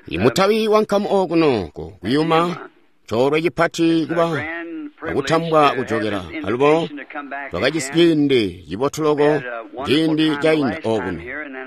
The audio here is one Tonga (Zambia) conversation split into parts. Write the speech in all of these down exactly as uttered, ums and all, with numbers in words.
Imutabi wankamu okuno ku kuyuma coolwe cipati kuba akutambwa kujokela alubo twakajisi ciindi cibotu loko ciindi cainda okuno.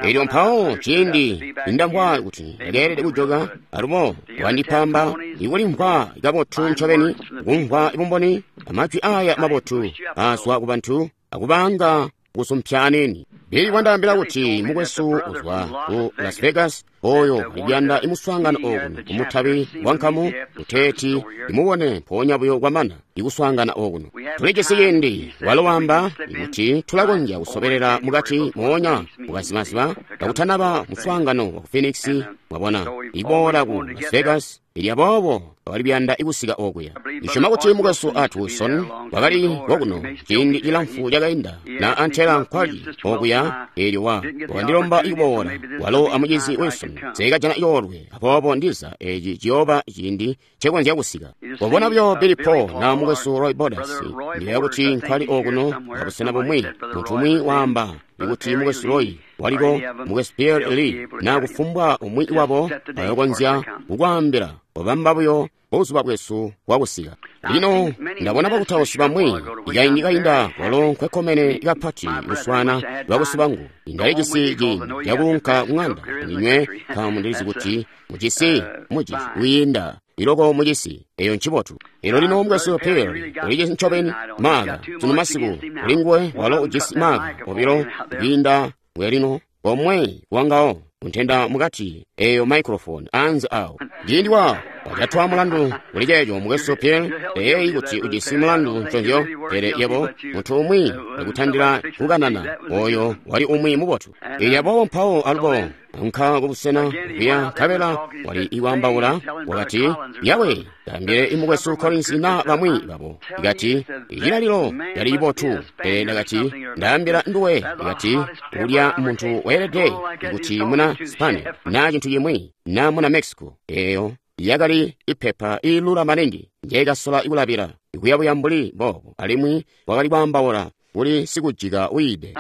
Elyo mpawo ciindi indamvwa kuti ndakeelede kujoka alubo wandipamba ikulimvwa kabotu ncobeni kumvwa bumboni amajwi aya mabotu azwa kubantu akubanga kusumpya anini. Billy wandaambila kuti mukwesu uzwa ku Las Vegas oyo alikuyanda imuswaangano okuno kumutabi wankamu kuteeti imubone mpoonya buyo kwamana ikuswaangana okuno. Tulijisi ciindi walo wamba kuti tulakonzya kusobelela mukati moonya mukazimaziba kakutanaba muswaangano wa ku Phoenix, mwabona, iboola ku Las Vegas. Ilya boobo bakali kuyanda ikusika okuya. Ndisyoma kuti mukwesu Art Wilson wakali kokuno ciindi cilamfu cakainda na antela nkwali okuya, eelyo wa wakandilomba ikuboola walo amucizi Wilson. Nseekajana coolwe, aboobo ndiza eci ciyooba ciindi ncekonzya kusika. Wabona buyo Billy Paul na mukwesu Roy Borders, ndiyeeya kuti nkwali okuno abusena bumwi. Muntu umwi waamba ikuti mukwesu Roy waliko, mukwesu Pierre Lee na kufumbwa umwi wabo ayokonzya kukwaambila wabamba buyo buzuba bwesu bwakusika. Lino ndabona bakutausi bamwi ikaindi kainda walo nkwekkomene kapati kuswaana bakusi bangu. Ndalijisi ciindi cakuunka kuŋanda ndinywe nkaambo ndilizi kuti mujisi muji wiinda iloko mujisi eyo ncibotu. Elo lino mukwesu Pierre ulijisi ncobeni maaka sunu masiku ulinguwe walo ujisi maaka obilo kwiinda bwelino komwe wangawo kuntenda mukati eyo microphone anze awo. Ciindi wa wajatwa mulandu kuli ceeco mukwesu Pierre eyeyi kuti ujisi mulandu nconzyo, pele yebo muntu umwi akutandila kukanana oyo wali umwi mubotu. Elyo aboobo mpawo alubo nka kubusena kuya nkabela wali iwambaula wakati, yawe ndaambile imukwesu Collins na bamwi babo. Ikati icilalilo yali ibotu, pele ndakati ndaambila nduwe, ikati ulya muntu weelede kuti muna Spani na cintu cimwi na muna Mexico. Eyo yakali ipepa ilula maningi njekasola ikulabila ikuyabuya mbuli boobo, alimwi wakali kwaambaula kuli sikujika uyide.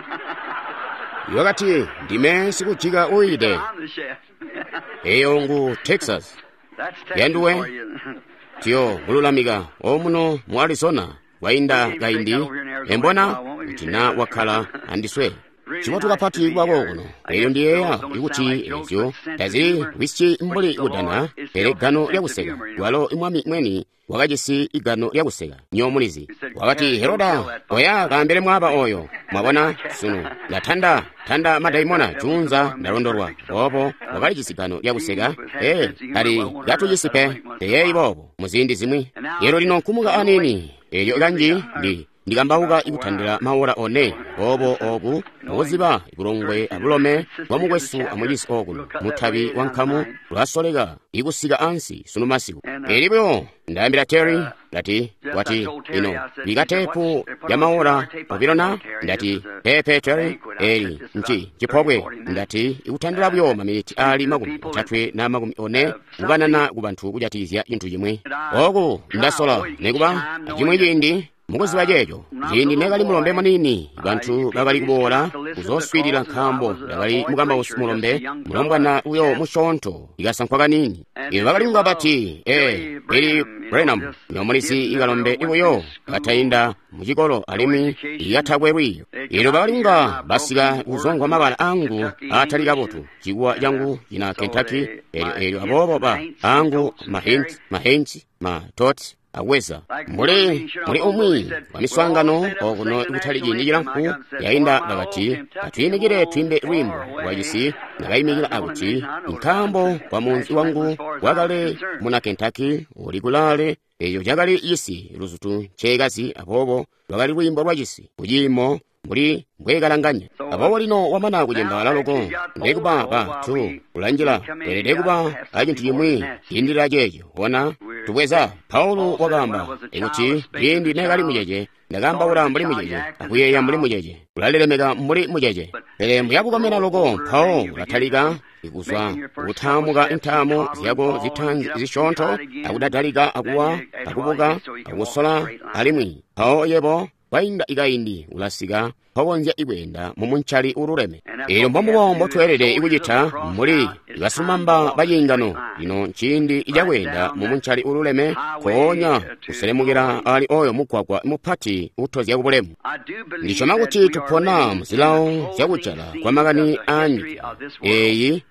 Wakati ndime sikujika uyide. Eyo ngu Texas yanduwe tiyo mululamika omuno mu Arizona wainda kaindi embona kuti na wakhala andiswe. Cibotu kapati kuba kokuno. Elyo ndiyeeya ikuti ezyo tazili wisyi mbuli kudana, pele gano lyakuseka walo imwami mweni wakajisi igano lyakuseka nyomulizi. Wakati Heroda oya kaambele mwaaba oyo, mwabona sunu ndatanda tanda madaimona junza ndalondolwa. Boobo wakalijisi gano lyakuseka ee tali katujisi pe teyeeyi boobo muziindi zimwi. Elo lino nkumuka anini elyo kanji ndi ndikambauka ikutandila maora one boobo oku mukuziba ibulongwe abulome bwa mukwesu amucisi okuno mutabi wa nkamu ulasoleka ikusika ansi sunu masiku. Eli buyo ndaambila Terry ndati wati ino bika tepu ya maora obilo na ndati pepe Terry eli nci cipobwe ndati ikutandila buyo maminiti ali makumi otatwe na makumi one kukanana ku bantu kujatikizya cintu cimwi. Oku ndasola nekuba acimwi ciindi mukuziba ceeco ciindi nekali mulombe munini bantu bakali kuboola kuzoswiilila nkaambo ndakali mukambausi mulombe mulombwana uyo musyoonto ikasankwa kanini. Iyo bakali kunga bati ee Billy Branham nyomulizi ikalombe ibuyo katainda mucikolo alimwi ikatakwe lwiiyo. Ilo bakali kunga basika kuzongwa mabala angu atali kabotu cikuwa cangu cina Kentucky elyo elyo aboobo ba angu mahint mahint ma tot aweza mbuli muli umwi wa miswaangano okuno ikutali ciindi cilamfu yainda bakati atwiimikile twimbe lwimbo lwacisi. Ndakayimikila akuti nkaambo kwa munzi wangu wakale muna Kentucky uli kulaale. Eyo cakali cisi luzutu nceekazi, aboobo lwakali lwiimbo lwacisi kuciimo mbuli mbwekalanganya. Aboobo lino wamana kucembaala loko ndekuba ba tu kulanjila weelede kuba acintu cimwi ciindilila ceeco. Bona tubweza Paulo wakaamba ikuti ciindi nekali mucece ndakaambaula mbuli mucece akuyeeya mbuli mucece kulalilemeka mbuli mucece, pele mbuyabukomena loko mpawo ulatalika ikuzwa kutaamuka intaamo zyako zitanzi zisyoonto akudadalika akuwa akubuka akusola alimwi mpawo yebo Kwainda ikaindi ulasika mpakonzya ikweenda mumuncali ululeme. Eelyo mbombubo mbotweelede ikucita mbuli basilumamba baciingano. Lino nciindi cakweenda mumuncali ululeme, mpoonya kuselemukila ali oyo mugwagwa mupati utozya kubulemu. Ndisyoma kuti tupona muzilawo zyakujala kwamakani aanyika eeyi.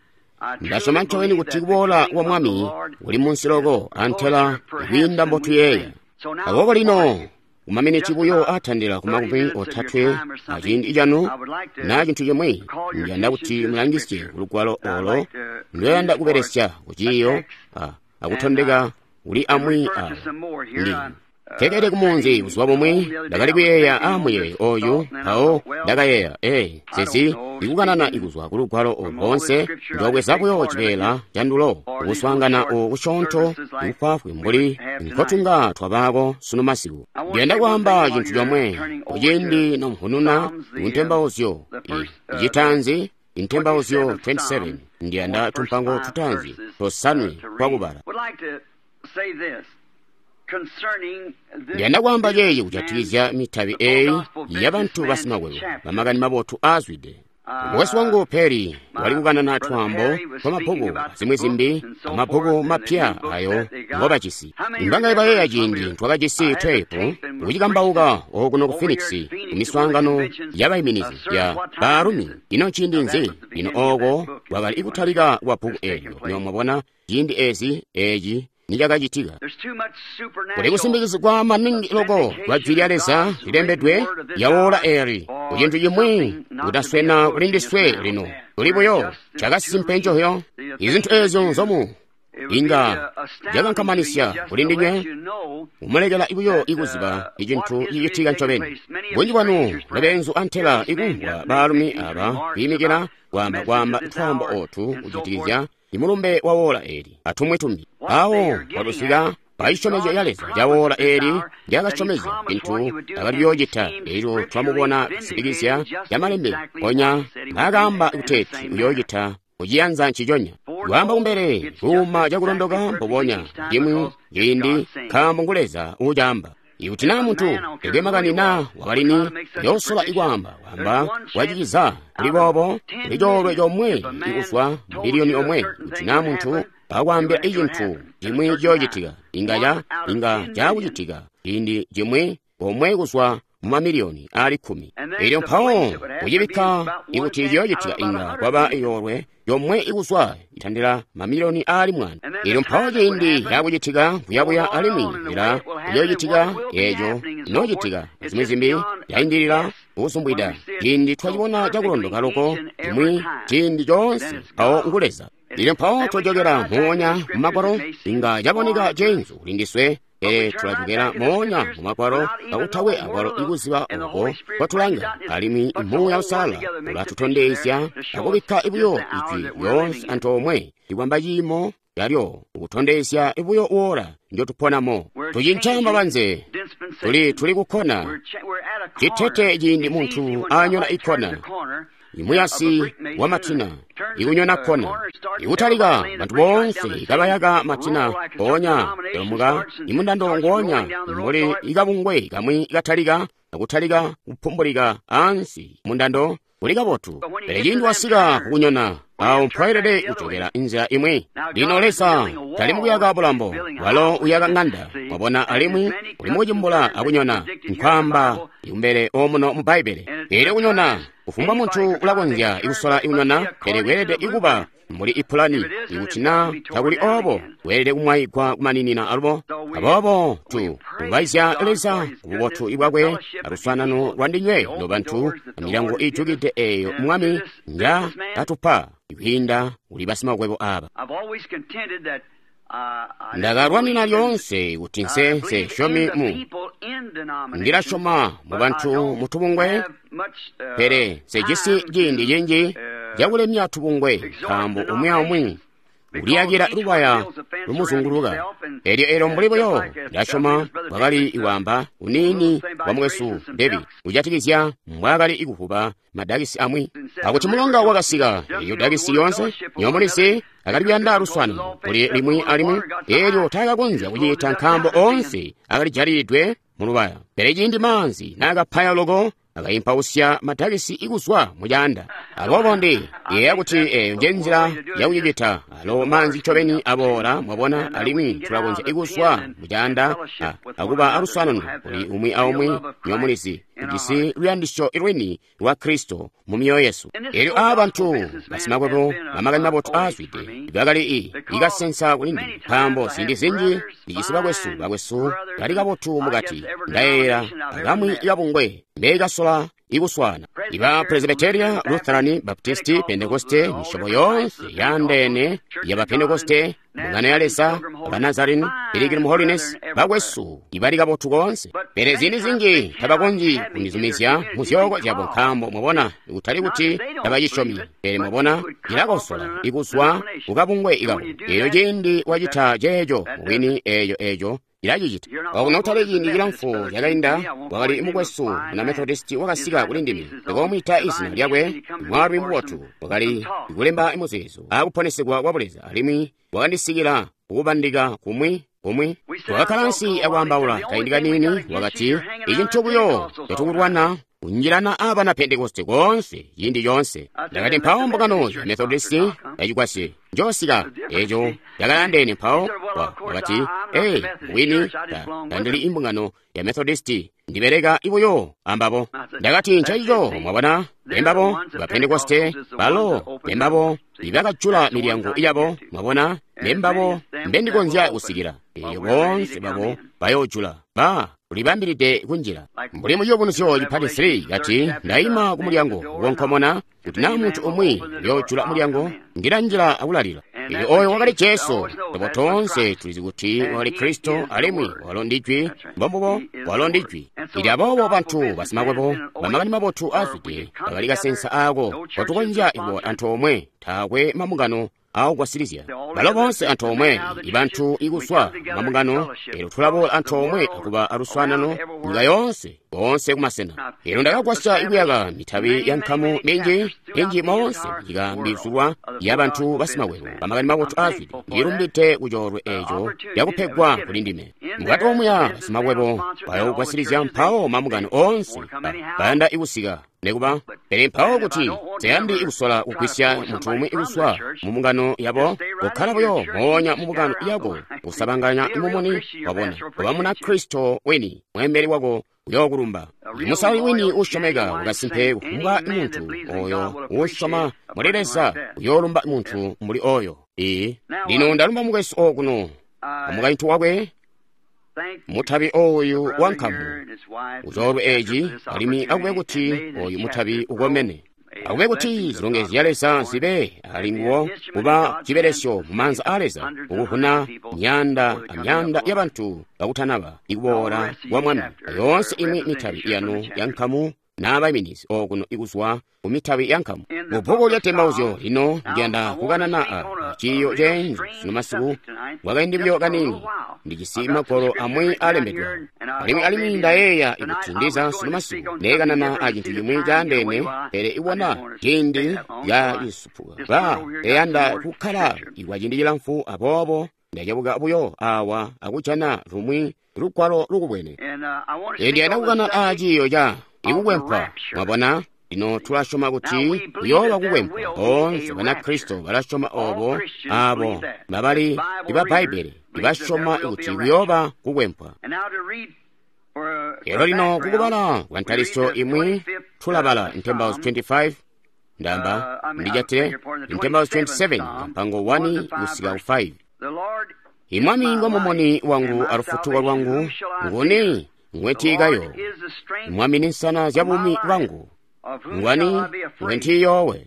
Ndasyoma ncobeni kuti kuboola kwa Mwami kuli munsi loko antela kwiinda mbotuyeeya. Aboobo lino kumaminiti buyo atandila ku makumi otatwe aciindi canu naa cintu cimwi, ndiyanda kuti mulangisye kulugwalo olo ndweyanda kubelesya kuciiyo akutondeka kuli amwi awo. Ndi tekele kumunzi buzuba bumwi ndakali kuyeeya aamuyeeyo oyu, mpawo ndakayeeya ee sesi ikukanana ikuzwa kulugwalo olu loonse ndobweza buyo cibeela candulo kuswaangana oku kusyoonto ikufwaafwi mbuli nkotunga twabaako sunu masiku. Ndiyanda kwaamba cintu comwe kuciindi nomuhununa kuntembauzyo icitaanzi, intembauzyo makumi abili asanu. Ndiyanda tumpango tutaanzi tosanwe twakubala. Ndiyanda kwaamba ceeci kujatikizya mitabi eeyi yabantu basimakwebo bamakani mabotu aazwide. Mukwesu wangu Perry wali kukanana twaambo twamabbuku azimwi zimbi, amabbuku mapya ayo ngobajisi. Imbangaye bayeeya ciindi twakajisi teepu kucikambauka okuno ku Phoenix kumiswaangano yabaiminizi ya baalumi. Ino nciindi nzi? Lino ooko kwakali ikutalika kwa bbuku eelyo. Lino mwabona ciindi ezi eeci nicakacitika. Kuli kusimbikizigwa maningi loko kwa Jwi lya Leza lilembedwe lyawoola eeli kucintu cimwi kutaswena kuli ndiswe lino. Kuli buyo cakasimpe ncoyo. Izintu eezyo nzomu inga zyakankamanisya kuli ndinywe, kumulekela buyo ikuziba icintu cicitika ncobeni. Bunji bwanu lobeenzu antela ikumvwa baalumi aba kwiimikila kwaamba kwaamba twaambo ootu kujatikizya imulumbe wa woola eeli atumwi tumbi. Awo watusika pacisyomezyo ya Leza ca woola eeli lyakasyomezya cintu akali kuyoocita. Eelyo twamubona kusitikizya yamalembe ponya mbaakaamba kuteeti uyoocita kuciyanza nciconya. Kwaamba kumbele kuuma cakulondoka mbubonya cimwi ciindi, nkaambo ngu Leza uucaamba. Ikuti naa muntu ekwe makani naa wakalini yoosola ikwaamba kwaamba kwaciciza kuli boobo, kuli coolwe comwe ikuzwa mbiliyoni omwe. Kuti naa muntu akwaambila icintu cimwi ciyoocitika, inga ca inga caakucitika ciindi cimwi omwe kuzwa mumamiliyoni aali kkumi. Eelyo mpawo kucibikka ikuti ciyoocitika inga kwaba iyoolwe yomwe ikuzwa itandila mamiliyoni aali mwaanda. Eelyo mpawo ciindi caakucitika kuyabuya alimwi ila iyoocitika eeco inoocitika zimwi zimbi yaindilila kusumbwida. Ciindi twacibona cakulondoka loko cimwi ciindi coonse mpawo ngu Leza. Eelyo mpawo twajokera moonya mumagwalo, inga caboneka ceenzu kuli ndiswe. Pele tulajokera moonya mumagwalo kakutakwe akwalo ikuziba oko kwatulanga, alimwi Muuya Uusalala ulatutondezya akubikka buyo ijwi lyoonse antoomwe likwamba ciimo lyalyo ukutondezya buyo woola njotuponamo. Tucinca mabanze, tuli tuli kukkona citete ciindi muntu anyona ikkona, imuyasi wa matina ikunyona kkona ikutalika bantu boonse kabayaka matina mpoonya lomuka imundando ngoonya mbuli ikabungwe kamwi katalika akutalika kupumbulika ansi mundando uli kabotu. Pele ciindi wasika kukunyona awo mpwaelede kujokera inzila imwi. Lino Leza tali mukuyaka bulambo, walo uyaka ng'anda. Wabona, alimwi uli mukucimbula akunyona, nkwaamba ikumbele omuno mu Bbaibbele. Eelyo kunyona kufumbwa muntu ulakonzya ikusola ikunyona, pele kweelede ikuba mbuli ipulani. Ikuti naa takuli oobo, weelede kumwayigwa kumaninina alubo. Aboobo tu lumbaizya Leza kububotu bwakwe aluswaanano lwa ndinywe nobantu amilyango iijukide eeyo Mwami nja katupa kwiinda kuli basimakwebo aaba. Ndakalwanina lyoonse kuti nse nsesyomi mu ndilasyoma mu bantu mutubungwe, pele nsejisi ciindi cinji cakulemya tubungwe, nkaambo umwi aumwi Uliyakila lubaya lumuzunguluka. Elyo elyo mbuli buyo ndasyoma bwakali kwaamba uniini wa mukwesu David kujatikizya mbwaakali ikuvuba madakisi amwi, akuti mulonga wakasika eyo dakisi yoonse nyomulizi akali kuyanda luswano kuli limwi alimwi, elyo taakakonzya kucita nkaambo oonse akali jalilidwe mulubaya. Pele ciindi maanzi naakapaya loko, akaimpausya madakisi ikuzwa mucaanda. Aboobo ndi yeeya kuti eyo nje nzila yakucicita. Alo maanzi ncobeni aboola, mwabona, alimwi tulakonzya ikuzwa mucaanda akuba aluswaanano kuli umwi aumwi. Nyomulizi tujisi luyandisyo lwini lwa Kristo mu myoyo yesu. Elyo aba bantu basimakwebo bamakani mabotu aazwide bakali i ikasensa kuli ndime, nkaambo ziindi zinji ndijisi bakwesu bakwesu bali kabotu mukati. Ndayeeyela akamwi kabungwe mbekasola ikuswana iba Presbyteria, Lutheran, Baptisti, Pentekoste, misyobo yoonse yaandeene yaba Pentekoste, mbungano ya Leza, Abanazarene, Pilgrim Holiness, bakwesu ibali kabotu koonse. Pele ziindi zinji tabakonzyi kundizumizya mu zyooko zyabo, nkaambo mwabona, kutali kuti tabacisyomi, pele mwabona cilakosola ikuzwa kukabungwe ikabo. Elyo ciindi wacita ceeco mubwini, eeco eeco ilacicita. Okuno kutali ciindi cilamfu cakainda, wakali mukwesu muna Methodisti wakasika kuli ndime. Ndikomwiita izina lyakwe, mwaalumi mubotu, wakali kulemba muzeezo akuponesegwa kwa Buleza, alimwi wakandisikila kukubandika kumwi kumwi. Twakakkala ansi akwaambaula kaindi kaniini. Wakati, icintu buyo catukulwana kunjilana abana Pentekoste koonse ciindi coonse. Ndakati, mpawo mbungano ya Methodisti yacikwasye njoosika eco yakalandeene. Mpawo wakati, ee, wini tandili imbungano ya Methodisti, ndibeleka ibuyo ambabo. Ndakati, ncencico, mwabona, bembabo ba Pentekoste balo bembabo ibakajula milyango yabo, mwabona, bembabo mbendikonzya kusikila. Elyo boonse babo bayoojula ba ulibambilide kunjila. Mbuli muciyubunuzyo cipati three kati, ndaima ku mulyango wonkomona, kuti naa muntu umwi uyoojula mulyango, ndilanjila akulalila. Elyo oyo wakali Jesu. Tobo toonse tulizi kuti wakali Kristo, alimwi walo ndi Jwi. Mbombubo, walo ndi Jwi. Ili aboobo bantu basimakwebo bamakani mabotu aazwide bakali kasensa aako kotukonzya kuboola antoomwe, taakwe mambungano aakugwasilizya. Balo boonse antoomwe, ibantu ikuzwa mambungano, elyo tulaboola antoomwe akuba aluswaanano nyika yoonse, boonse kumasena. Elyo ndakagwasya ikuyaka mitabi ya nkamu minji minji moonse nyika mbizulwa ya bantu basimakwebo bamakani mabotu aazwide. Ndilumbide kucoolwe eco yakupegwa kuli ndime. Mukati omuya basimakwebo bayoogwasilizya, mpawo mambungano oonse bayanda ikusika nekuba. Pele mpawo kuti tayandi ikusola kugwisya muntu umwi ikuswa mu mbungano yabo, kukkala buyo moonya mu mbungano yako, kusabanganya mumuni, wabona, kuba muna Kristo wini, mweembeli wako uyookulumba. Musali wini uusyomeka wakasimpe, kufumbwa muntu oyo uusyoma muli Leza uyoolumba muntu mbuli oyo. Ee, lino ndalumba mukwesu okuno amukaintu wakwe, mutabi oyu wa nkamu ucoolwe eci, alimwi akube kuti oyu mutabi ukomene. Akube kuti zilongezyo zya Leza zibe ali nguwo, kuba cibelesyo mu maanza a Leza, ukuvuna myanda amyanda y'abantu bakutanaba ikuboola kwa Mwami. Yoonse imwi mitabi yanu ya nkamu n'abaiminizi okuno ikuzwa ku mitabi ya nkamu. Mu bbuku lya Tembauzyo lino ndiyanda kukanana a ciiyo ceenzu sunu masiku kwakaindi buyo kaniini. Ndijisi magwalo amwi alembedwe, alimwi alimwi ndayeeya kuti ndiza sunu masiku neekanana a cintu cimwi caandeene, pele ibona ciindi cacisupuka ba eyanda kukkala ikwa ciindi cilamfu, aboobo ndacebuka buyo awa akujana lumwi lugwalo lukubwene. Ndiyanda kukana a ciiyo ca ikukwempwa, mwabona. Lino tulasyoma kuti kuyooba kukwempwa. Boonse Banakristo balasyoma obo, abo babali iba Bbaibbele ibasyoma kuti kuyooba kukwempwa. Elo lino kukubala kwa ntalisyo imwi tulabala Ntembauzi twenty-five, ndamba ndijatile Ntembauzi twenty-seven mpango one kusika ku five. Imwami ngomumuni wangu alufutuko lwangu, nguni ngwentiikayo? Mwami ni nsana zya bumi bwangu, ngwani ngwentiiyoowe?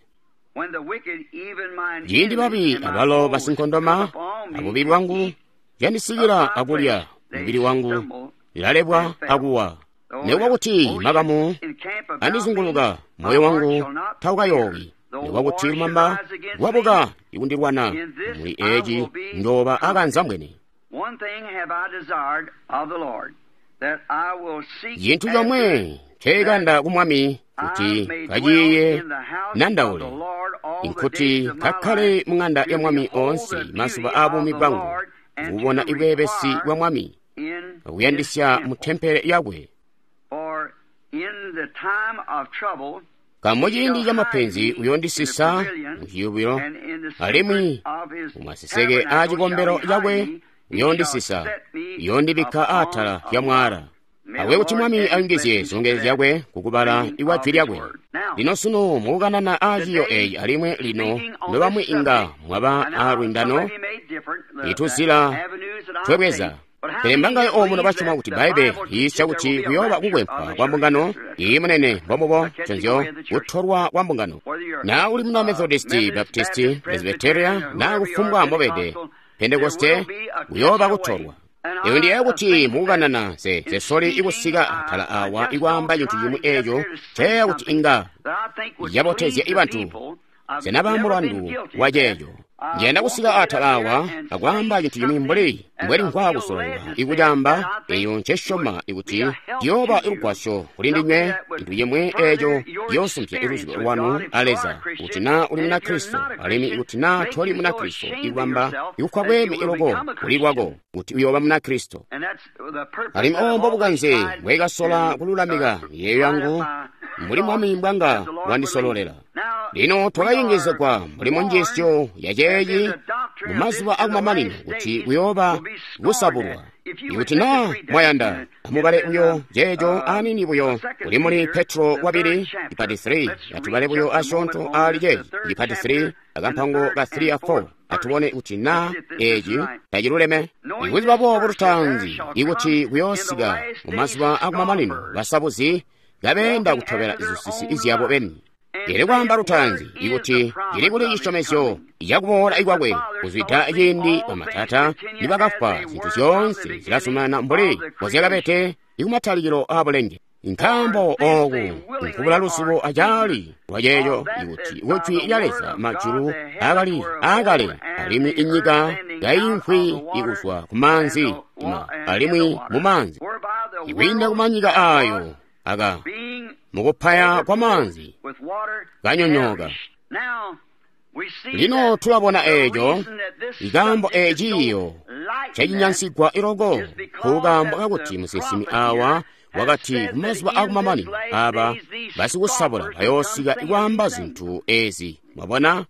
Ciindi babi abalo basinkondoma abubi bwangu zyandisikila akulya mubili wangu, lilalebwa akuwa. Nekuba kuti makamu andizunguluka, moyo wangu taukayoowi. Nikuba kuti lumamba lwabuka ikundilwana, muli eeci njooba akanzambwene. Cintu comwe ncekanda ku Mwami kuti kaciiye nandaule, nkuti kakkale mu ŋanda ya Mwami oonse mazuba aabuumi bwangu, kubona ibweebesi bwa Mwami, akuyandisya mu tempele yakwe. Nkaambo ciindi camapenzi uyoondisisa mu ciyubilo, alimwi mumaseseke aa cikombelo cakwe uyoondisisa, uyoondibikka atala lya mwaala. Akube kuti Mwami ayungizye zilongezyo zyakwe kukubala ikwa jwi lyakwe. Lino sunu mukukanana aa ciiyo eeci alimwi lino nobamwi inga mwaba aalwindano ituzila twebweza. Pele mbangaye omuno basyoma kuti Bbaibbele liyiisya kuti kuyooba kukwempwa kwa mbungano iyi munene mbombubo nconzyo kutolwa kwa mbungano. Naa uli muna Methodisti, Baptisti, Presbyteria naa kufumbwa mbobede Pentekoste, kuyooba kutolwa. Eyo ndiyeeya kuti mukukanana nse soli ikusika atala awa ikwaamba cintu cimwi eeco nceyeeya kuti inga cabotezya ibantu. Sena mulandu wa ceeco. Njiyanda kusika atala awa akwaamba cintu cimwi mbuli mbweli nkwa kusololwa ikucaamba eyo ncesyoma ikuti ciyooba lugwasyo kuli ndinywe, cintu cimwi eeco ciyoosumpya luzibo lwanu a Leza kuti naa uli Munakristo alimwi ikuti naa toli Munakristo ikubamba ikukwa bweeme iloko kuli lwako kuti uyooba Munakristo. Alimwi obo mbobukanze mbwekasola kululamika miyeeyo yangu mbuli Mwami mbwanga wandisololela. Lino twakayungizigwa mbuli munjiisyo yaceeci mumazuba akumamanino kuti kuyooba kusabulwa. Ikuti naa mwayanda, amubale buyo ceeco aniini buyo kuli muli Petro wabili ipati three, atubale buyo asyoonto aali ceeci ipati three akampango ka three a four, atubone kuti naa eeci taciluleme. Ikuziba boobo lutaanzi ikuti kuyoosika mumazuba akumamanino basabuzi kabeenda kutobela zisusi zyabo beni. Pele kwaamba lutaanzi ikuti cili kuli cisyomezyo cakuboola kwakwe kuzwida ciindi bamatata nibakafwa, zintu zyoonse zilazumanana mbuli mbozyakabede ikumatalikilo aabulenge. Nkaambo ooku nkubula luzibo acaali lwaceeco ikuti kujwi lya Leza majulu akali aakale alimwi inyika yayimvwi ikuzwa kumaanzi alimwi mumaanzi ikwiinda kumanyika aayo aka mukupaya kwa maanzi kanyonyooka. Lino tulabona eeco ikaambo eeciyo cacinyansigwa iloko kukaambo kakuti musinsimi awa wakati kumazuba akumamanino aaba basikusabula bayoosika ikwaamba zintu ezi. Mwabona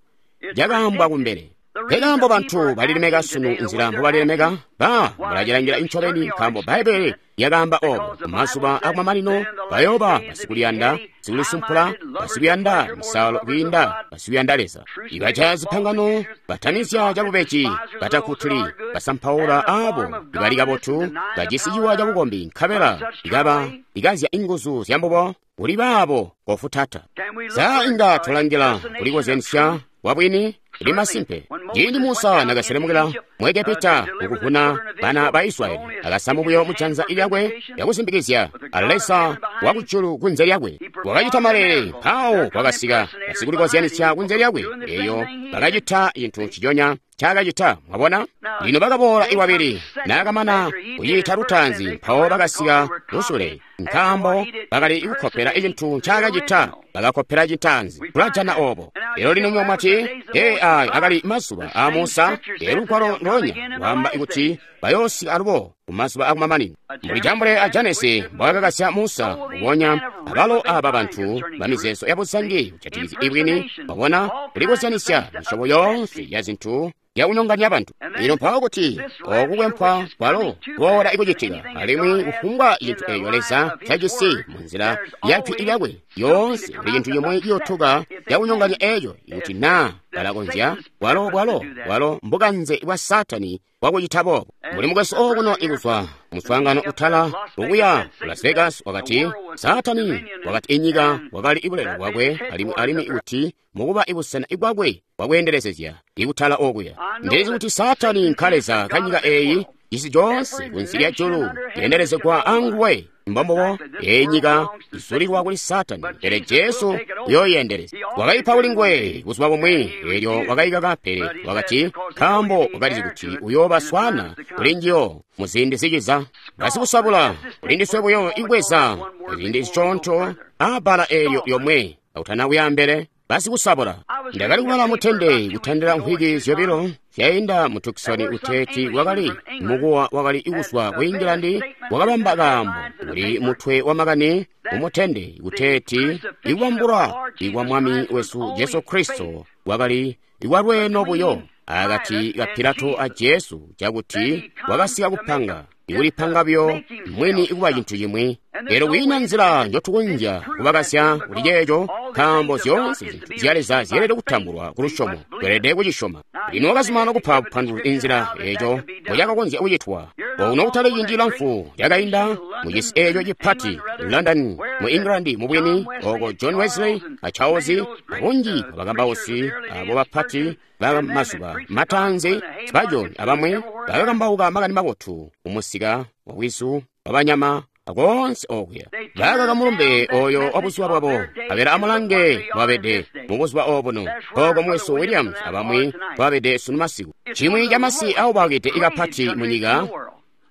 cakaambwa kumbele. Nkaambo bantu balilemeka sunu nzila mbobalilemeka, ba mulacilangila incobeni nkaambo Bbaibbele lyakaamba obo. Kumazuba akumamanino bayooba basikuliyanda, basikulisumpula, basikuyanda misaalo kwiinda basikuyanda Leza, ibajaya zipangano, batamizya cabubeji, batakkutuli, basampaula aabo ibali kabotu, bajisi ciwa cabukombi nkabela ikaba ikazya inguzu zyambubo kuli baabo kofutata. Sa inga tulangila kulikozyanisya kwabwini? Kuli masimpe. Ciindi Musa nakaselemukila mu Egepita kukuvuna bana ba Israyeli, akasamu buyo mujanza lyakwe lyakusimbikizya a Leza wakujulu kunze lyakwe. Wakacita maleele, mpawo kwakasika basikulikozyanisya kunze lyakwe, eyo bakacita cintu nciconya ncaakacita. Mwabona? Lino bakaboola iwabili, naakamana kuciita lutaanzi, mpawo bakasika lusule, nkaambo bakali kukkopela cintu ncaakacita, bakakkopela cintaanzi. Tulajana obo. Lelo lino nywe mwati, ee, ayo akali mazuba aa Musa. Lelo lugwalo ndoonya lwaamba kuti bayoosika alubo kumazuba akumamanino. Mbuli Jambule a Janesi mbwakakasya Musa, kubonya abalo aba bantu bamizeezo yabuzangi kujatikizya ibwini, mwabona, kulikozyanisya misyobo yoonse ya zintu yakunyonganya bantu. Lino mpawo kuti oku kwempwa kwalo kuboola ikucitika, alimwi kufumbwa cintu eeco Leza cajisi munzila ya jwi lyakwe yoonse kuli cintu cimwe ciyotuka cakunyonganya eeco ikuti naa balakonzya, bwalo bwalo bwalo mbukanze bwa Saatani bwakucita boobo. Mbuli mukwesu okuno ikuzwa muswaangano utala okuya ku Las Vegas wakati Saatani wakati inyika wakali ibulelo bwakwe alimwi alimwi kuti mukuba ibusena bwakwe bwakweendelezezya ikutala okuya. Ndilizi kuti Saatani nkaleza kanyika eeyi, cisi coonse kunsi lya julu yeendelezegwa anguwe. Mbombubo, eyi nyika izulilwa kuli Saatani, pele Jesu uyooyendeleza. Wakaipa kuli nguwe buzuba bumwi, eelyo wakaikaka, pele wakati, nkaambo wakalizi kuti uyooba swana kuli njiyo mu ziindi ziciza. Basikusabula kuli ndiswe buyo ibweza ziindi zisyoonto aabbala eelyo lyomwe akutana kuyaambele. Basikusabula. Ndakali kubala mutende kutandila mvwiki zyobilo zyainda mu Tucson kuteeti wakali mukuwa wakali kuzwa ku England wakabamba kaambo kuli mutwe wa makani mumutende kuteeti ikubambulwa ikwa Mwami wesu Jesu Kristo wakali ikwalweeno buyo akati ka Pilato a Jesu, cakuti wakasika kupanga ikulipanga buyo mwini ikuba cintu cimwi. Lero kwiina nzila njotukonzya kubakasya kuli ceeco, nkaambo zyoonse zintu zya Leza zyeelede kutambulwa ku lusyomo, tweelede kucisyoma. Lino wakazumana kupa bupanduluzi inzila eeco mbocakakonzya kucitwa. Okuno kutali ciindi cilamfu cakainda mu cisi eeco cipati London mu England, mubwini oko John Wesley a Charles bunji bwabakambausi abo bapati ba mazuba mataanzi, Spurgeon abamwi bakakambauka makani mabotu kumusika wa bwizu wabanyama akoonse okuya. Bakaka mulumbe oyo wa buzuba bwabo, abela amulange bwabede mu buzuba obuno, oko mwesu Williams abamwi bwabede sunu masiku. Chimwi camasi aubakide ikapati mu nyika.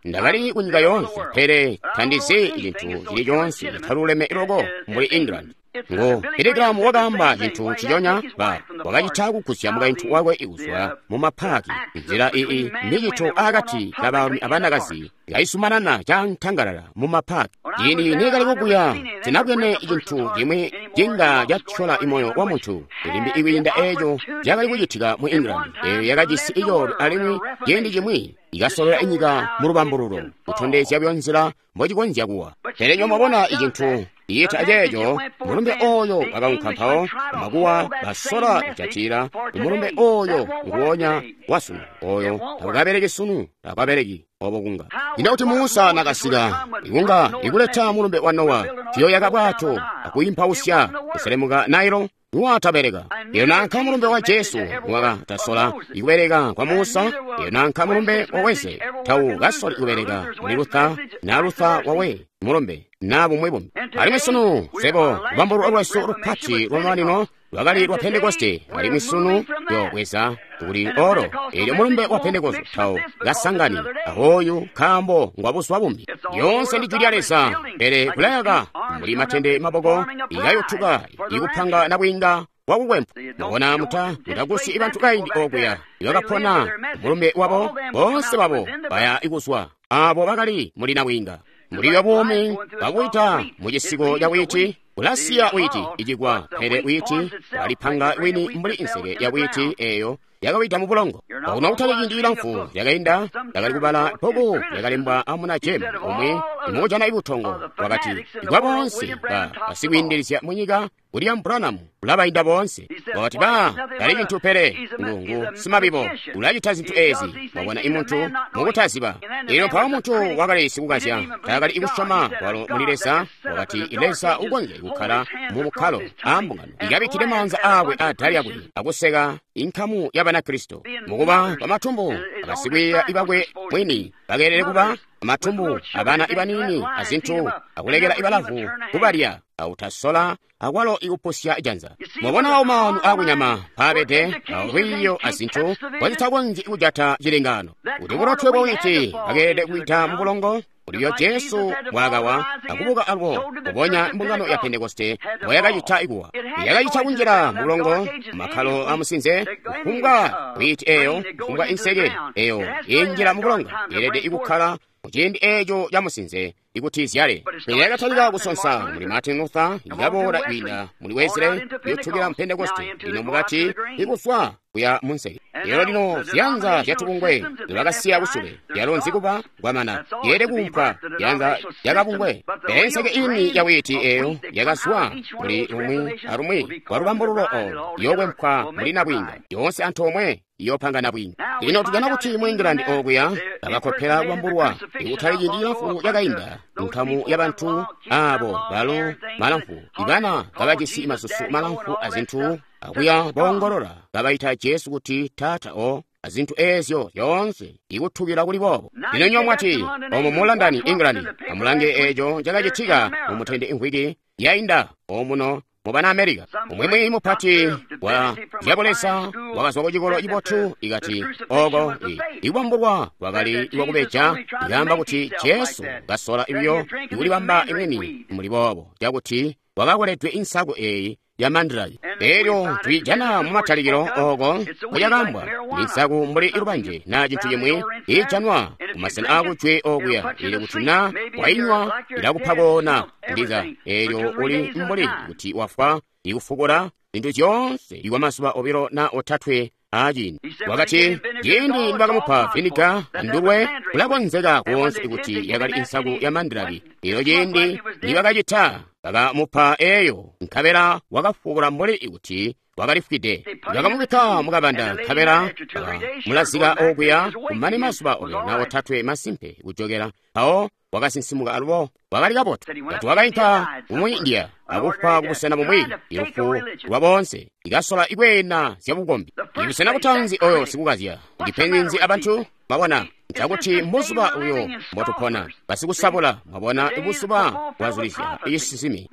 Ndakali ku nyika yoonse, pele tandizi cintu cili coonse citaluleme loko mbuli England. Ngo Billy Graham wakaamba cintu ciconya, ba wakacita kugusya mukaintu wakwe kuzwa mu mapaaki. Nzila iyi micito akati kabaalumi abanakazi kaisumanana cantangalala mu mapaaki. Ciindi nikali kukuya sinabwene cintu cimwi cinga catyola imoyo wa muntu limbi ikwiinda eeco cakali kucitika mu England. Eeyo yakajisi icoolwe alimwi ciindi cimwi ikasolola inyika mu lubambululo kutondezya buyo nzila mbocikonzya kuwa. Pele nyo mwabona icintu iyita ceeco, mulumbe oyo wakaunka mpawo amakuwa basola kujatila umulumbe oyo nguwonya wasunu oyo takukabeleki sunu, takukabeleki obo kunga. Ino kuti Musa nakasika ikunga ikuleta mulumbe wa Nowa, tiyoyaka bwato akuimpausya kuselemuka Nailo, niwatabeleka. Iyo nanka mulumbe wa Jesu wakatasola ikubeleka kwa Musa, iyo nanka mulumbe wa Wesley tau kasoli kubeleka muli Luther na Luther wawe mulumbe na bumwi bumbi. Alimwi sunu sebo lubambululo lwesu lupati lwamamanino lwakali lwa Pentekoste, alimwi sunu yobweza kuli oro eelyo mulumbe wa Pentekoste tau kasangani ahoyu nkaambo ngwa buzuba bumbi. Yoonse ndi jwi lya Leza, pele kulayaka mbuli matende maboko ikayotuka ikupanga nabwiinga wakukwempwa. Mwabona muta mutakusi ibantu kaindi okuya ibakapona mulumbe wabo, boonse babo baya ikuzwa abo bakali muli nabwiinga. Muli wabuumi bakuita mu cisiko ca witi, ulasiya witi icikwa, pele witi walipanga wini mbuli inseke ya witi eyo yakawida mu bulongo. Okuno kutali ciindi cilamfu lyakainda, ndakali kubala bbuku lyakalembwa amuna James umwi imukujana ibutongo, wakati ikwa boonse ba basikwiindilizya mu nyika William Branham ulabainda boonse. Wakati ba tali cintu pele ngungu simabibo ulacita zintu ezi. Mwabona imuntu mukutaziba. Elyo mpawo muntu wakali sikukazya taakali ikusyoma kwalo muli Leza. Wakati Leza ukonzya kukkala mu bukkalo ambungano ikabikkile maanza aakwe atala lyakwe akuseka inkamu ya Banakristo mukuba bamatumbu abasikwiiya ibakwe mwini bakeelele kuba amatumbu abana ibanini azintu akulekela ibalavu kubalya autasola akwalo ikupusya janza. Mwabona awo maanu akunyama mpaabede awolwiiyo azintu wazitakonzyi kujata cilengano. Kuti bulotwe bwa witi bakeelede kuita mu bulongo uliyo Jesu bwakawa akubuka alwo kubonya mbungano ya Pentekoste mbwayakacita ikuwa. Yakacita kunjila mu bulongo makkalo amusinze kufumbwa witi eyo kufumbwa inseke eyo injila mu bulongo yeelede ikukkala muciindi eeco camusinze ikuti izyale. Pele yakatalika kusonsa muli Martin Luther, ikaboola kwiinda muli Wesley, yotukila mu Pentekoste, lino mukati ikuzwa kuya munseke. Lero lino zyanza zyatubungwe lwakasiya kusule lyalo nzikuba kwamana yeelede kuumpwa yanza yakabungwe. Pele nseke ini ya witi eyo yakazwa muli lumwi alumwi kwa lubambululo olo yokwempwa muli nabwiinga yoonse antoomwe iyopanga nabwiinga. Lino tujana kuti mu England okuya bakakopela kubambulwa ikutali ciindi cilamfu cakainda nkamu ya bantu abo balo malamfu ibana kabajisi masusu malamfu azintu akuya boongolola kabaita Jesu kuti taata o azintu ezyo zyoonse ikutukila kuli boobo. Lino nywa mwati omo mu London, England, amulange eco cakacitika mu mutende imvwiki yainda omuno mu bana America. Umwimwi mupati wa zyabulesa wakazwa ku cikolo cibotu ikati oko ikubambulwa kwakali iwakubeja, ikaamba kuti Jesu kasola ibyo ikulibamba imwini muli boobo cakuti wakakoledwe insaku eyi ya mandraki. Elyo twijana mu matalikilo oko kulyakambwa ninsaku mbuli ilubanje na cintu cimwi ijanwa kumasena akujwe okuya, ili kuti na wainywa ilakupa koona ndiza elyo uli mbuli kuti wafwa ikufukula zintu zyoonse ikwa mazuba obilo na otatwe aciindi. Wakati ciindi nibakamupa viniga andulwe kulakonzeka koonse kuti yakali insaku ya mandraki. Elyo ciindi nibakacita bakamupa eyo nkabela wakafukula mbuli kuti wakalifwide. Bakamubikka mukabanda nkabela bakamulazika okuya kumane mazuba obilo na otatwe masimpe kujokela. Mpawo wakasinsimuka alubo wakali kabotu. Kati wakainka mu India akufwa kubusena bumwi ilufu lwa boonse ikasola ikweena zyabukombi. Ibusena butanzi oyo sikukazya ndipenzi abantu mwabona ncakuti mbuzuba uyo mbotupona basikusabula mwabona ibuzuba bwazulizya cisisimi.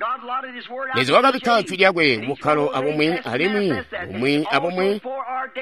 Leza wakabikka jwi lyakwe kubukkalo abumwi alimwi bumwi abumwi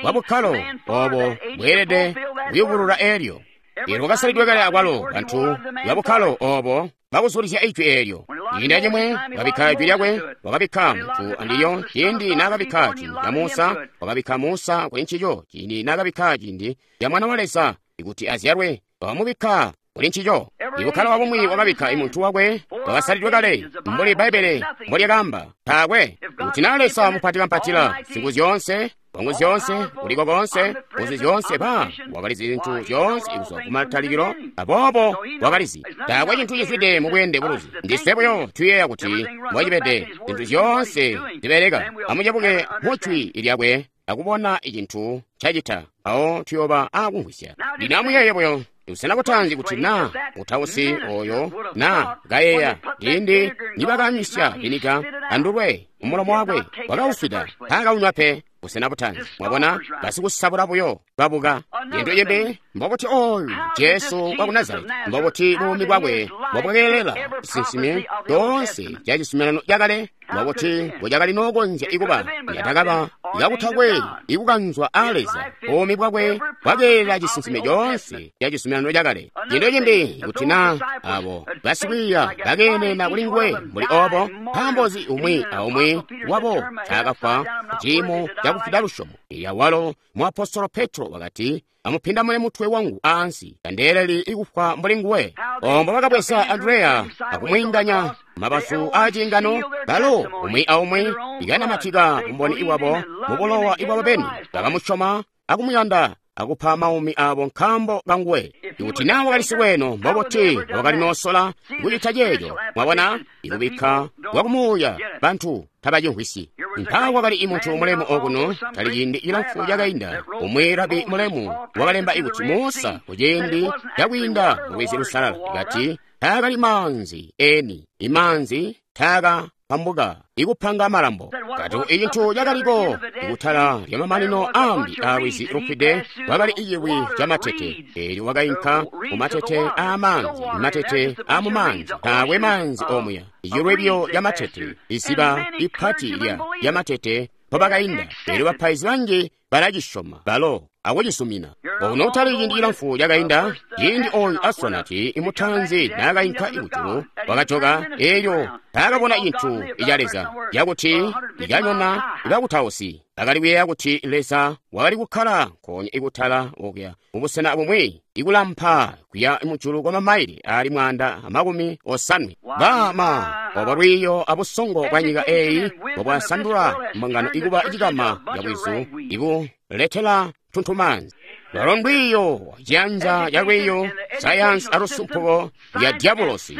bwa bukkalo obo bweelede kuyubulula elyo. Elyo wakasalidwe kale akwalo bantu babukkalo obo bakuzulizya ijwi eelyo. Ciindi acimwi wakabikka jwi lyakwe, wakabikka muntu andilyo. Ciindi naakabikka ciindi ca Musa, wakabikka Musa kuli ncico. Ciindi naakabikka ciindi ca Mwana wa Leza kuti azyalwe, wakamubikka kuli ncico. Ibukkalo abumwi wakabikka imuntu wakwe wakasalidwe kale mbuli Bbaibbele mbolyakaamba. Taakwe kuti naa Leza mupatikampatila zingu zyoonse, wangu zyoonse, kuliko koonse, nguzu zyoonse, ba wakalizi zintu zyoonse kuzwa kumatalikilo, aboobo wakalizi. Taakwe cintu cizwide mu bweende buluzi. Ndiswe buyo tuyeeya kuti mbocibede zintu zyoonse zibeleka. Amucebuke mu jwi lyakwe akubona icintu cacita, awo tuyoba akumvwisya. Lino amuyeeye buyo busena butanzi kuti na mutausi oyo na kayeeya ciindi nibakanywisya viniga andulwe mumulomo wakwe wakaufida taakaunywa pe. Busena butanzi mwabona basikusabula buyo babuka. Cintu cimbi mbobuti oyu Jesu waku Nazareti, mbobuti buumi bwakwe mbobwakeelela cisinsimi coonse ca cizuminano cakale, mbobuti mbocakali nookonzya ikuba yatakaba kakutakwe ikukanzwa a Leza. Buumi bwakwe bwakeelela cisinsimi coonse ca cizuminano cakale. Cintu cimbi kuti na abo basikwiiya bakeenena kuli nguwe mbuli obo, nkaambo nzi umwi aumwi wabo taakafwa ciimo cakufida lusyomo. Ilya walo muapostolo Petro wakati, amupindamune mutwe wangu aansi, tandeeleli ikufwa mbuli nguwe. Ombo bakabweza Andreya akumwiinganya mabazu aciingano, balo umwi aumwi ikanamatika bumboni iwabo mubulowa ibwabo beni. Bakamusyoma akumuyanda akupa maumi abo nkaambo kanguwe. Ikuti naa wakali sikweno, mbobuti wakali noosola kucita ceeco? Mwabona ikubikka kwakumuuya bantu tabacimvwisyi. Mpaawa kwakali imuntu mulemu okuno tali ciindi cilamfu cakainda, umwi rabi mulemu wakalemba ikuti Musa kuciindi cakwiinda mu Lwizi Lusalala kati taakali maanzi eni, imaanzi taaka pambuka ikupanga malambo. Kati icintu cakaliko ikutala lya mamanino ambi a lwizi lufwide kwakali iciwi ca matete. Elyo wakainka mu matete aamanzi, matete aamumanzi, taakwe maanzi omuya, icilwibyo ca matete, iziba ipati lya lya matete mpobakainda. Elyo bapaizi banji balacisyoma balo akucisumina. Ono kutali ciindi cilamfu cakainda, ciindi oyu astronauti imutanzi naakainka ikujulu, wakajoka elyo taakabona cintu ica Leza cakuti ikanyona ibakutausi bakali kuyeeya kuti Leza wakali kukkala nkoonya ikutala okuya mubusena bumwi ikulampa kuya mujulu kwa mamaili ali mwaanda amakumi osanwe. Bama obo lwiiyo abusongo bwa nyika eyi mbobwasandula mbungano ikuba cikama cabwizu ikuletela tuntumanzi. Lwalo ndwiiyo ciyanza ca lwiiyo sayansi alusumpuko lya diabolosi,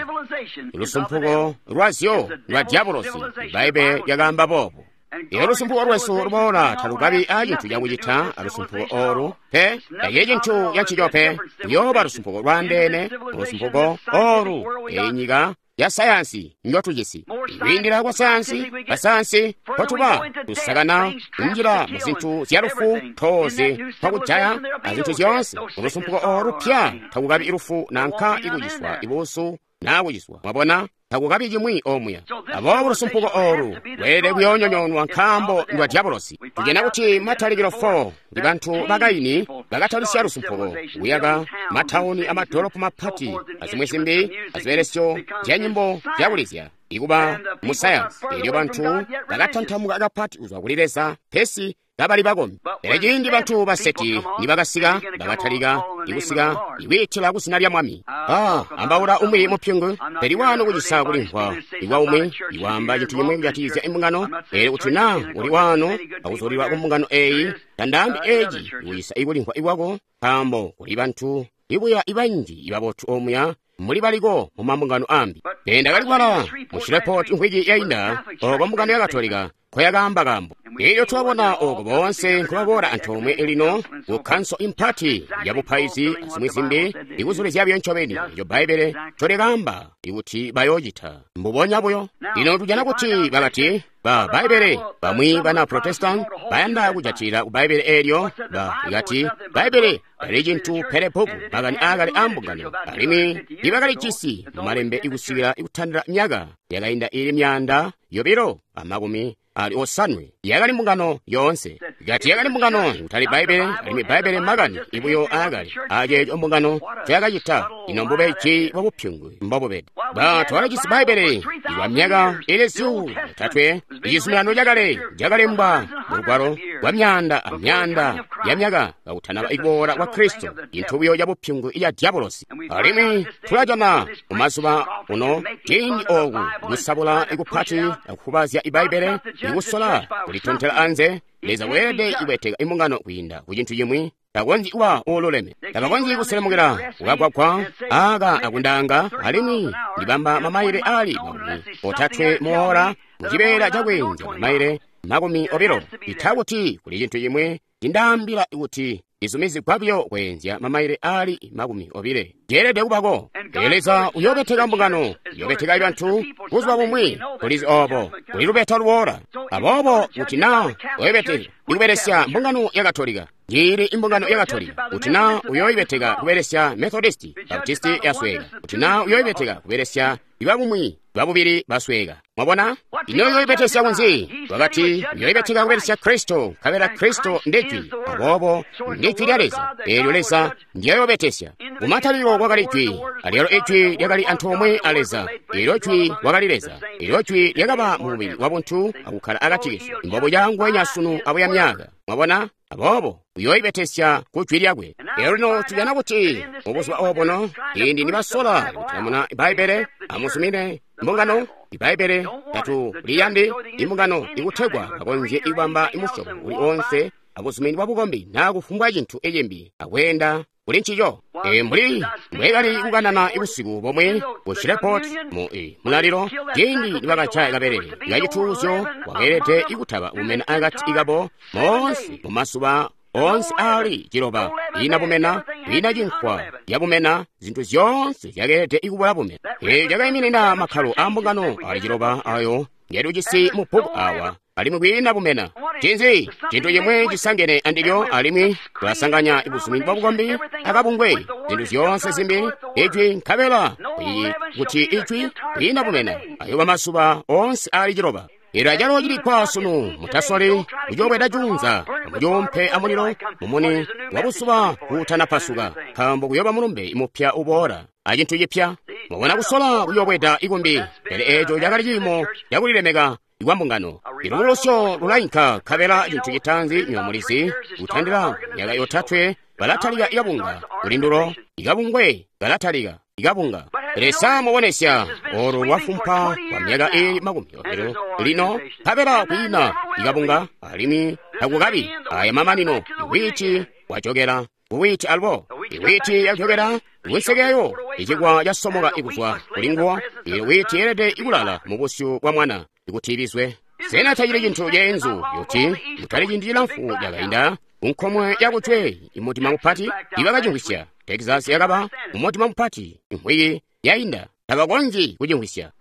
lusumpuko lwazyo lwa diabolosi. Bbaibbele lyakaamba boobo. Elyo lusumpuko lwesu luboola talukabi a cintu cakucita alusumpuko olu pe, taciye cintu cancico pe. Kuyooba lusumpuko lwaandeene, lusumpuko olu eyi nyika ya sayansi njotujisi. Kwiindila kwa sayansi, basayansi kotuba tusakana kunjila mu zintu zya lufu, toze twakujaya azintu zyoonse. Mulusumpuko olupya takukabi lufu nanka ikuciswa ibuusu naa kuciswa. Mwabona, takukabi cimwi omuya. Aboobo lusumpuko olu lweelede kuyoonyonyoonwa nkaambo ndwa dyabolosi. Tujana kuti matalikilo four ndi bantu ba Kaini bakatalisya lusumpuko kuyaka matawuni amadolopo mapati azimwi zimbi azibelesyo zya nyimbo zyakulizya ikuba musayansi. Elyo bantu bakatantamuka kapati kuzwa kuli Leza pesi kabali bakombi. Pele ciindi bantu ba Seti nibakasika, bakatalika ikusika ikwiitila kuzina lya Mwami. Ah, ambaula umwi mupyungu, peli wano kucisa kulimvwa ikwa umwi iwaamba cintu cimwi kujatikizya imbungano. Pele kuti naa uli wano akuzulilwa kumbungano eyi, tandaambi eci ikucisa ikulimvwa ikwako, nkaambo kuli bantu ibuya ibanji ibabotu omuya muli baliko mu mambungano ambi. Pele ndakali kubala mu Shreveport mvwiki yainda oko mbungano ya Katolika nkoyakaamba kambo. Elyo twabona oko boonse nkobaboola antoomwe lino ku kanso impati ya bupaizi azimwi zimbi ikuzulizya buyo ncobeni eco Bbaibbele ncolikaamba ikuti bayoocita mbubonya buyo. Lino tujana kuti bakati ba Bbaibbele bamwi bana Protestant bayanda kujatilila ku Bbaibbele eelyo ba ikati Bbaibbele tali cintu pele bbuku makani aakale a mbungano, alimwi ibakalijisi mu malembe ikusikila ikutandila myaka yakainda ili myaanda yobilo amakumi ali osanwe. Yakali mbungano yoonse. Kati yakali mbungano kutali Bbaibbele, alimwi Bbaibbele makani ibuyo aakale aceeco mbungano ncoyakacita. Ino mbubeji bwa bupyungu mbobubede. Ba twakajisi Bbaibbele ikwa myaka ili zyuulu yotatwe. Icizuminano cakale cakalembwa mu lugwalo kwa myaanda amyaanda ya myaka kakutanaba ikuboola kwa Kristo, cintu buyo ca bupyungu iya dyabolosi. Alimwi tulajana mumazuba uno ciindi oku kusabula ikupati akufubazya Ibbaibbele ikusola kulitontela anze. Leza weelede ibweteka imbungano kwiinda ku cintu cimwi. Takonzyi kuba uululeme, tabakonzyi kuselemukila kukagwagwa aka akundanga, alimwi ndibamba mamaile ali makumi otatwe muola mucibeela cakweenzya mamaile makumi obilo. Ita kuti kuli cintu cimwi cindaambila kuti izumizigwa buyo kweenzya mamaile ali makumi obile. Ceelede kubako. Pele Leza uyoobeteka mbungano, uyoobeteka bantu buzuba bumwi. Kulizi obo kuli lubeta luboola. Aboobo kuti naa uyoobeteka ikubelesya mbungano ya Katolika, njili imbungano ya Katolika, kuti naa uyoobeteka kubelesya Methodisti, Baptisti yasweka, kuti naa uyoobeteka kubelesya ibabumwi babubili basweka. Mwabona? Ino uyoibetesya kunzi? Wakati uyoibeteka kubelesya Kristo, nkabela Kristo ndi Jwi. Aboobo ndi Jwi lya Leza. Eelyo Leza ndiyoyobetesya. Kumatalikilo kwakali Jwi, alyalo Ijwi lyakali antoomwe a Leza. Eelyo Jwi wakali Leza. Eelyo Jwi lyakaba mu mubili wa buntu akukkala akati kesu. Mbobuya nguwenya sunu abuya myaka. Mwabona? Aboobo uyoibetesya ku Jwi lyakwe. Eelyo lino tujana kuti mubuzuba obuno ciindi nibasola kutamuna Bbaibbele, amusumine mbungano Ibbaibbele tatuliyandi imbungano ikutegwa bakonzye ikubamba imusyobo uli onse abuzumini bwa bukombi naa kufumbwa cintu icimbi akweenda kuli ncico. E mbuli mbwekali kukanana ibusiku bomwe ku Shreveport mu e mulalilo, ciindi nibakajaya kabelele kacituuzyo wakeelede ikutaba bumena akati kabo moonse mu mazuba onse ali ciloba. Ina bumena, ina cinkwa yabumena, zintu zyoonse zyakeelede ikubula bumena. Eeyo cakaiminina makkalo a mbungano ali ciloba ayo ngetujisi mu bbuku awa, alimwi kwiina bumena. Cinzi cintu cimwi cisangene andilyo, alimwi tulasanganya ibuzumini bwa bukombi akabungwe, zintu zyoonse zimbi, Ijwi nkabela kuti Ijwi kwiina bumena ayoba mazuba onse ali ciloba. Eelyo acalo cilikwa sunu, mutasoli kucoobweda juunza, amucoompe amulilo mumuni wa buzuba kuutanapasuka, nkaambo kuyoba mulumbe mupya uboola acintu cipya. Mwabona kusola kuyoobweda ikumbi, pele eeco cakali ciimo cakulilemeka ikwa mbungano. Ilubulusyo lulainka nkabela cintu citaanzi nyomulizi kutandila myaka yotatwe balatalika ikabunga kulindulo, ikabungwe kalatalika ikabunga. Pele sa mubonesya olu lwafumpa kwa myaka ili makumi obilo lino, nkabela kwiina ikabunga alimwi takukabi aya mamanino. Iwiti wajokela kuwiti alubo, iwiti yajokela kuwinsekeyo, icikwa casomoka ikuzwa kulinguwo. Iwiti yeelede ikulala mu busyu bwa mwana ikuti ibizwe. Sena tacili cintu ceenzu kuti kutali ciindi cilamfu cakainda kunkomwe yakujwe imutima mupati ibakacimvwisya. Texas yakaba mumutima mupati imvwiki yainda. Tabakonzyi kucimvwisya.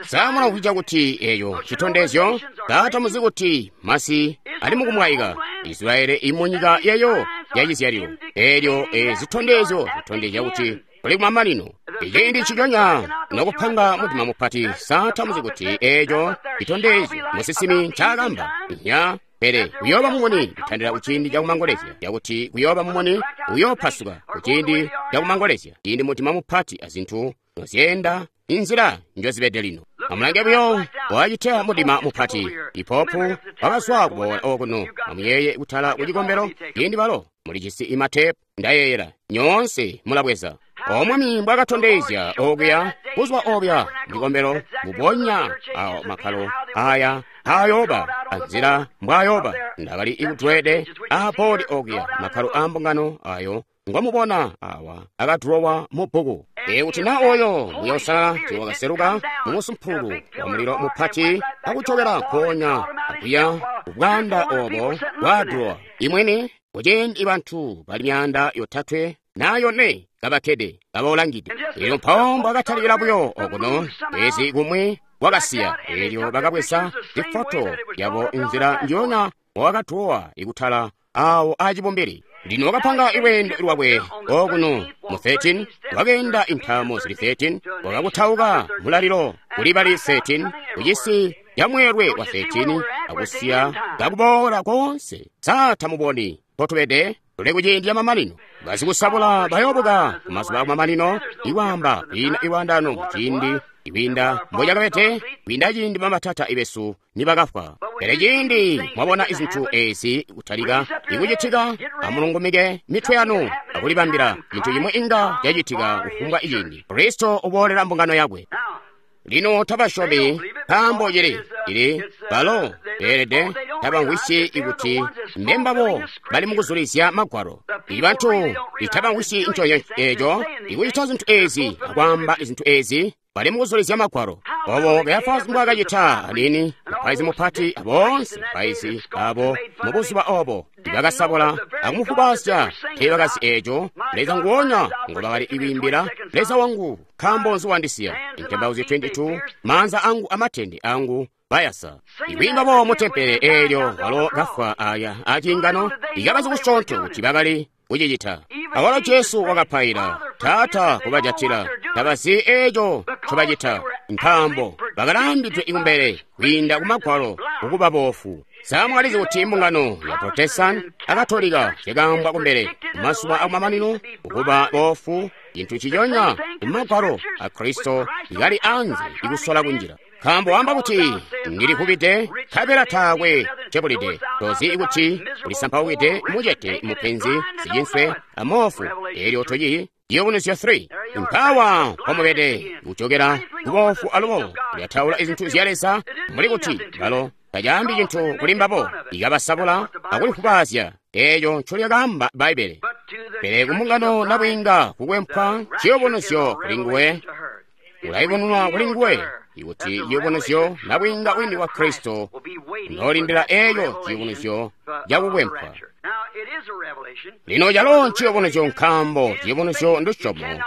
Sa mulamvwisya kuti eyo citondezyo? Sa tamuzi kuti masi ali mukumwaika? Israeli imunyika yeyo yacizyalilo. Elyo e zitondezyo zitondezya kuti kuli kumamanino. Iciindi nciconya nokupanga mudima mupati. Sa tamuzi kuti eco citondezyo musinsimi ncaakamba? Nya. Pele kuyooba mumuni kutandila kuciindi cakumangolezya, cakuti kuyooba mumuni uyoopasuka kuciindi cakumangolezya, ciindi mudima mupati azintu nozyeenda inzila njozibede lino. Amulange buyo wacita mudima mupati. Ipopu wakazwa kuboola okuno. Amuyeeye kutala kucikombelo ciindi balo mulijisi imatepu, ndayeeyela nyoonse mulabweza. Omwami mbwakatondezya okuya kuzwa obuya mucikombelo mbubonya awo makkalo aya ayoba anzila mbwayoba. Ndakali ikudwede aaboodi okuya makkalo a mbungano ayo ngomubona awa akadulowa mu bbuku. Ikuti na oyo Muuya Uusalala tiwakaseluka mu musumpulu wa mulilo mupati akucokela nkoonya akuya kubwanda obo bwadulowa imwene, kuciindi bantu bali myaanda yotatwe na yone kabakkede kabaulangide. Elyo mpawo mbwakatalikila buyo okuno ezi kumwi wakasiya. Elyo bakabweza zifoto yabo inzila njiyona wakatuwa ikutala awo acibumbili. Lino wakapanga ilweendo lwakwe okuno mu thirteen, wakeenda intamo zili thirteen, wakakutauka mulalilo kuli bali thirteen, kucisi ya mweelwe wa thirteen, akusiya kakuboola konse. Sa tamuboni mpotubede? Tuli kuciindi ca mamanino. Basikusabula bayoobuka kumazuba akumamanino, ikwaamba kwiina ilwaandano muciindi ikwiinda mbocakabede, kwiinda ciindi bamatata besu nibakafwa. Pele ciindi mwabona izintu ezi kutalika ikucitika, amulungumike mitwe yanu akulibambila cintu cimwi inga cacitika kufumbwa iciindi. Kristo uboolela mbungano yakwe. Lino tabasyomi nkaambo cili cili balo beelede tabamvwisyi ikuti mbembabo bali mukuzulizya magwalo. Ibantu itabamvwisyi nco eco ikucita zintu ezi akwaamba zintu ezi bali mukuzulizya magwalo. Obo Kayafasi mbwaakacita anini, mupaizi mupati aboonse bapaizi abo mubuzuba obo ibakasabola akumufubasya teebakazi eco. Leza nguonya ngobakali ikwiimbila, Leza wangu nkaambo nzi wandisiya? Intembauzyo twenty-two, maanza angu amatende angu bayasa. Ikwiimba bo mutempele eelyo walo kafwa aya aciingano ikabazi kusyoonto kuti bakali kucicita. Awalo Jesu wakapaila, Taata kubajatila, tabazi eco ncobacita, nkaambo bakalambidwe ikumbele kwiinda kumagwalo kukuba boofu. Sa mwalizi kuti mbungano ya Protestant Akatolika zyakaambwa kumbele kumazuba akumamanino kukuba boofu, cintu ciconya kumagwalo a Kristo ikali anze ikusola kunjila. Nkaambo wamba kuti ndilivubide nkabela taakwe cebulide, tozi kuti ulisampaukide mucete mupenzi sicinswe amoofu, elyo toci Ciyubunuzyo three. Mpawa mpomubede kucokera kuboofu alubo kulyataula izintu zya Leza, muli kuti balo tacaambi cintu kuli mbabo, ikabasabula akulifubazya eeco ncolyakaamba Bbaibbele. Pele kumbungano nabwiinga kukwempwa ciyubunuzyo kuli nguwe, ulayubununwa kuli nguwe ikuti ciyubunuzyo nabwiinga wini wa Kristo noolindila eeco ciyubunuzyo cakukwempwa. Lino calo nciyubunuzyo nkaambo ciyubunuzyo ndusyomo.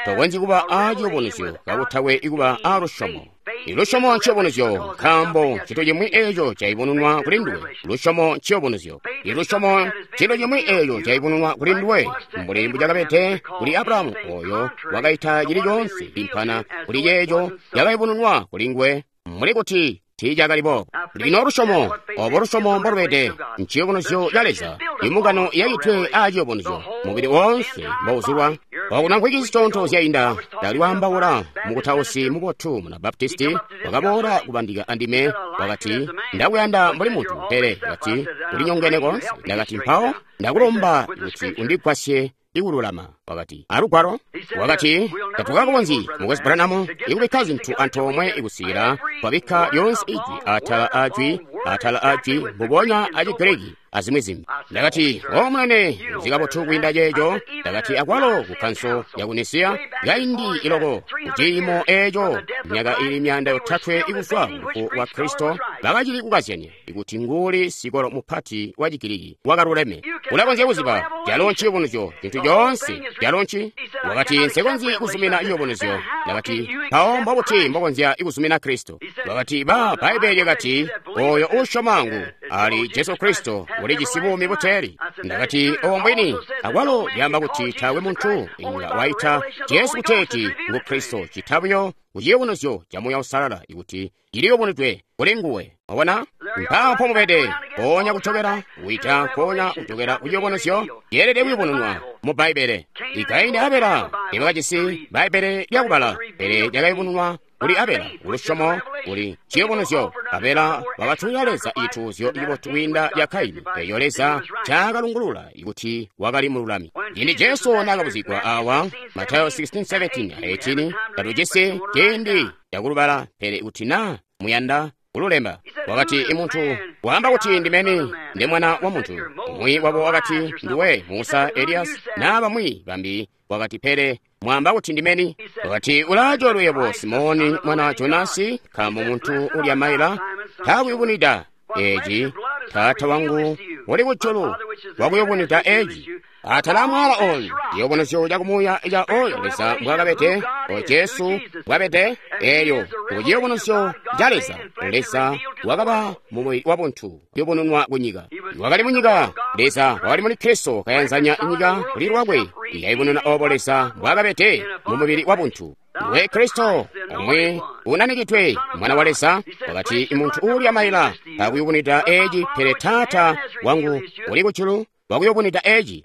Tokonzyi kuba a ciyubunuzyo kakutakwe ikuba a lusyomo. Ilusyomo nciyubunuzyo nkaambo cintu cimwi eeco cayubununwa kuli nduwe. Lusyomo nciyubunuzyo. Ilusyomo cintu cimwi eeco cayubununwa kuli nduwe, mbuli mbucakabede kuli Abrahamu oyo wakaita cili coonse impana kuli ceeco cakayubununwa kuli nguwe, mbuli kuti tiicakali boobo. Lino lusyomo, obo lusyomo mbolubede, nciyubunuzyo ca Leza. Imbungano yaitwe a ciyubunuzyo, mubili woonse mbouzulwa. Okuna nkwiki zisyoonto zyainda, ndali waambaula mukutausi mubotu muna Baptisti, wakaboola kubandika andime, wakati, ndakuyanda mbuli muntu, pele wakati, ulinyongene koonse. Ndakati, mpawo ndakulomba kuti undigwasye ikululama. Wakati, alugwalo. Wakati, tatukakonzyi, Mukwesu Branham, ikubikka zintu antoomwe ikusikila twabikka lyonse ijwi atala ajwi atala ajwi mbubonya a Chigiriki azimwi zimbi. Ndakati, o munene, uzi kabotu kwiinda ceeco. Ndakati, akwalo ku Kkanso yaku Nisiya kaindi iloko kuciimo eeco myaka ili myaanda yotatwe ikuzwa ku wa Kristo bakacili kukazyanya ikuti nguuli sikolo mupati wa Chigiriki wakaluleme. Ulakonzya kuziba calo nciyubunuzyo cintu coonse calo nci. Wakati, nsekonzyi kuzumina ciyubunuzyo. Ndakati, mpawo mbobuti mbokonzya kuzumina Kristo? Wakati, ba Bbaibbele lyakati oyo uusyoma ngu ali Jesu Kristo ulijisi buumi buteeli. Ndakati, obo mbwini. Akwalo lyaamba kuti taakwe muntu inga waita Jesu kuteeti ngu Kristo cita buyo kuciyubunuzyo ca Muuya Uusalala ikuti ciliyubunudwe kuli nguwe. Mwabona? Mpaapo mubede, mpoonya kucokera kuita mpoonya kucokera kuciyubunuzyo yeelede kuyubununwa mu Bbaibbele. Ikaini Abela tebakajisi Bbaibbele lyakubala, pele lyakayubununwa kuli Abela kulusyomo kuli ciyubunuzyo. Abela wakatulila Leza ituuzyo cibotu kwiinda lya Kaini, eeyo Leza caakalungulula ikuti wakali mululami. Ciindi Jesu naakabuzigwa awa, Matayo sixteen seventeen eighteen, tatujisi ciindi cakulubala, pele kuti naa muyanda kululemba. Wakati, imuntu waamba kuti ndimeni ndi mwana wa muntu. Umwi wabo wakati, nduwe Musa, Elias, naa bamwi bambi. Wakati, pele mwaamba kuti ndimeni. Wakati, ulaacoolwe yebo Simoni mwana wa Jonasi, nkaambo muntu ulya maila takuyubunwida eeci, Taata wangu uli kujulu wakuyubunwida eeci. Atala amwaala oyu ciyubunuzyo cakumuuya ca oyo Leza mbwaakabede, o Jesu mbwabede, eeyo kuciyubunuzyo ca Leza. Leza wakaba mumubili wabuntu kuyubununwa kunyika. Wakali munyika, Leza wakali muli Kristo kayanzanya nyika kuli lwakwe, ikayubununa obo Leza mbwaakabede mumubili wabuntu. Ndiwe Kristo, omwe unanikidwe mwana wa Leza. Wakati, imuntu uulya maila takuyubunwida eeci, pele Taata wangu uli kujulu wakuyubunwida eeci.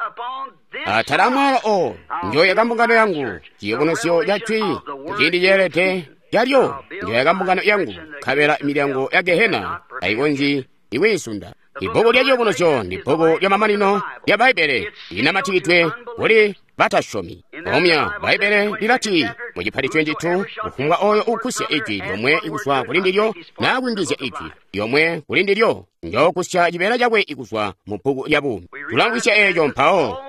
Atala amwaala oyo njoyaka mbungano yangu, ciyubunuzyo ca jwi kuciindi ceelede calyo njoyaka mbungano yangu, nkabela milyango ya Gehena tayikonzyi ikwiisunda. Ibbuku lya ciyubunuzyo ndi bbuku lya mamanino lya Bbaibbele linamatikidwe kuli batasyomi. Omya Bbaibbele lilati mu cipati twenty-two, kufumbwa oyo ukusya ijwi lyomwe ikuzwa kuli ndilyo naa kuyungizya ijwi lyomwe kuli ndilyo, njookusya cibeela cakwe ikuzwa mu bbuku lya buumi. Tulamvwisya eeco mpawo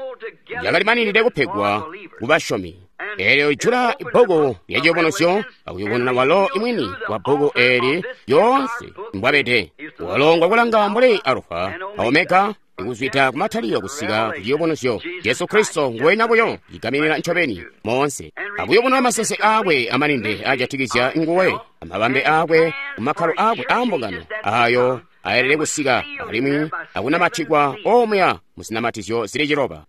lyakalimaninide kupegwa kubasyomi. Eelyo ijula ibbuku lya ciyubunuzyo akuyubununa walo imwini wa bbuku eeli lyoonse mbwabede. Walo ngwakulanga mbuli Alufa a Omega, ikuzwida kumataliro kusika ku ciyubunuzyo. Jesu Kristo nguwenya buyo cigaminina ncobeni moonse, akuyubununa masese aakwe amaninde ajatikizya nguwe, amabambe aakwe, kumakkalo aakwe aambungano ayo ayelede kusika alimwi akunamatikwa omuya muzinamatizyo zili ciloba.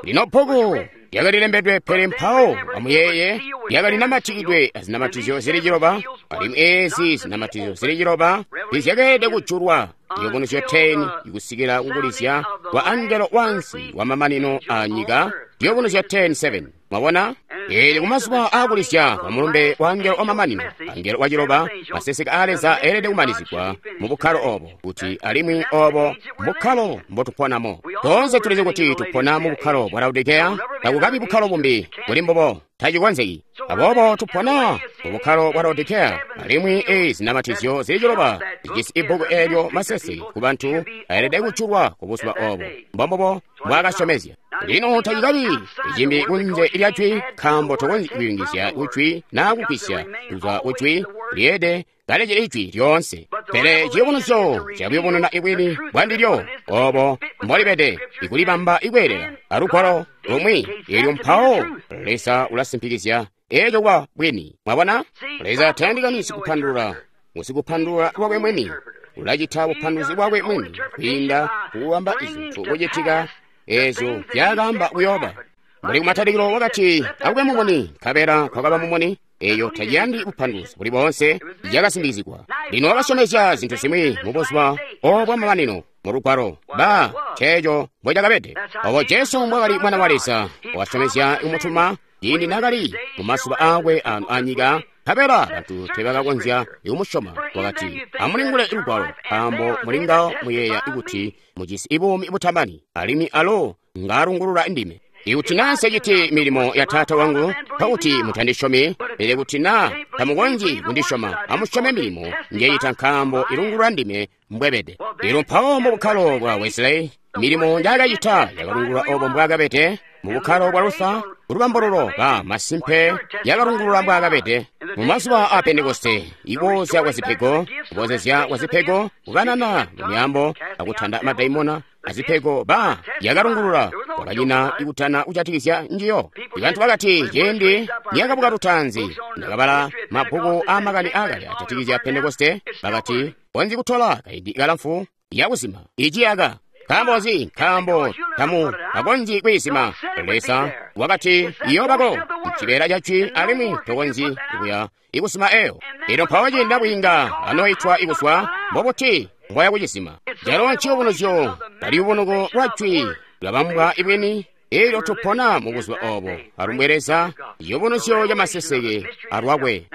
Lino bbuku lyakalilembedwe, pele mpawo amuyeeye lyakalinamatidwe azinamatizyo zili ciloba, alimwi eezi zinamatizyo zili ciloba zizyakeelede kujulwa ciyubunuzyo ten ikusikila kukulizya kwa angelo wansi wa mamanino a nyika, ciyubunuzyo ten seven. Mwabona? Eelyo kumazuba aakulizya kwa mulumbe wa angelo wamamanino, angelo waciloba, maseseke a Leza eelede kumanizigwa mu bukkalo obo, kuti alimwi obo bukkalo mbotuponamo. Toonse tulizi kuti tupona mu bukkalo bwa Laodikeya, takukabi bukkalo bumbi buli mbubo, tacikonzeki. Aboobo tupona mu bukkalo bwa Laodikeya, alimwi eezi zinamatizyo zili ciloba zijisi ibbuku eelyo masese ku bantu ayelede kujulwa ku buzuba obo. Mbombubo mbwaakasyomezya. Lino tacikabi icimbi kunze lya jwi, nkaambo tokonzyi kuyungizya kujwi naa kugwisya kuzwa kujwi, lyeede kalecili ijwi lyoonse. Pele ciyubunuzyo cakuyubununa ibwini bwandilyo obo mbolibede, ikulibamba ikweelela alugwalo lumwi, eelyo mpawo Leza ulasimpikizya eeco kuba bwini. Mwabona? Leza tayandikani sikupandulula, ngusikupandulula lwakwe mwini. Ulacita bupanduluzi bwakwe mwini kwiinda kukubamba izintu kucitika eezyo zyakaamba kuyooba. Mbuli kumatalikilo wakati, akube mumuni, nkabela kwakaba mumuni. Eeyo taciyandi bupanduluzi buli boonse, yakasimbikizigwa. Lino wakasyomezya zintu zimwi mu buzuba obo bwamamanino mu lugwalo ba ceeco mbocakabede. Obo Jesu mbwakali mwana wa Leza, wakasyomezya kumutuma ciindi naakali mu mazuba aakwe aano anyika, nkabela bantu teebakakonzya kumusyoma. Wakati, amulingule lugwalo, nkaambo mulingawo muyeeya kuti mujisi buumi butamani, alimwi alo ngaalungulula ndime. Ikuti naa nseciti milimo ya Taata wangu, nkokuti mutandisyomi, pele kuti naa tamukonzyi kundisyoma, amusyome milimo njecita nkaambo ilungulula ndime mbwebede. Elyo mpawo mu bukkalo bwa Wesley, milimo njaakacita yakalungulula obo mbwaakabede. Mu bukkalo bwa Luther, kulubambululo ba masimpe yakalungulula mbwaakabede. Mu mazuba a Pentekoste, iboozya kwa zipego, kuboozezya kwa zipego, kukanana mu myaambo, akutanda madaimona, azipego ba yakalungulula kwakanyina ikutana kujatikizya njiyo. Ibantu bakati ciindi niyakabuka lutaanzi, ndakabala mabbuku aamakani aakale ajatikizya Pentekoste, bakati konzi kutola kaindi kalamfu yakuzima iciyaka. Nkaambo nzi? Nkaambo tamu akonzyi kwiizima. Leza wakati iyoobako cibeela ca jwi alimwi tokonzyi kuya ikusima eyo. Elyo mpawo ciindi nabwiinga anoitwa ikuswa, mbobuti mbwaya kucizima? Calo nciyubunuzyo kaliyubunuko lwa jwi lwabambwa ibwini. Elyo tupona mu buzuba obo. Alumbwe Leza, ciyubunuzyo ca maseseke alwakwe.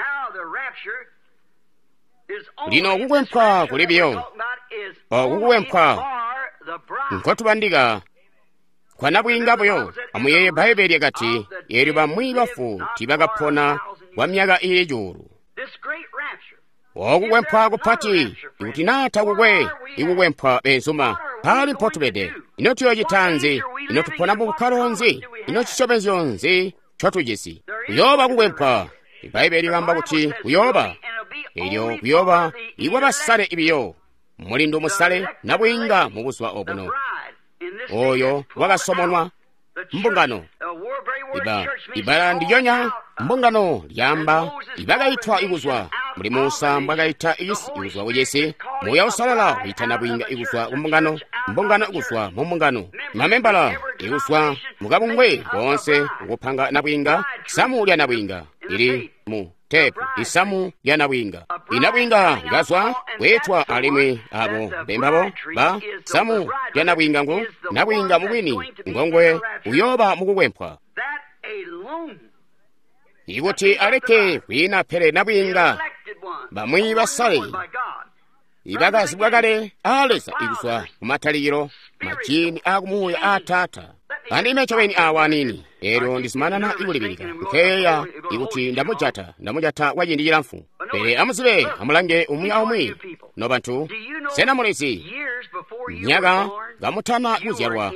Lino kukwempwa kuli biyo, oku kukwempwa nkotubandika kwa nabwiinga buyo. Amuyeeye Bbaibele lyakati, eelyo bamwi bafu tiibakapona kwa myaka iili cuulu. Oku kukwempwa kupati, ikuti naa takukwe ikukwempwa beenzuma, mpaali mpotubede? Ino tuyoocita nzi? Ino tupona mu bukkalo nzi? Ino cisyomezyo nzi ncotujisi? Kuyooba kukwempwa. Ibbaibele lyaamba kuti kuyooba. Elyo kuyooba ikwabasale ibiyo. Mulindu musale nabwiinga mu buzuba obuno. Oyo wakasomonwa mbungano. Iba ibala ndilyonya mbungano lyaamba ibakaitwa ikuzwa muli Musa mbwakaita isi ikuzwa kucisi. Muuya Uusalala wiita nabwiinga ikuzwa kumbungano, mbungano ikuzwa mu mbungano, mamembala ikuzwa mukabungwe koonse ukupanga nabwiinga, samu lya nabwiinga ili mu tepu isamu lya nabwiinga. Inabwiinga ikazwa kweetwa alimwi abo bembabo ba samu lya nabwiinga ngu nabwiinga mubwini ngongwe uyooba mukukwempwa. Ikuti aleke kwiina pele nabwiinga bamwi basale ibakazibwa kale a Leza ikuzwa kumatalikilo majini akumuuya a Taata. Andime ncobeni awa aniini, eelyo ndizumanana ikulibilika nkeya ikuti ndamujata ndamujata kwa ciindi cilamfu. Pele amuzibe, amulange umwi aumwi nobantu. Sena mulizi myaka kamutana kuzyalwa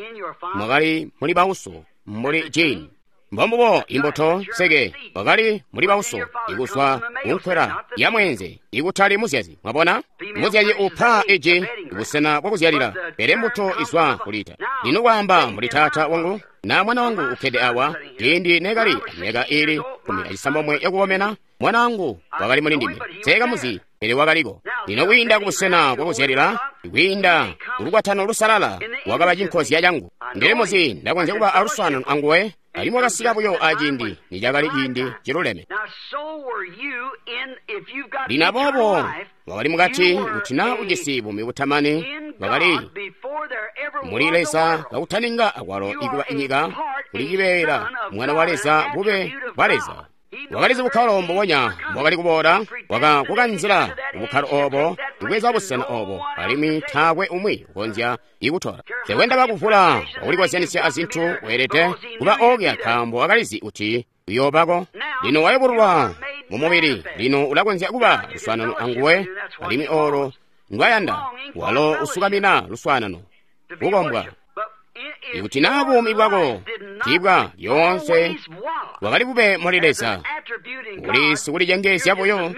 mwakali muli bauso mbuli jini? Mbombubo imbuto nseke wakali muli bauso ikuzwa kunkwela ya mweenze ikutali muzyazi. Mwabona, muzyazi upa iji busena bwakuzyalila, pele mbuto izwa kulita. Lino kwaamba muli taata wangu na mwana wangu ukkede awa, ciindi nekali myaka iili kumi acisambomwe yakukomena, mwana wangu wakali muli ndime. Seekamuzi, pele wakaliko. Lino kwiinda kubusena bwakuzyalila, kwiinda kulukwatano lusalala, wakaba cinkozya cangu. Ndili muzi ndakonzya kuba aluswaanano anguwe, alimwi wakasika buyo aciindi nicakali ciindi ciluleme. Lino aboobo wakali mukati kuti naa ujisi buumi butamani, wakali muli Leza kakutaninga akwalo ikuba inyika, kuli cibeela mwana wa Leza bube bwa Leza. Wakalizi bukkalo mbubonya mbwakali kuboola, wakakukanzila bukkalo obo, kubweza busena obo, alimwi taakwe umwi ukonzya ikutola. Tekwenda bakuvula wakulikozyanisya azintu weelede kuba okya nkaambo wakalizi kuti uyoobako. Lino wayubululwa mu mubili, lino ulakonzya kuba luswaanano anguwe, alimwi olo ndwayanda, walo usukamina luswaanano, kukombwa. Ikuti naa buumi bwako tibwa lyoonse bwakali bube muli Leza, uli sikulicengeezya buyo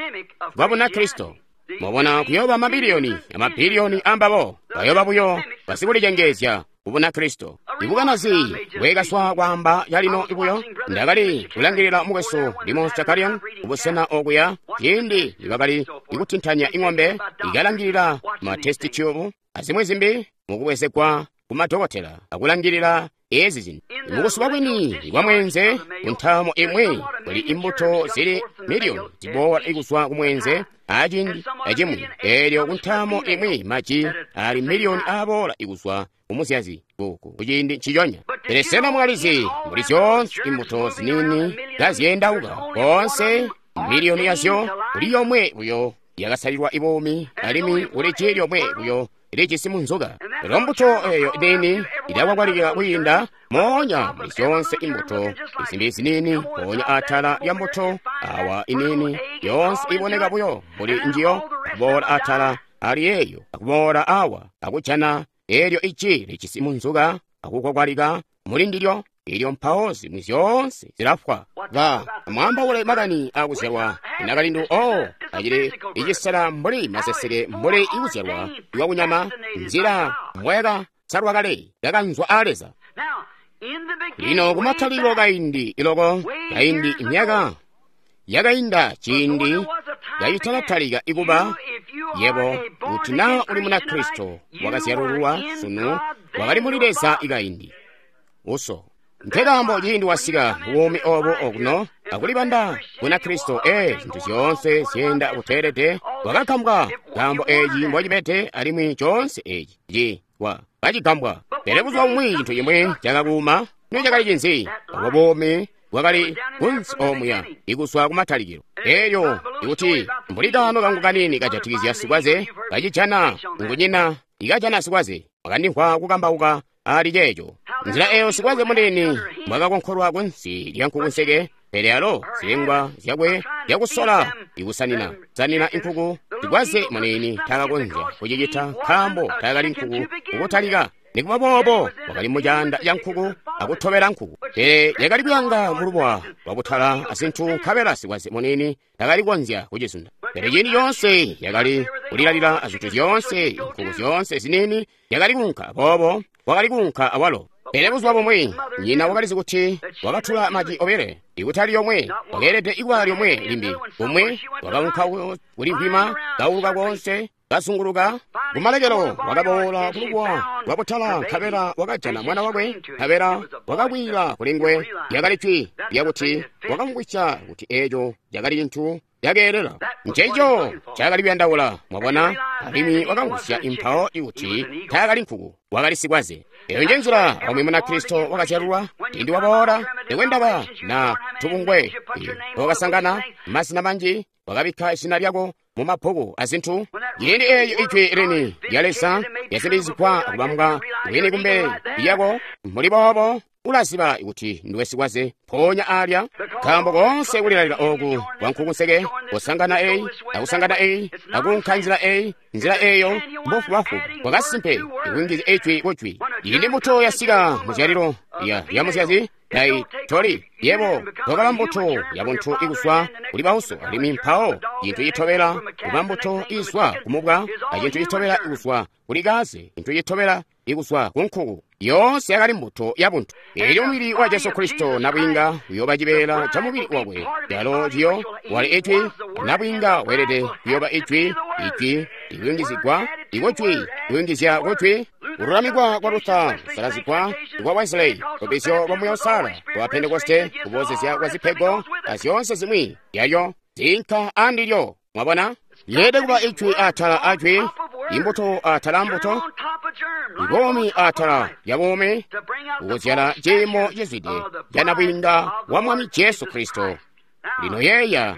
bwa Bunakristo. Mwabona, kuyooba mabiliyoni amabiliyoni ambabo bayooba buyo basikulicengeezya ku Bunakristo. Ibukanazi bwekaswa kwaamba calino buyo, ndakali kulangilila mukwesu Limon Shakarian kubusena okuya ciindi nibakali ikutintanya ing'ombe ikalangilila ma test tube azimwi zimbi mukubwezegwa kumadokotela akulangilila ezi zintu. Mukusuba kwini kwa mwenze kuntamo imwi kuli imbuto zili miliyoni ziboola ikuzwa kumwenze aciindi acimwi, eelyo kuntamo imwi maji ali miliyoni aboola ikuzwa kumuzyazi kuku kuciindi nciconya. Pele sena mwalizi muli zyoonse imbuto ziniini kazyendauka koonse miliyoni yazyo kuli yomwe buyo yakasalilwa ibuumi, alimwi kuli ji lyomwe buyo lijisi munzuka. Elyo mbuto eyo niini ilakwakwalika kwiinda moonya muli zyoonse imbuto izimbi ziniini, mpoonya atala lya mbuto awa iniini yoonse iboneka buyo mbuli njiyo, akuboola atala ali eyo, akuboola awa akujana elyo iji lijisi munzuka akukwakwalika muli ndilyo, ilyo mpawo zimwi zyoonse zilafwa. Ba amwaambaule makani akuzyalwa inakalindu o acili icisela mbuli maseseke mbuli ikuzyalwa iwakunyama nzila mbwayaka salwa kale yakanzwa a Leza. Lino kumatalikilo kaindi iloko kaindi imyaka yakainda ciindi yayitalatalika ikuba yebo kuti naa uli Munakristo wakazyalululwa sunu wakali muli Leza ikaindi uso. Nkekaambo ciindi wasika buumi obu okuno akulibanda Bunakristo ee zintu zyoonse zyeenda buteelede wakagambwa kaambo eeci mbocibede alimwi coonse eeci ci wa kacigambwa. Pele buzuba bumwi cintu cimwi cakakuuma ino cakali cinzi? Obo buumi bwakali kunsi omuya ikuzwa kumatalikilo. Elyo ikuti mbuli kaano kangu kaniini kajatikizya sikwaze kacijana ngunyina ikajana sikwaze wakandimvwa kukambauka ali ceeco. Nzila eyo sikwaze muniini mbwakakonkolwa kunsi lya nkukunseke, pele alo zilengwa zyakwe zyakusola ikusanina sanina inkuku sikwaze muniini takakonzya kucicita nkaambo takali nkuku kukutalika. Nikuba boobo wakali mucaanda ca nkuku akutobela nkuku, pele yakali kuyanga mulubuwa lwabutala azintu nkabela sikwaze muniini takali kukonzya kucizunda. Pele ciindi coonse yakali kulilalila azintu zyoonse nkuku zyoonse ziniini yakali kuunka boobo wakali kuunka awalo. Pele buzuba bumwi nyina wakalizi kuti wakatula maji obile ikutali lyomwe, wakeelede ikuba lyomwe limbi. Kumwi wakaunka kulivwima kauluka koonse kazunguluka kumalekelo wakaboola kulubuwa lwabutala nkabela wakajana mwana wakwe nkabela wakakwiila kuli nguwe. Lyakali jwi lyakuti wakamvwisya kuti eeco cakali cintu cakeelela, nceco cakali kuyandaula, mwabona, alimwi wakamvwisya impawo ikuti taakali nkuku, wakali sikwaze. Eyo nje nzila omwe Munakristo wakazyalulwa ciindi waboola nikwendaba na tubungwe wakasangana mazina manji wakabikka izina lyako mu mabbuku azintu. Ciindi eeyo ijwi lini lya Leza lyasindikizigwa akubambwa bwini kumbele lyako mbuli boobo ulaziba kuti ndiwe sikwaze mpoonya alya, nkaambo koonse kulilalila oku kwa nkukunseke kusangana eyi akusangana eyi akuunka nzila eyi nzila eyo mbufubafuba bwakasimpe ikuyungizya ijwi kujwi. Ciindi mbuto yasika muzyalilo ya ya muzyazi dai toli yebo wakaba mbuto ya buntu ikuzwa kuli bauso, alimwi mpawo cintu citobela kuba mbuto izwa kumubwa, acintu citobela ikuzwa kuli kaze, cintu citobela ikuzwa ku nkuku. Yoonse yakali mbuto ya buntu. Elyo mubili wa Jesu Kristo nabwiinga uyoba cibeela ca mubili wakwe calo ciyo wali ijwi, nabwiinga weelede kuyoba ijwi, ijwi likuyungizigwa ikujwi kuyungizya kujwi. Kululamikwa kwa Luther, kusalazigwa kwa Wesley, lubbizyo lwa Muuya Uusalala lwa Pentekoste, kuboozezya kwa zipego azyoonse zimwi yalyo zinka andilyo. Mwabona, yeelede kuba ijwi atala ajwi, imbuto atala mbuto, ibomi atala ya buumi, kukuzyala ciimo cizwide ca nabwiinga wa Mwami Jesu Kristo. Lino yeeya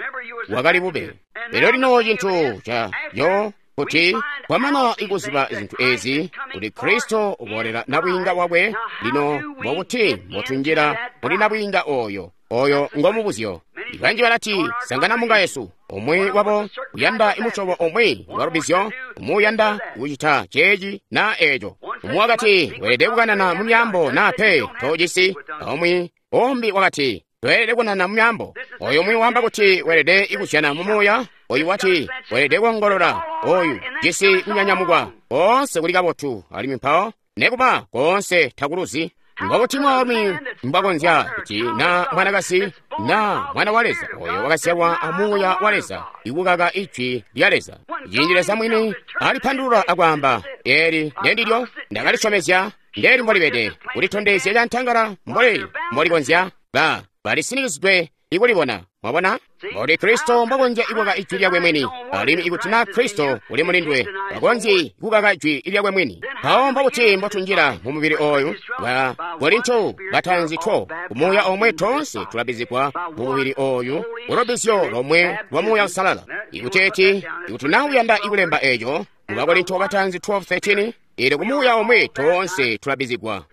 wakali bube. Lelo lino cintu ca yo kuti kwamana ikuziba zintu ezi kuti Kristo uboolera nabwiinga wakwe. Lino mbokuti mbotunjila muli nabwiinga oyo oyo ngomubuzyo. Ibanji balati sangana munga Yesu, umwi wabo uyanda imusyobo umwi wa lubbizyo, umwi uyanda kucita ceeci na eeco, umwi wakati weelede kukanana mu myaambo na pe tojisi, umwi umbi wakati toelede kunana mu myaambo, oyo umwi wamba kuti weelede ikuzyana mu muuya, oyu wati weelede kuongolola, oyu jisi kunyanyamukwa koonse kuli kabotu, alimwi mpawo nekuba koonse takuluzi. Ngokuti mwaalumi mbwakonzya kuti na mwanakazi na mwana wa Leza oyo wakazyalwa a Muuya wa Leza ikukaka ijwi lya Leza. Ciindi Leza mwini alipandulula akwaamba eli ndendilyo ndakalisyomezya ndeli mbolibede kulitondezya cantangala mboli mbolikonzya ba balisinikizidwe ikulibona. Mwabona mboli Kristo mbwakonzya ikukaka ijwi lyakwe mwini, alimwi ikuti na Kristo uli mulindwe bakonzyi kukaka ijwi lyakwe mwini. Mpawo mbokuti mbotunjila mu mubili oyu wa Korinto batanzi two kumuuya omwe tonse tulabizigwa mu mubili oyu ulubbizyo lomwe lwa Muuya Uusalala. Ikuti eti ikuti na uyanda ikulemba eco mu Bakorinto batanzi twelve thirteen Eelyo ku Muuya omwe toonse tulabizigwa.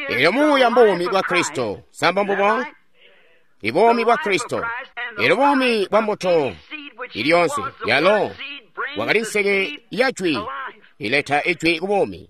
Eelyo Muuya mbuumi bwa Kristo. Samba mbubo? Ibuumi bwa Kristo. Eelyo buumi bwa mbuto ilyoonse yalo wakali nseke ya jwi ileta ijwi ku buumi.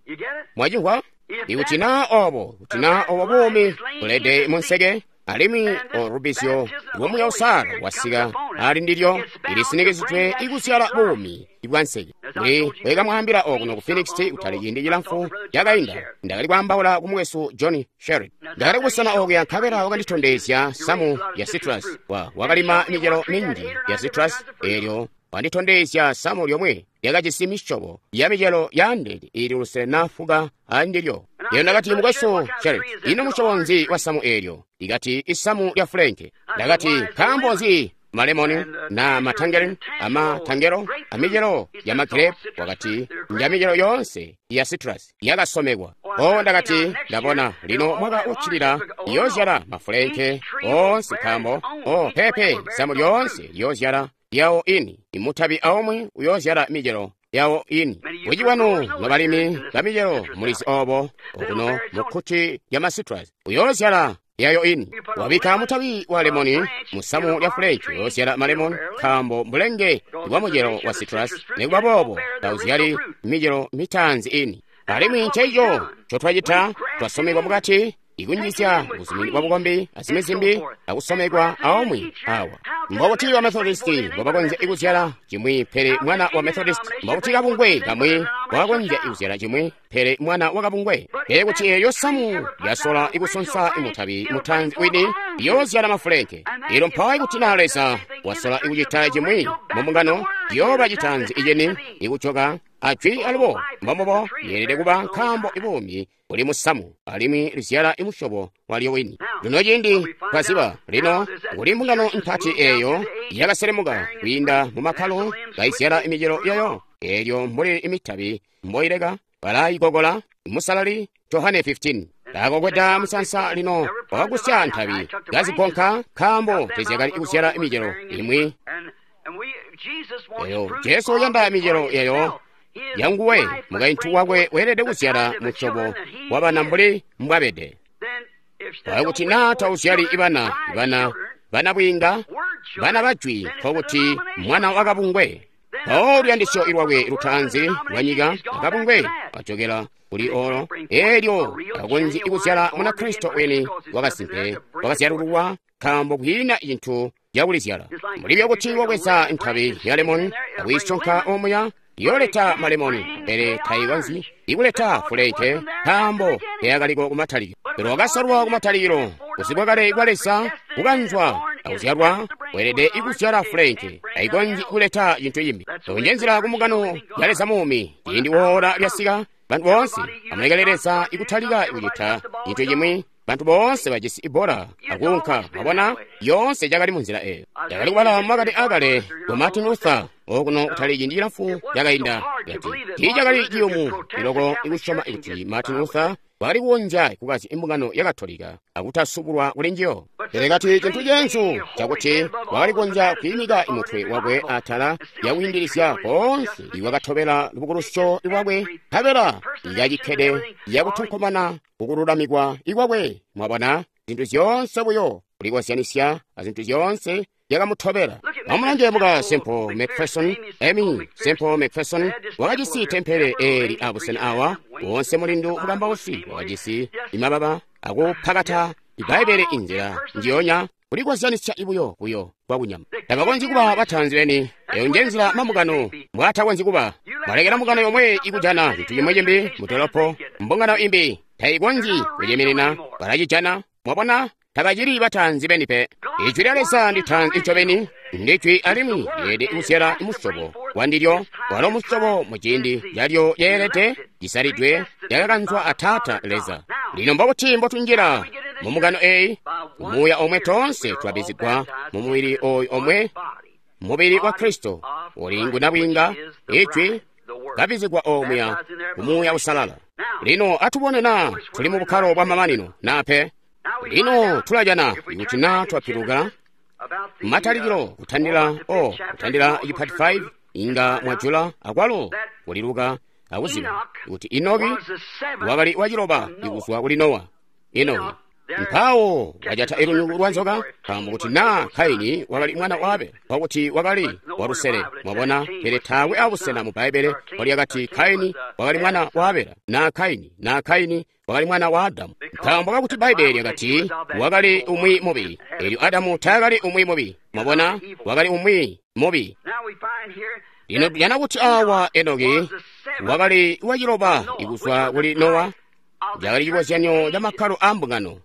Mwacimvwa? Ikuti naa obo, kuti naa obo buumi bulede mu nseke, alimwi olubizyo lwa Muuya Uusalala wasika ali ndilyo, ilisinikizidwe ikuzyala buumi bwa nseke. Mbuli bwekamwaambila okuno ku Phoenix kutali ciindi cilamfu cakainda, ndakali kwaambaula ku mukwesu John Sherry. Ndakali kusana okuya nkabela wakanditondezya samu ya citrus. Wa wakalima micelo minji ya citrus, eelyo wanditondezya samu lyomwe lyakajisi misyobo ya micelo yaandeene iili lusele na fuka andilyo. Eelyo ndakati, mukwesu Sherry, ino musyobo nzi wa samu eelyo? Ikati isamu lya fulenke. Ndakati, nkaambo nzi malemoni na matangerine amatangelo amicelo ya magirepu? Wakati, nja micelo yoonse ya citrus yakasomekwa. O ndakati, ndabona lino mwaka uccilila iyoozyala mafulenke oonse, nkaambo o pepe samu lyoonse liyoozyala yawo ini, imutabi aumwi uyoozyala micelo yawo ini. Bunji bwanu nobalimi ba micelo mulizi obo okuno mu kkuti lya ma citrus uyoozyala yayo ini. Wabikka mutabi wa lemoni musamu lya fulenke uyoozyala malemoni, nkaambo mbulenge bwa mucelo wa citrus, nikuba boobo tauzyali micelo mitaanzi ini. Alimwi nceeco ncotwacita, twasomekwa mukati ikunjisya buzumini bwa bukombi azimwi zimbi akusomekwa aumwi awa. Mbobuti ba Methodist mbobakonzya ikuzyala cimwi pele mwana wa Methodist? Mbobuti kabungwe kamwi mbwakonzya ikuzyala cimwi pele mwana wa kabungwe? Pele kuti eeyo samu yasola ikusonsa imutabi mutaanzi wini, iyoozyala mafulenke. Eelyo mpawo ikuti na Leza wasola ikucita cimwi mu mbungano, ciyooba citaanzi iceni ikujoka ajwi alubo. Mbombubo yeelede kuba, nkaambo ibuumi buli musamu alimwi lizyala imusyobo walyo wini. Lino ciindi twaziba lino kuli mbungano mpati eeyo yakaselemuka kwiinda mu makkalo kaizyala imicelo yayo, eelyo mbuli imitabi mboileka balayikokola. Musalali Johane fifteen kakokweda musansa lino wakagusya ntabi kazigonka, nkaambo tezyakali kuzyala imicelo imwi. Eyo Jesu uyanda micelo yayo yanguwe, mukaintu wakwe weelede kuzyala musyobo wa bana mbuli mbwabede. Kuti naa tauzyali ibana, ibana bana bwiinga, bana bajwi, nkokuti mwana wakabungwe. Mpawo luyandisyo lwakwe lutaanzi lwa nyika akabungwe wajokela kuli olo, eelyo takonzyi kuzyala Munakristo weni wakasimpe wakazyalululwa, nkaambo kwiina cintu cakulizyala. Mbuli byokuti wabweza ntabi ya lemoni akwiisonka omuya, yooleta malemoni, pele taikonzyi ikuleta fulenke, nkaambo teyakaliko kumatalikilo. Pele wakasalwa kumatalikilo, kuzibwa kale kwa Leza, kukanzwa akuzyalwa, weelede ikuzyala fulenke, taikonzyi kuleta cintu cimbi. Eyo nje nzila ku mbungano ya Leza muumi. Ciindi woola lyasika, bantu boonse amulekele Leza ikutalika kucita cintu cimwi. Bantu boonse bajisi ibola akuunka, mwabona, yoonse cakali munzila eyo. Ndakali kubala makani akale ku Martin Luther okuno kutali ciindi cilamfu cakainda, kati tiicakali ciyumu iloko ikusyoma kuti Martin Luther wakali kukonzya kukazya imbungano ya Katolika akutasubulwa kuli njiyo. Pele kati cintu ceenzu cakuti wakali kukonzya kwiimika mutwe wakwe atala yakwiindilizya koonse iwakatobela lubukulusyo lwakwe, nkabela ikacikkede yakutonkomana kukululamikwa ikwakwe. Mwabona, zintu zyoonse buyo kulikozyanisya azintu zyoonse yakamutobela. Amulange muka Semple McPherson, Amy Semple McPherson wakajisi tempele eeli abusena awa, wonse mulindu mukambausi wakajisi imababa akupakata Ibbaibele inzila njiyonya, kulikozyanisya ibuyo buyo kwakunyama. Tabakonzyi kuba bataanzi beni. Eyo nje nzila mambungano mbwaatakonzyi kuba. Mwalekela mbungano yomwe ikujana cintu cimwi cimbi mutolopo, mbungano imbi taikonzyi kuciminina, balacijana. Mwabona, tabacili bataanzi beni pe. Ijwi lya Leza ndi taanzi ncobeni, ndijwi alimwi lyeelede kuzyala musyobo wandilyo, walo musyobo muciindi calyo lyeelede cisalidwe lyakakanzwa a Taata Leza. Lino mbobuti mbotunjila mu mbungano eyi? Muuya omwe toonse twabizigwa mu mubili oyu omwe, mubili wa Kristo, uli ngunabwiinga, ijwi kabizigwa omuya ku Muuya Uusalala. Lino atubone naa tuli mu bukkalo bwa mamanino naa pe. Lino tulajana ikuti naa twapiluka matalikilo kutandila o kutandila ipati five inga mwajula akwalo kuliluka akuziba kuti Enoki wakali waciloba ikuzwa kuli Nowa. Enoki mpawo wajata ilunyungu lwa nzoka, nkaambo kuti naa Kaini wakali mwana wa Abela, kwakuti wakali walusele. Mwabona, pele taakwe abusena mu Bbaibbele walyakati Kaini wakali mwana wa Abela, naa Kaini naa Kaini wakali mwana wa Adamu, nkaambo kakuti Bbaibbele lyakati wakali umwi mubi, eelyo Adamu taakali umwi mubi. Mwabona, wakali umwi mubi. Lino tujana kuti awa Enoki wakali waciloba ikuzwa kuli Nowa, cakali cikozyanyo ca makkalo a mbungano.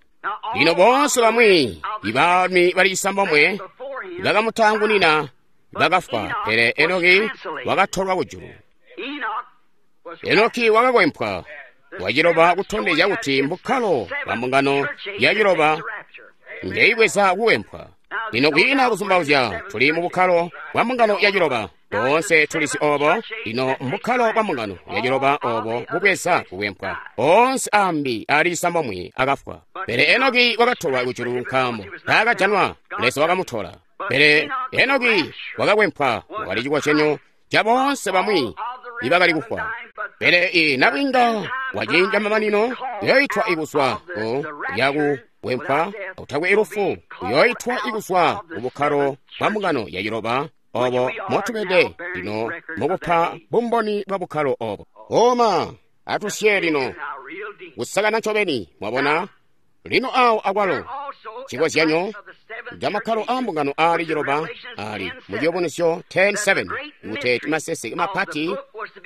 Lino boonse bamwi ibaalumi bali cisambomwe bakamutaangunina bakafwa, pele Enoki wakatolwa kujulu. Enoki wakakwempwa waciloba kutondezya kuti mbukkalo bwa mbungano yaciloba ngeibweza kukwempwa. Lino kwiina kuzumbauzya tuli mu bukkalo bwa mbungano yaciloba. Boonse tulisi obo. Lino mbukkalo bwa mbungano yaciloba obo bubweza kukwempwa. Boonse ambi ali cisambomwe akafwa, pele Enoki wakatolwa kujulu nkaambo taakajanwa, Leza wakamutola. Pele Enoki wakakwempwa, wakali cikozyanyo ca boonse bamwi ibakali kufwa. Pele inabwinga waciindi mamanino uyoitwa ikuzwa ku yakukwempwa utakwe ilufu, uyoitwa ikuzwa ku bukkalo bwa mbungano yaciloba obo motubede lino mukupa bumboni bwa bukkalo obo. Oma atusye lino kusakana ncobeni. Mwabona lino awo akwalo cikozyanyo ca makkalo a mbungano aali ciloba ali mu Ciyubunuzyo ten seven kuti maseseke mapati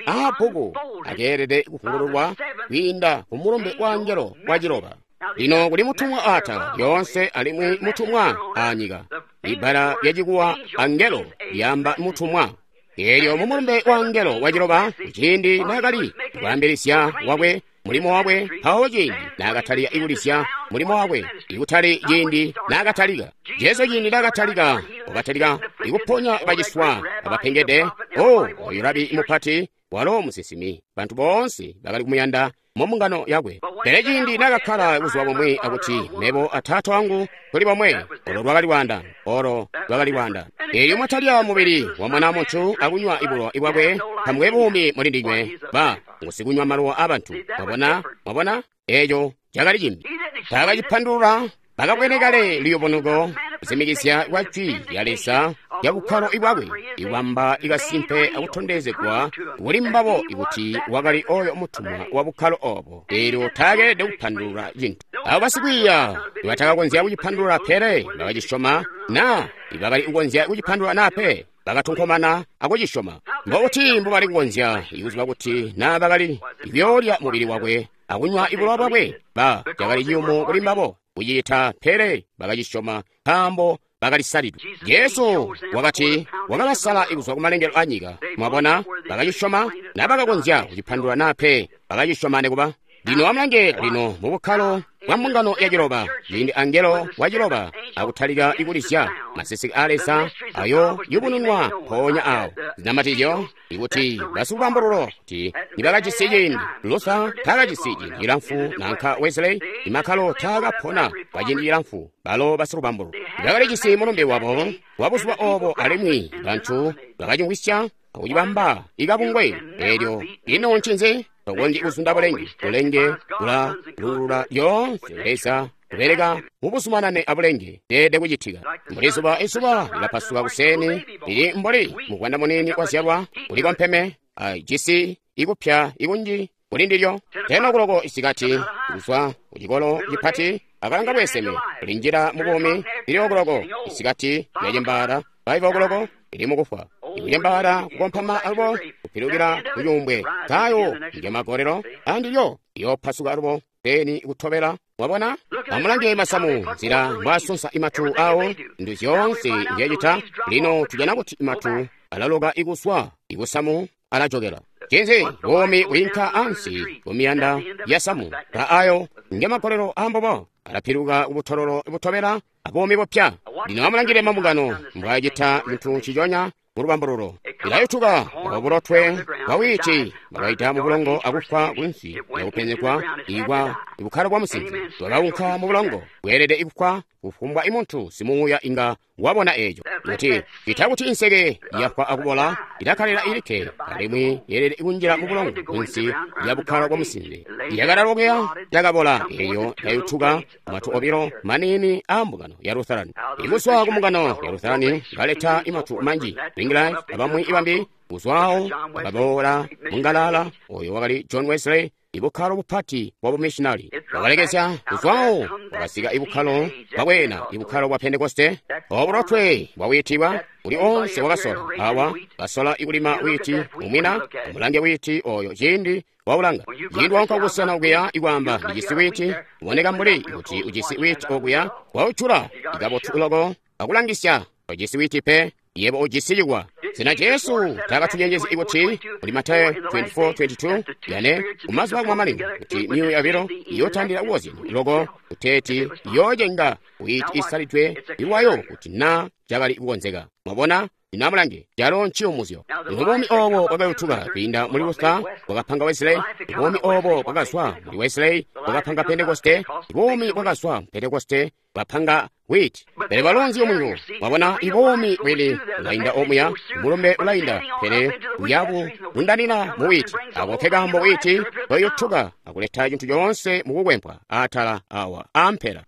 a bbuku akeelede kufungululwa kwiinda ku mulumbe wa angelo wa ciloba. Lino kuli mutumwa atala lyoonse alimwi mutumwa anyika. Ibbala lyacikuwa angelo lyamba mutumwa. Eelyo mu mulumbe wa angelo wa ciloba, kuciindi naakali kwaambilizya wakwe mulimo wakwe, mpawo ciindi naakatalika ikulisya mulimo wakwe, ikutali ciindi naakatalika. Jesu ciindi naakatalika, wakatalika ikuponya baciswa abapengede. O, oyu rabi mupati, walo musinsimi, bantu boonse bakali kumuyanda mu mbungano yakwe. Pele ciindi naakakkala buzuba bumwi akuti, mebo a Taata wangu tuli bomwe, olo lwakali lwaandano, olo lwakali lwaandano. Eelyo mwatalya mubili wa Mwana muntu akunywa ibulowa bwakwe, tamukwe buumi muli ndinywe, ba ngusikunywa malowa abantu. Mwabona, mwabona, eeco cakali cimbi. Taakacipandulula, bakabwene kale luyubunuko kuzimikizya kwa jwi lya Leza lya bukkalo bwakwe, iwamba ikasimpe akutondezegwa kuli mbabo ikuti wakali oyo mutumwa wa bukkalo obo. Eelyo taakeelede kupandulula cintu. Abo basikwiiya nibatakakonzya kucipandulula, pele bakacisyoma, naa ibakali kukonzya kucipandulula naa pe, bakatonkomana akucisyoma. Mbokuti mbubali kukonzya ikuziba kuti naa bakali kuyoolya mubili wakwe akunywa ibulowa bwakwe, ba cakali ciyumu kuli mbabo kucita, pele bakacisyoma nkaambo bakalisalidwe. Jesu wakati wakabasala ikuzwa kumalengelo a nyika. Mwabona, bakacisyoma na bakakonzya kucipandulula naa pe, bakacisyoma nekuba. Lino amulange lino mu bukkalo bwa mbungano ya ciloba, ciindi angelo wa ciloba akutalika ikulizya maseseke a Leza ayo yubununwa mpoonya awo. Zinamatizyo ikuti basikubambululo kuti nibakajisi ciindi, Luther taakajisi ciindi cilamfu nanka Wesley, imakkalo taakapona kwa ciindi cilamfu. Balo basikubambululo bakalijisi mulumbe wabo wa buzuba obo, alimwi bantu bakacimvwisya akucibamba ikabungwe. Eelyo ino ncinzi? Tokonzyi kuzunda bulenge. Bulenge bulalulula lyoonse. Leza kubeleka mubuzumanane abulenge teede kucitika. Mbuli zuba, izuba lilapasuka kuseni, lili mbuli muvwanda munini wazyalwa, uliko mpeme, ajisi ikupya ikunji kuli ndilyo. Tena kuloko isikati kuzwa kucikolo cipati akalanga bweseme linjila mu buumi, lili okuloko isikati lyacembaala, five okuloko lili mukufwa. Ikucembaala kukompama alubo kupilukila kucuumbwe, tayo ngemagolelo andilyo liyopasuka alubo peni kutobela. Mwabona, amulange masamu nzila mbwasunsa imatu awo, ndu zyoonse nzyacita. Lino tujana kuti imatu alaloka ikuswa ikusamu alajokela. Cinzi buumi bwiinka ansi kumiyanda ya samu, ta ayo ngemagolelo ambobo alapiluka kubutololo butobela abuumi bupya. Lino amulangile mambungano mbwacita cintu nciconya mu lubambululo. Ilayutuka obulotwe bwa wiiti bakaita mu bulongo akufwa kunsi yakupenzegwa ikwa Bukkalo bwa musinze bwakaunka mu bulongo, bweelede kufwa. Kufumbwa imuntu simuuya inga wabona eco. Kuti ita kuti inseke yafwa akubola, ilakkalila ilikke, alimwi yeelede kunjila mu bulongo kunsi ya bukkalo bwa musinze. Yakalalokea, yakabola, eyo yayutuka matu obilo maniini a mbungano ya Lutheran. Ikuzwa ku mbungano ya Lutheran kaleta imatu manji, Ringline abamwi ibambi kuzwawo bakaboola mungalala oyo wakali John Wesley, ibukkalo bupati bwa bumissionary. Bakalekezya kuzwawo bakasika ibukkalo bwakwena, ibukkalo bwa Pentekoste. Obulotwe bwawiitibwa uli onse wakasola awa basola ikulima witi umwina umulange witi oyo ciindi waulanga ciindi waunka kusana okuya ikwaamba ndijisi witi uboneka mbuli kuti ujisi witi okuya waucula ikabotu loko akulangisya tojisi witi pe, yebo ujisi cikwa. Sena Jesu takatucenjezi ikuti kuli Matayo twenty-four twenty-two yane kumazuba akumamanino kuti miyuya yabilo iyotandila kukozyanya loko kuteeti iyoocenga witi isalidwe ilwayo kuti na cakali kukonzeka. Mwabona? Lino amulange, calo nciyumuzyo. Lino buumi obo bwakayutuka kwiinda muli Luther bwakapanga Wesley, buumi obo bwakazwa muli Wesley bwakapanga Pentekoste, buumi bwakazwa mu Pentekoste bwapanga witi. Pele bwalo nziyumunyo. Mwabona, ibuumi bwini bulainda omuya, mulumbe ulainda, pele buyabu bundanina mu witi. Ako ke kaambo witi bwayutuka akuleta cintu coonse mu kukwempwa atala awa ampela.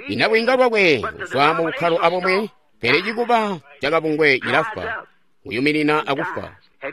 Inabwinga bwakwe kuzwa mu bukkalo abomwe, pele cikuba cakabungwe cilafwa, kuyuminina akufwa.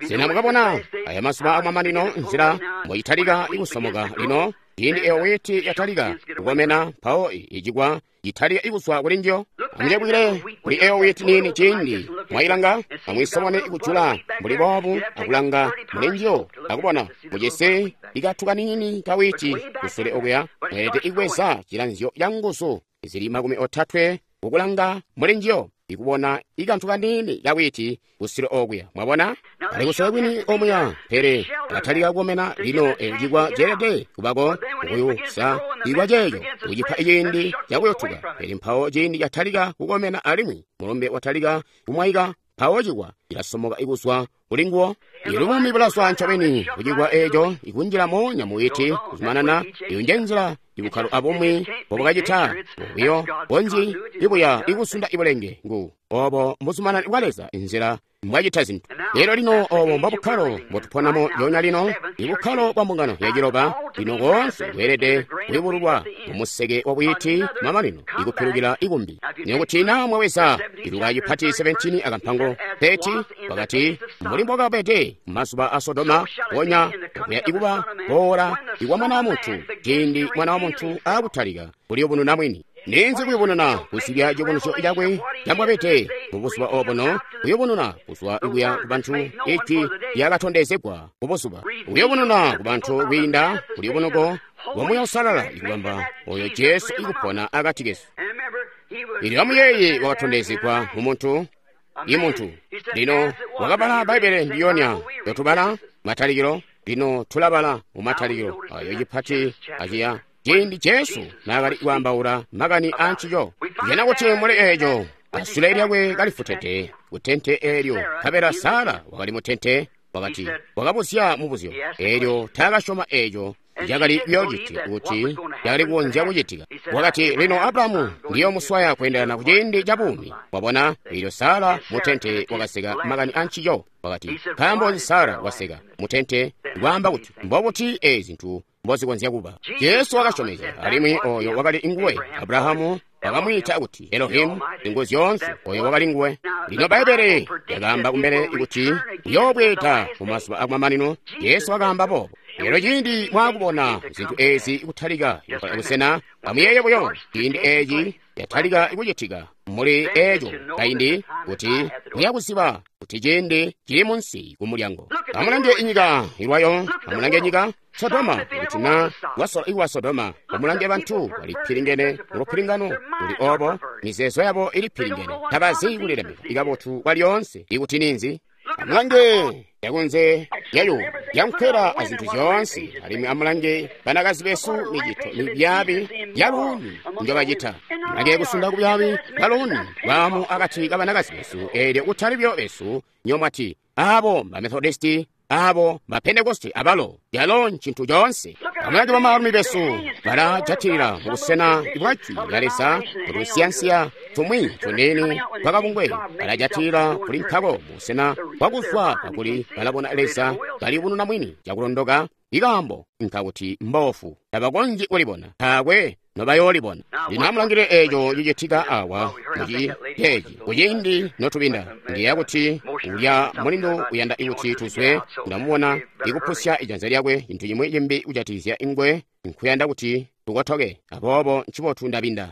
Sena mukabona aya mazuba amamanino nzila mboitalika ikusomoka lino? Ciindi eyo witi yatalika kukomena, mpawo icikwa citalika ikuzwa kuli njiyo. Amucebwile kuli eyo witi niini ciindi mwayilanga, amwisomone ikujula mbuli boobu akulanga muli njiyo akubona mujisi ikatuka niini ka witi kusule okuya. Mweelede ikweza cilanzyo ca nguzu zili makumi otatwe kukulanga muli njiyo ikubona ikantu kaniini ka witi kusule okuya. Mwabona? Ali kusule kwini omuya, pele katalika kukomena lino eco cikwa ceelede kubako kukuyusa ikwa ceeco kucipa ciindi cakuyotuka. Pele mpawo ciindi catalika kukomena alimwi mulumbe watalika kumwaika, mpawo cikwa cilasomoka ikuzwa kuli nguwo. Ilu buumi bulazwa ncobeni kucikwa eco ikunjila moonya mu witi kuzumanana. Iyo nje nzila ibukkalo abumwi mbobwakacita buyo bonji ibuya ikusunda ibulenge ngu obo mbuzumanana bwa Leza inzila mbwacita zintu. Lero lino obo mbobukkalo mbotuponamo lyonya lino, ibukkalo bwa mbungano ya ciloba lino koonse bweelede kuyubululwa mumuseke wa bwiti mamanino ikupilukila ikumbi. Nikuti na mwaweza iluka cipati seventeen akampango thirty wakati mbuli mbwakabede mazuba a Sodoma ponya okuya ikuba boola ikwa mwana wa muntu ciindi mwana wa muntu akutalika kuliyubununa mwini. Ninzi kuyubununa kuzibya ciyubunuzyo cakwe cambwabede mubuzuba obuno, kuyubununa kuzwa ikuya kubantu ijwi lyakatondezegwa kubuzuba, kuyubununa kubantu kwiinda kuliyubunuko lwa Muuya Uusalala ikubamba oyo Jesu ikupona akati kesu. Ilyo amuyeeye wakatondezegwa mu muntu, imuntu. Lino wakabala Bbaibbele ndiyonya yotubala matalikilo, lino tulabala mu matalikilo ayo cipati aciya ciindi Jesu naakali kwaambaula makani aancico. Jena kuti muli eeco asule lyakwe kalifutete kutente eelyo, nkabela Sara wakali mutente, wakati wakabuzya mubuzyo eelyo taakasyoma eeco cakali kuyoocitika kuti cakali kukonzya kucitika. Wakati lino Abrahamu ndiyomuswaya kweendelana kuciindi ca buumi. Wabona, eelyo Sara mutente wakaseka makani aancico. Wakati nkaambo nzi Sara waseka mutente kwaamba kuti mbobuti eezi zintu mbozikonzya kuba. Jesu wakasyomezya alimwi oyo wakali nguwe. Abrahamu wakamwiita kuti Elohimu, zingu zyoonse, oyo wakali nguwe. Lino Bbaibbele lyakaamba kumbele kuti uyoobweeda mumazuba akumamanino. Jesu wakaamba boobo. Lero ciindi mwakubona zintu eezi kutalika kusena, amuyeeye buyo ciindi eeci yatalika kucitika muli eeco kaindi kuti muyakuziba kuti ciindi cili munsi kumulyango. Amulange inyika ilwayo, amulange nyika Sodoma, kuti na wasola ikuwa Sodoma, amulange bantu balipilingene mulupilingano luli obo, mizeezo yabo ilipilingene, tabazi kulilemeka ikabotu kwalyoonse ikuti ninzi. Amulange yakunze yayo yankwela azintu zyoonse, alimwi amulange banakazi besu micito mibyabi yaluuni njobacita. Amulange kusunda kubyabi baluuni bwamu akati kabanakazi besu, eelyo kutali byo besu nyomwati abo ba Methodisti, abo ba Pentekoste abalo, yalo ncintu coonse. Amuleke bamaalumi besu bala jatilila mu busena bwa Jwi lya Leza, kutusiyansiya tumwi tuniini twakabungwe, bala jatilila kuli nkako mu busena bwakuzwa kakuli balabona Leza kaliyubununa mwini cakulondoka. Ikaambo nkakuti mbofu tabakonzyi kulibona, taakwe nobayoolibona. Lino amulangilile eeco cicitika awa muci ceeci kuciindi notubinda. Ndiyeeya kuti ulya mulindu uyanda kuti tuzwe, ndamubona ikupusya ijanza lyakwe cintu cimwi cimbi kujatikizya ingwe nkuyanda kuti tukotoke, aboobo ncibotu ndabinda.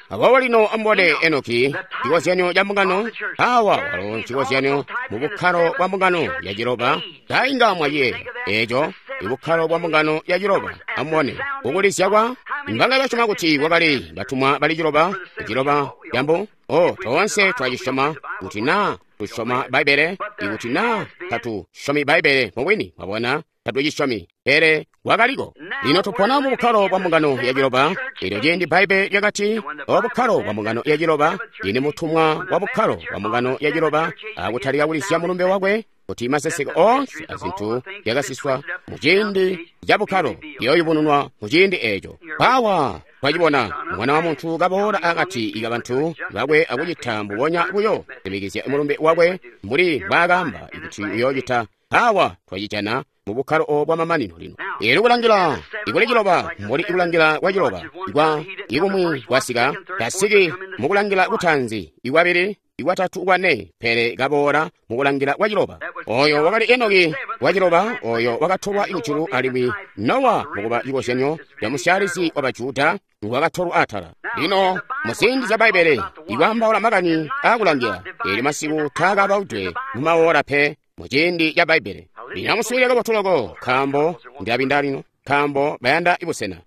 Aboobo lino amubone Enoki, cikozyanyo ca mbungano awa, walo ncikozyanyo mu bukkalo bwa mbungano ya ciloba. Tainga mwaciyeeya eeco, ibukkalo bwa mbungano ya ciloba. Amubone kukulizya kwa mbanga basyoma kuti kwakali batumwa bali ciloba, ciloba cambu. Oh, toonse twacisyoma kuti naa tusyoma Bbaibbele, ikuti naa tatusyomi Bbaibbele mubwini, mwabona, tatucisyomi, pele wakaliko. Lino tupona mu bukkalo bwa mbungano ya ciloba. Elyo ciindi Bbaibbele lyakati, o bukkalo bwa mbungano ya ciloba, ini mutumwa wa bukkalo bwa mbungano ya ciloba akutalika kulizya mulumbe wakwe, kuti maseseke oonse azintu yakasiswa mu ciindi ca bukkalo iyooyubununwa mu ciindi eeco. Mpaawa twacibona Mwana wa Muntu kaboola akati ka bantu bakwe akucita mbubonya buyo, simikizya mulumbe wakwe mbuli mbwaakaamba kuti uyoocita. Mpaawa twacijana mu bukkalo obo bwamamanino lino. Eelyo kulangila ikuli ciloba, mbuli ikulangila kwa ciloba kwa ikumwi kwasika, tasiki mukulangila kutaanzi, ikwabili, ikwatatu, kwane, pele kaboola mukulangila kwa ciloba. Oyo wakali Enoki wa ciloba, oyo wakatolwa kujulu, alimwi Nowa mukuba cikozyanyo ca musyaalizi wa Bajuda wakatolwa atala. Lino muziindi zya Bbaibbele ikwaambaula makani aakulangila, eelyo masiku taakabaudwe mu maora pe muciindi ca Bbaibbele. Lino amuswiilile kabotu loko, nkaambo ndilabinda lino, nkaambo bayanda ibusena.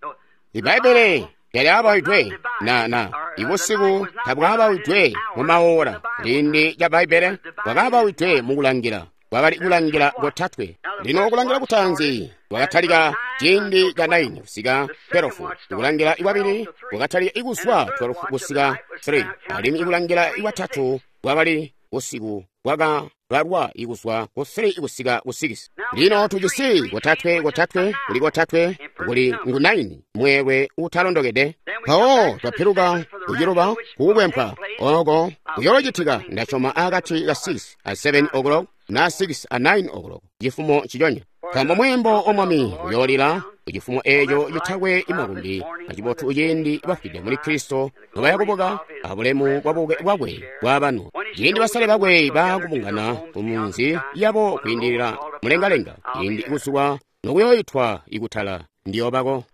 Ibbaibbele lyalyabaidwe na na ibusiku tabwabaidwe mu maora. Ciindi ca Bbaibbele bwakabaidwe mukulangila, kwakali kulangila kotatwe. Lino kulangila kutaanzi kwakatalika ciindi ca nine kusika twelve, ikulangila ikwabili kwakatalika ikuzwa twelve kusika three, alimwi ikulangila ikwatatu kwakali busiku bwakabalwa ikuzwa ku three kusika ku six. Lino tujisi kotatwe kotatwe kuli kotatwe kuli ngu nine, mweelwe utalondokede. Mpawo twapiluka kuciloba kukukwempwa oko kuyoocitika ndasyoma akati ka six a seven o'clock na six a nine o'clock cifumo ciconya, nkaambo mweembo wa Mwami uyoolila kucifumo eeco citakwe imakumbi acibotu ciindi bafwide muli Kristo nobayakubuka abulemu bwabuke bwakwe bwabanu, ciindi basale bakwe baakubungana ku munzi yabo kwiindilila mulengalenga, ciindi ikuzuwa nokuyoyitwa ikutala ndiyobako.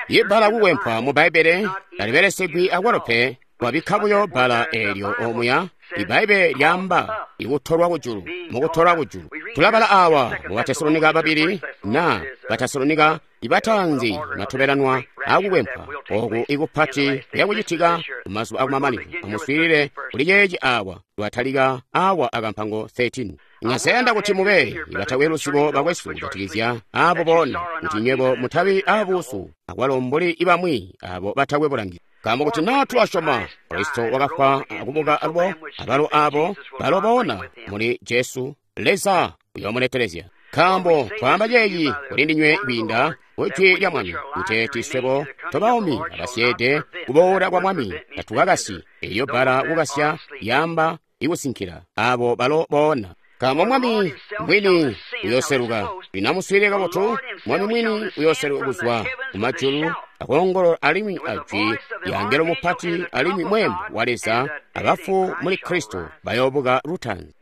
Ibbala kukwempwa mu Bbaibbele talibelesegwi akwalo pe, kwabikka buyo bbala eelyo omuya. Ibbaibbele lyaamba ikutolwa kujulu, mukutolwa kujulu. Tulabala awa mu Batesalonika babili na Batesalonika ibataanzi matobelanwa akukwempwa oku ikupati kuyakucitika kumazuba akumamanino. Amuswiilile kuli ceeci awa, lwatalika awa akampango thirteen. Ngaseyanda kuti mube ibatakwe luzibo bakwesu kujatikizya abo boona, kuti nywebo mutabi abuusu akwalo mbuli ibamwi abo batakwe bulangizi. Nkaambo kuti naa tulasyoma Kristo wakafwa akubuka alubo, abalo abo balo boona muli Jesu, Leza uyoomuletelezya. Nkaambo twaamba ceeci kuli ndinywe kwiinda ku jwi lya Mwami, kuteeti swebo tobaumi abasyeede kuboola kwa Mwami tatukakasyi. Eeyo bbala kukasya yaamba ikusinkila abo balo boona. Nkaambo Mwami mwini uyooseluka. Lino amuswiilile kabotu, Mwami mwini uyooseluka kuzwa kumajulu akoongolola alimwi ajwi lya angelo mupati alimwi mweembo wa Leza, abafu muli Kristo bayoobuka lutaanzi.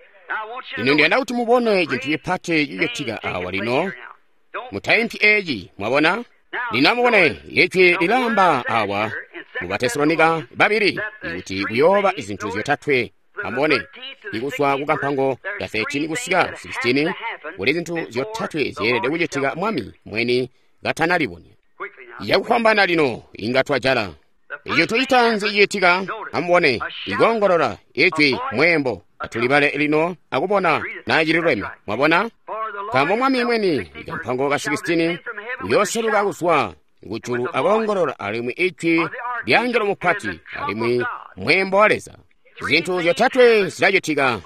Lino ndiyanda kuti mubone cintu cipati cicitika awa lino. Mutaimpi eeci, mwabona? Lino amubone, ijwi lilaamba awa mu Batesalonika babili kuti kuyooba izintu zyotatwe. Amubone, ikuzwa ku kampango ka thirteen kusika sixteen, kuli zintu zyotatwe zyeelede kucitika Mwami mweni katanalibonya. Yakufwambaana lino inga twajala. Icintu citaanzi cicitika, amubone, ikoongolola ijwi mweembo. Atulibale lino akubona naa cililweme. Mwabona? Nkaambo Mwami mweni, ikampango ka sixteen, uyooseluka kuzwa kujulu akoongolola alimwi ijwi lya angelo mupati alimwi mweembo wa Leza. Zintu zyotatwe zilacitika: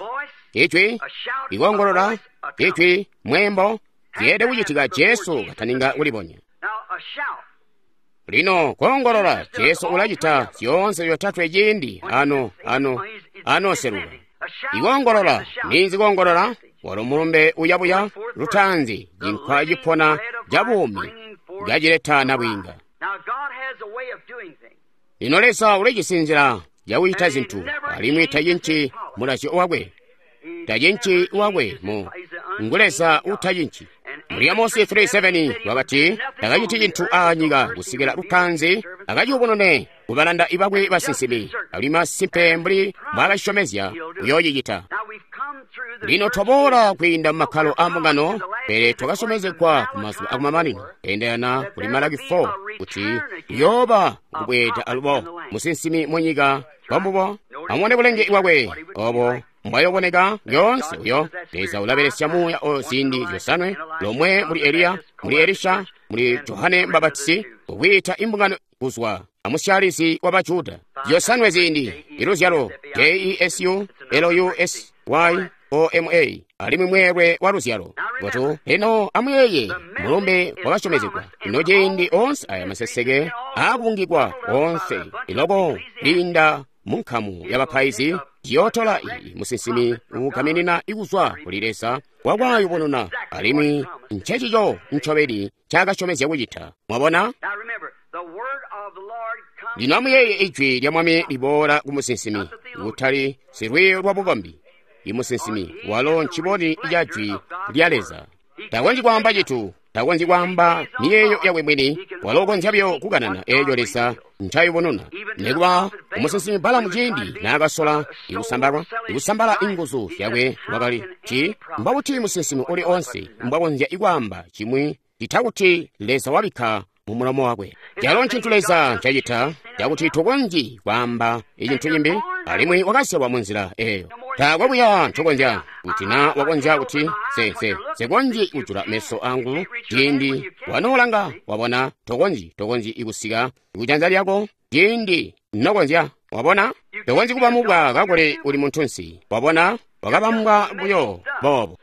ijwi, ikoongolola, ijwi, mweembo, zyeelede kucitika Jesu kataninga kulibonya. Lino koongolola, Jesu ulacita zyoonse zyotatwe ciindi ano ano anoseluka. Ikoongolola, ninzi koongolola? Walo mulumbe uyabuya lutaanzi, cinkwa cipona ca buumi cacileta nabwiinga. Lino Leza ulijisi nzila yakucita zintu, alimwi tacinci mulazyo wakwe, tacinci wakwe mu ngu Leza utacinci. Muli Amosi three seven wakati takaciti cintu aanyika kusikila lutaanzi akaciyubunune kubalanda bakwe basinsimi, alimwi masimpe mbuli mbwaakasyomezya kuyoocicita. Lino twaboola kwiinda mumakkalo aambungano, pele twakasyomezegwa kumazuba akumamanino keendelana kuli Malaki four kuti kuyooba kubweeda alubo musinsimi munyika kwambubo. Amubone bulenge bwakwe obo mbwayoboneka lyoonse uyo Leza ulabelesya muuya oyo ziindi zyosanwe, lomwe muli Eliya, muli Elisha, muli Johane Mbabatisi, kukwiita imbungano kuzwa amusyalizi wa Bajuda. Zyosanwe ziindi iluzyalo J E S U L U S Y O M A alimwi mweelwe wa luzyalo. Gotu lino amuyeeye mulumbe wakasyomezegwa. Lino ciindi onse aya maseseke aakubungikwa onse iloko liinda munkamu yabapaizi ciyootola iyi musinsimi uugaminina ikuzwa kuli Leza wakwayubununa, alimwi ncecico ncobeni ncaakasyomezya kucita. Mwabona? Lino amuyeeye ijwi lya Mwami liboola ku musinsimi, kutali silwiiyo lwa bukombi. Imusinsimi walo nciboni ca jwi lya Leza. Takonzyi kwaamba citu, takonzyi kwaamba miyeeyo yakwe mwini, walo ukonzya buyo kukanana eeco Leza ncayubununa. Nikuba umusinsimi Balamu ciindi naakasola ikusambalwa, ikusambala inguzu zyakwe wakali ti mbakuti musinsimi uli onse mbwakonzya ikwaamba chimwi citakuti Leza wabikka mu mulomo wakwe. Calo ncintu Leza ncacita cakuti tukonzyi kwaamba icintu cimbi, alimwi wakazyalwa munzila eeyo. Taakwe buya ncokonzya kuti na wakonzya kuti se se sekonzyi kujula meso angu ciindi wanoolanga wabona tokonzyi tokonzyi ikusika kujanza lyako ciindi nokonzya wabona tokonzyi kuba mubwa kakuli uli muntunsi wabona wakabambwa buyo boobo.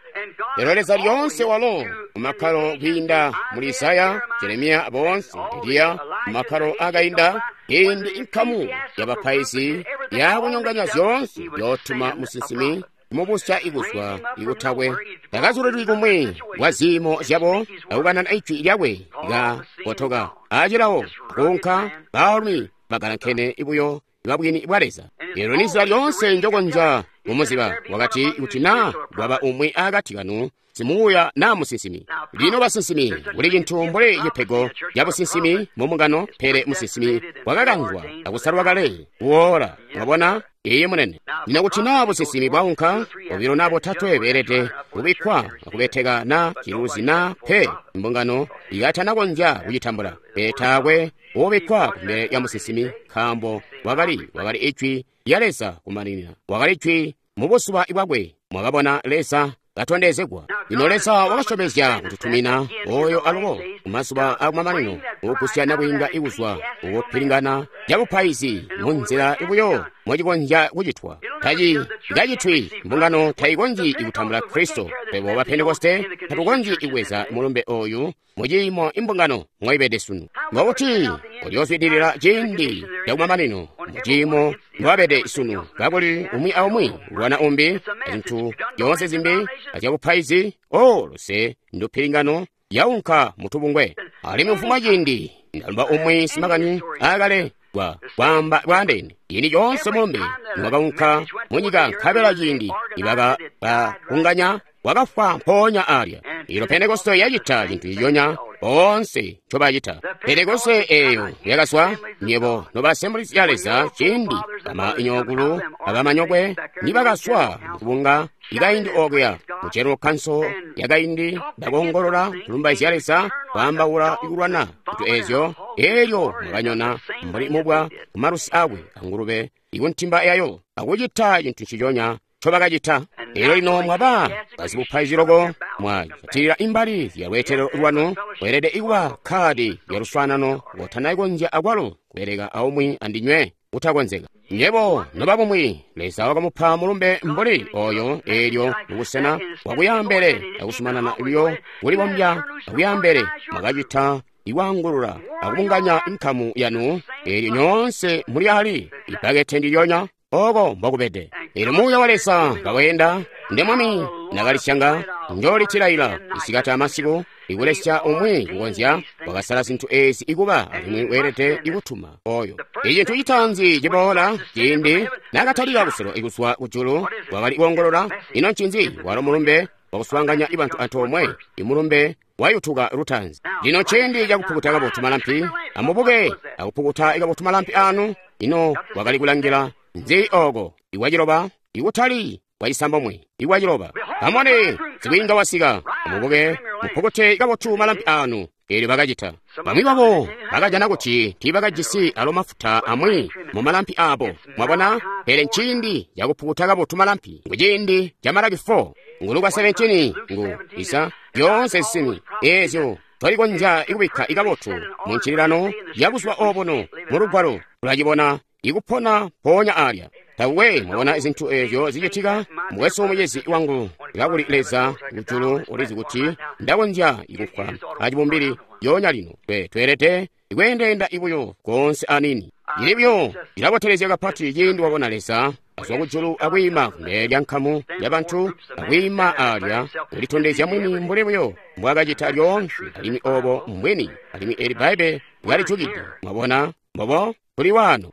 Lero Leza lyoonse walo mumakkalo kwiinda muli Isaya, Jeremiya boonse, Eliya mumakkalo akainda ciindi inkamu yabapaizi yakunyonganya zyoonse yootuma musinsimi kumubusya ikuzwa ikutakwe. Takazulilwi kumwi kwa ziimo zyabo akukanana ijwi lyakwe likakotoka acilawo kuunka baalumi bagalankene buyo babwini bwa Leza. Lero nizila lyoonse njokonzya kumuziba wakati kuti na kwaba umwi akati kanu simuuya na musinsimi. Lino basinsimi kuli cintu mbuli cipego ca businsimi mumungano, pele musinsimi wakakanzwa akusalwa kale kuwoola. Mwabona? Iye munene. Lino kuti na businsimi bwaunka bobilo na botatwe beelede kubikkwa akubeteka na ciluzi na pe imbungano ikatanakonzya kucitambula. Pele taakwe ubikkwa kumbele ya musinsimi nkaambo wakali wakali ijwi lya Leza kumaninina. Wakali ijwi mubuzuba bwakwe. Mwakabona Leza katondezegwa. Lino Leza wakasyomezya kututumina oyo alubo kumazuba akumamanino ukugusya nabwiinga ikuzwa ukupilingana cabupaizi munzila ibuyo mwacikonzya kucitwa. Taci kacitwi mbungano tayikonzyi ikutambula Kristo. Pebo ba Pentekoste tatukonzyi ikweza mulumbe oyu muciimo imbungano mwaibede sunu. Ngokuti uliozwidilila ciindi cakumamanino muciimo mwabede sunu kakuli umwi aumwi ulwana umbi azintu zyoonse zimbi azyabupaizi o luse ndupilingano yaunka mutubungwe. Alimwi mfumwa ciindi ndalumba umwi simakani akale bwa kwaamba bwaandeene ciindi coonse mulumbe niwakaunka munyika nkabela ciindi nibaka bakunganya wakafwa mpoonya alya. Ilo Pentekoste yacita cintu ciconya boonse ncobacita. Pentekoste eeyo yakazwa nyebo noba Assemblies ya Leza ciindi bamanyokulu abamanyokwe nibakazwa mukubunga ikaindi okuya mu General Council yakaindi bakoongolola kulumbaizya Leza kwaambaula ikulwana zintu eezyo eelyo mwakanyona mbuli mubwa kumalusi akwe angulube ikuntimba yayo akucita cintu nciconya ncobakacita. Eelyo lino mwaba bazibupaizi loko mwajatilila imbali zya lweetelo lwanu mweelede ikuba kkaadi lya luswaanano kotanakonzya akwalo kubeleka aumwi andinywe kutakonzeka. Nyebo noba bumwi Leza wakamupa mulumbe mbuli oyo eelyo mubusena bwakuyambele akusumanana buyo kulibombya akuyambele mwakacita ikwaangulula akubunganya nkamu yanu, eelyo nyoonse muli ali ibbakete ndilyonya oko mbokubede. Eelyo Muuya wa Leza kaweenda, nde Mwami nakalisyanga, njoolitilaila isikati amasiku, ikulesya umwi kukonzya wakasala zintu ezi ikuba alimwi weelede ikutuma oyo. Icintu citaanzi ciboola ciindi nakatalika kuselo ikuzwa kujulu wakali kuongolola, ino ncinzi? Walo mulumbe wakuswaanganya ibantu antoomwe, imulumbe wayutuka lutaanzi. Lino ciindi cakupukuta kabotu malampi, amubuke akupukuta kabotu malampi anu. Ino wakali kulangila nzi oko? Iwaciloba, ikutali wacisambomwe, iwaciloba. Amone, sibwiinga wasika, amubuke mupukute kabotu malampi anu. Eelyo bakacita. Bamwi babo bakajana kuti tiibakajisi alo mafuta amwi mu malampi abo. Mwabona? Pele nciindi cakupukuta kabotu malampi. Ngu ciindi ca Malaki four, ngu Luka seventeen, ngu Isa, zyoonse zisini eezyo twalikonzya ikubikka ikabotu mu ncililano yabuzuba obuno mu Lugwalo tulacibona ikupona mpoonya alya. Takwe mwabona zintu eezyo zicitika, mukwesu mucizi wangu, kakuli Leza kujulu ulizi kuti ndakonzya ikufwa acibumbili yonya lino. Twe tweelede ikweendeenda ibuyo koonse anini. Ili buyo ilabotelezya kapati ciindi wabona Leza azwa kujulu akwiima kumbele lya nkamu ya bantu, akwiima alya kulitondezya mwini mbuli buyo mbwaakacita lyoonse, alimwi obo mbwini, alimwi eli Bbaibbele lyalijukide. Mwabona mbobo tuli waano.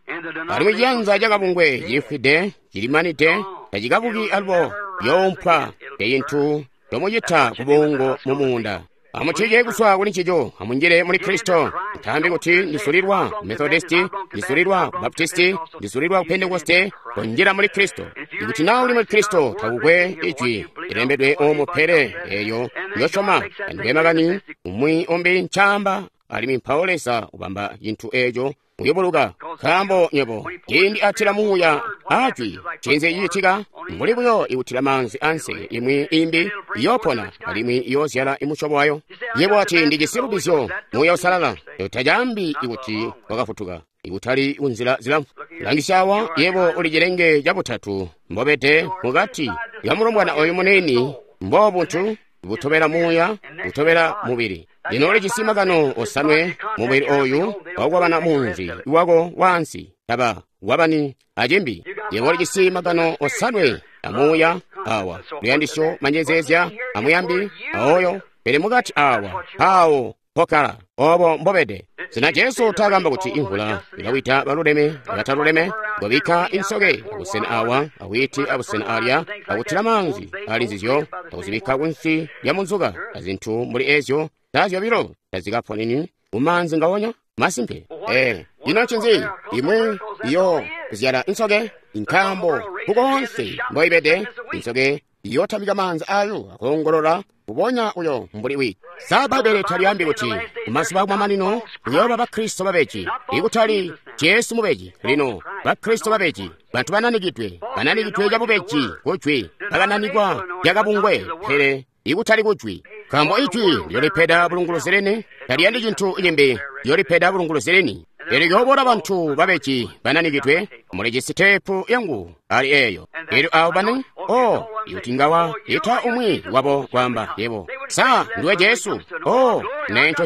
Alimwi ciyanza cakabungwe cilifwide, cilimanide, tacikabuki alubo, yoompwa ecintu tomucita kubungo mu muunda. Amucije kuzwa kuli ncico, amunjile muli Kristo. Ntambi kuti ndisulilwa ku Methodisti, ndisulilwa ku Baptisti, ndisulilwa ku Pentekoste, konjila muli Kristo. Ikuti na uli muli Kristo, takukwe ijwi lilembedwe omo pele eyo yosyoma, andikwe makani umwi umbi ncaamba, alimwi mpawo Leza ubamba cintu eco uyobuluka. Nkaambo nywebo ciindi atila muuya ajwi, ncinzi cicitika? Mbuli buyo ikutila maanzi ansi, imwi imbi iyoopona alimwi iyoozyala imusyobo wayo. Yebo ati ndijisi lubizyo Muuya Usalala, tacaambi ikuti wakafutuka, ikutali kunzila zilamfu. Langisya awa, yebo uli cilenge cabutatu mbobede mukati ya mulombwana oyu munini, mbobuntu butobela muuya, butobela mubili. Lino ulijisi magano osanwe mubili oyu wakukwabana munzi wako waansi, taba wabani acimbi. Yebo ulijisi magano osanwe amuuya awa, luyandisyo, manjezeezya, amuyambi, aoyo, pele mukati awa awo pokala obo mbobede. Sina Jesu takamba kuti imvula ilawita baluleme abataluleme, ngobikka insoke abusena awa awiti abusena alya, akutila maanzi ali nzizyo, akuzibikka kunsi lya munzuka, azintu mbuli ezyo tazyobilo tazikaponeni mumaanzi ngawonya. Masimpe. Eh, ino ncinzi? Imwi iyo zyala insoke, nkaambo kukoonse mboibede insoke iyotamika maanzi ayo akoongolola kubonya uyo mbuli witi. Sa Bbaibbele talyaambi kuti kumazuba akumamanino kuyooba Bakristo babeji, ikutali Jesu mubeji. Lino Bakristo babeji, bantu bananikidwe, bananikidwe cabubeji kujwi, bakananikwa lyakabungwe, pele ikutali kujwi. Nkaambo ijwi lyolipeda bulunguluzi lini, taliyandi cintu cimbi, lyolipeda bulunguluzi lini. Eelyo lyooboola bantu babeji bananikidwe, mulijisi teepu yangu ali eyo. Eelyo abo bani, oh, ikuti ngawa ita umwi wabo kwaamba, yebo, sa ndiwe Jesu? Oh, nenco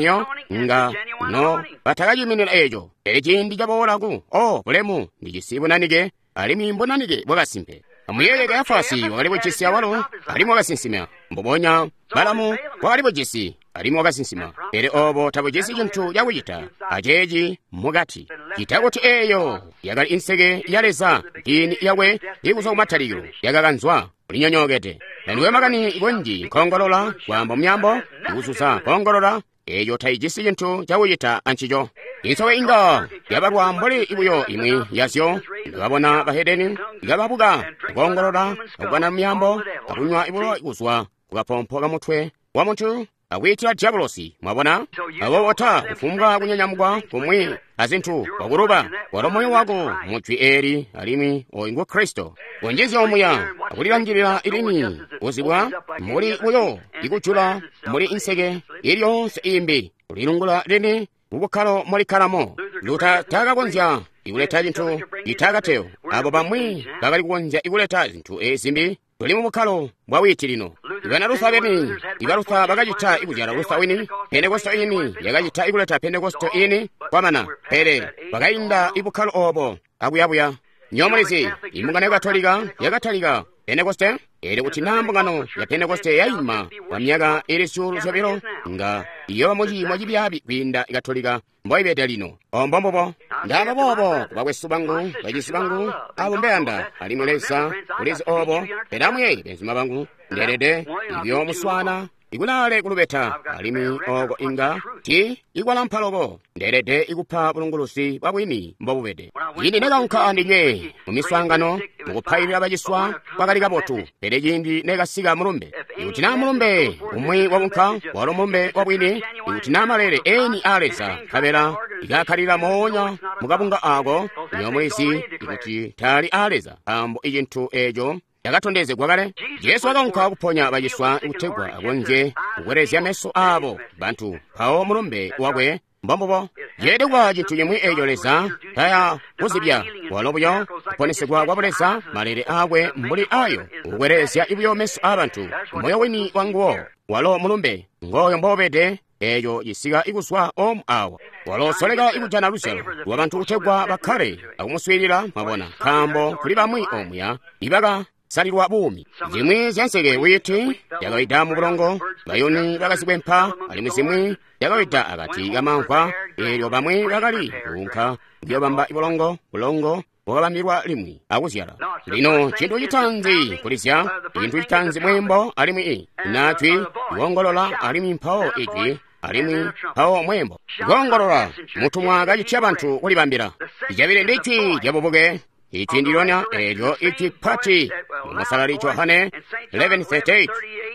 nga no batakaciminina eco. Pele ciindi caboola ku, oh, bulemu, ndijisi bunanike, alimwi mbunanike bwakasimpe. Amuyeeye Kayafasi wakali bujisi awalo, alimwi wakasinsima. Mbubonya Balamu wakali bujisi, alimwi wakasinsima. Pele obo tabujisi cintu cakucita aceeci mukati. Cita kuti eyo yakali inseke ya Leza, mpini yakwe ikuzwa kumatalikilo yakakanzwa, ulinyonyookede. Nandiwe makani kunji nkoongolola, kwaamba muyambo, ikuzuza koongolola, eyo taijisi cintu cakucita ancico. Insoke inga yabalwa mbuli ibuyo imwi yazyo, ndikabona bahedeni ikababuka, akoongolola, akubana muyambo, akunywa ibulo kuzwa kukapompo kamutwe wa muntu, akwiitila diabolosi. Mwabona? Aboobo ta kufumbwa kunyanyamukwa kumwi azintu wakuluba walo moyo wako mujwi eli, alimwi oyu ngu Kristo. Kunjizya omuya akulilangilila ilini kuzibwa mbuli buyo ikujula mbuli inseke ilyoonse imbi, kulilungula lini mubukkalo mulikkalamo. Luta takakonzya ikuleta cintu itakateyo. Abo bamwi bakali kukonzya ikuleta zintu ezimbi Tuli mu bukkalo bwa wiiti lino. Ibana Luther beni, iba Luther bakacita ikuzyala Luther wini, Pentekoste ini yakacita ikuleta Pentekoste ini kwamana, pele bakainda ibukkalo obo akuyabuya. Nyomulizi, imbungano ya Katolika yakatalika Pentekoste, elyo kuti naa mbungano ya Pentekoste yaima kwa myaka ili zyuulu zyobilo, nga iyooba muciimo cibyaabi kwiinda Katolika mboibede lino. Ombo mbubo. Ndaamba boobo kubakwesu bangu, bacizi bangu, abo mbeyanda, alimwi Leza ulizi obo, pele amuyeeye benzuma bangu, ndeelede ikuyoomuswaana ikulaale kulubeta, alimwi oko inga ti ikwalampa loko, ndeelede ikupa bulunguluzi bwa bwini mbobubede. Ciindi nekaunka andinywe mu miswaangano mukupailila baciswa kwakali kabotu, pele ciindi nekasika mulumbe, ikuti naa mulumbe umwi waunka walo mulumbe wa bwini, ikuti naa maleele eni a Leza nkabela ikakkalila moonya mukabunga ako, nyomulizi ikuti taali a Leza, nkaambo icintu eeco yakatondezegwa kale. Jesu wakaunka kuponya baciswa kutegwa akonzye kukwelezya meso aabo bantu, mpawo mulumbe wakwe mbombubo. Ceelede kuba cintu cimwi eeco Leza taya kuzibya, walo buyo kuponesegwa kwa Buleza, maleele aakwe mbuli ayo, kukwelezya buyo meso aabantu, moyo wini wanguwo, walo mulumbe ngooyo mboubede, eeco cisika ikuzwa omu awa. Walo soleka ikujana luzyalo lwa bantu kutegwa bakkale akumuswiilila, mwabona, nkaambo kuli bamwi omuya ibaka salilwa buumi. Zimwi zyanseke wiiti yakawida mu bulongo, bayuni bakazikwempa, alimwi zimwi yakawida akati kamamvwa, eelyo bamwi bakali kuunka kuyobamba bulongo, bulongo bwakabambilwa limwi akuzyala. Lino cintu citaanzi kulizya, cintu citaanzi mweembo, alimwi i najwi kuongolola, alimwi mpawo ijwi, alimwi mpawo mweembo. Kuongolola mutumwa kacitya bantu kulibambila. Icabili ndi jwi lyabubuke. Ijwi ndilyonya eelyo ijwi pati mu Musalali Johane eleven thirty-eight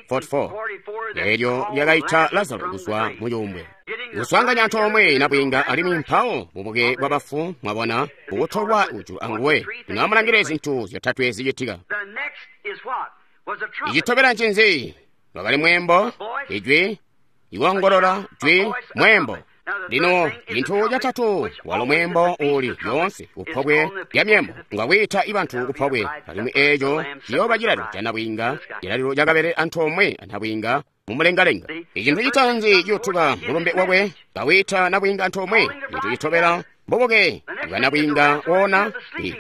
forty-four eelyo lyakaita Lazaro kuzwa mu cuumbwe, kuswaanganya antoomwe nabwiinga, alimwi mpawo bubuke bwa bafu, mwabona, bukutolwa kujulu anguwe. Lino amulangile zintu zyotatwe zicitika. Icitobela ncinzi? Lwakali mweembo, ijwi, ikuongolola, jwi, mweembo. Lino cintu catatu walo mweembo uuli lyoonse kupobwe lya myembo, ngwakwiita ibantu kupobwe, alimwi eeco ciyooba cilalilo ca nabwiinga, cilalilo cakabele antoomwe anabwiinga mumulengalenga. Icintu citaanzi ciyutuka mulumbe wakwe kawiita nabwiinga antoomwe. Cintu citobela mbubuke bwa nabwiinga woona,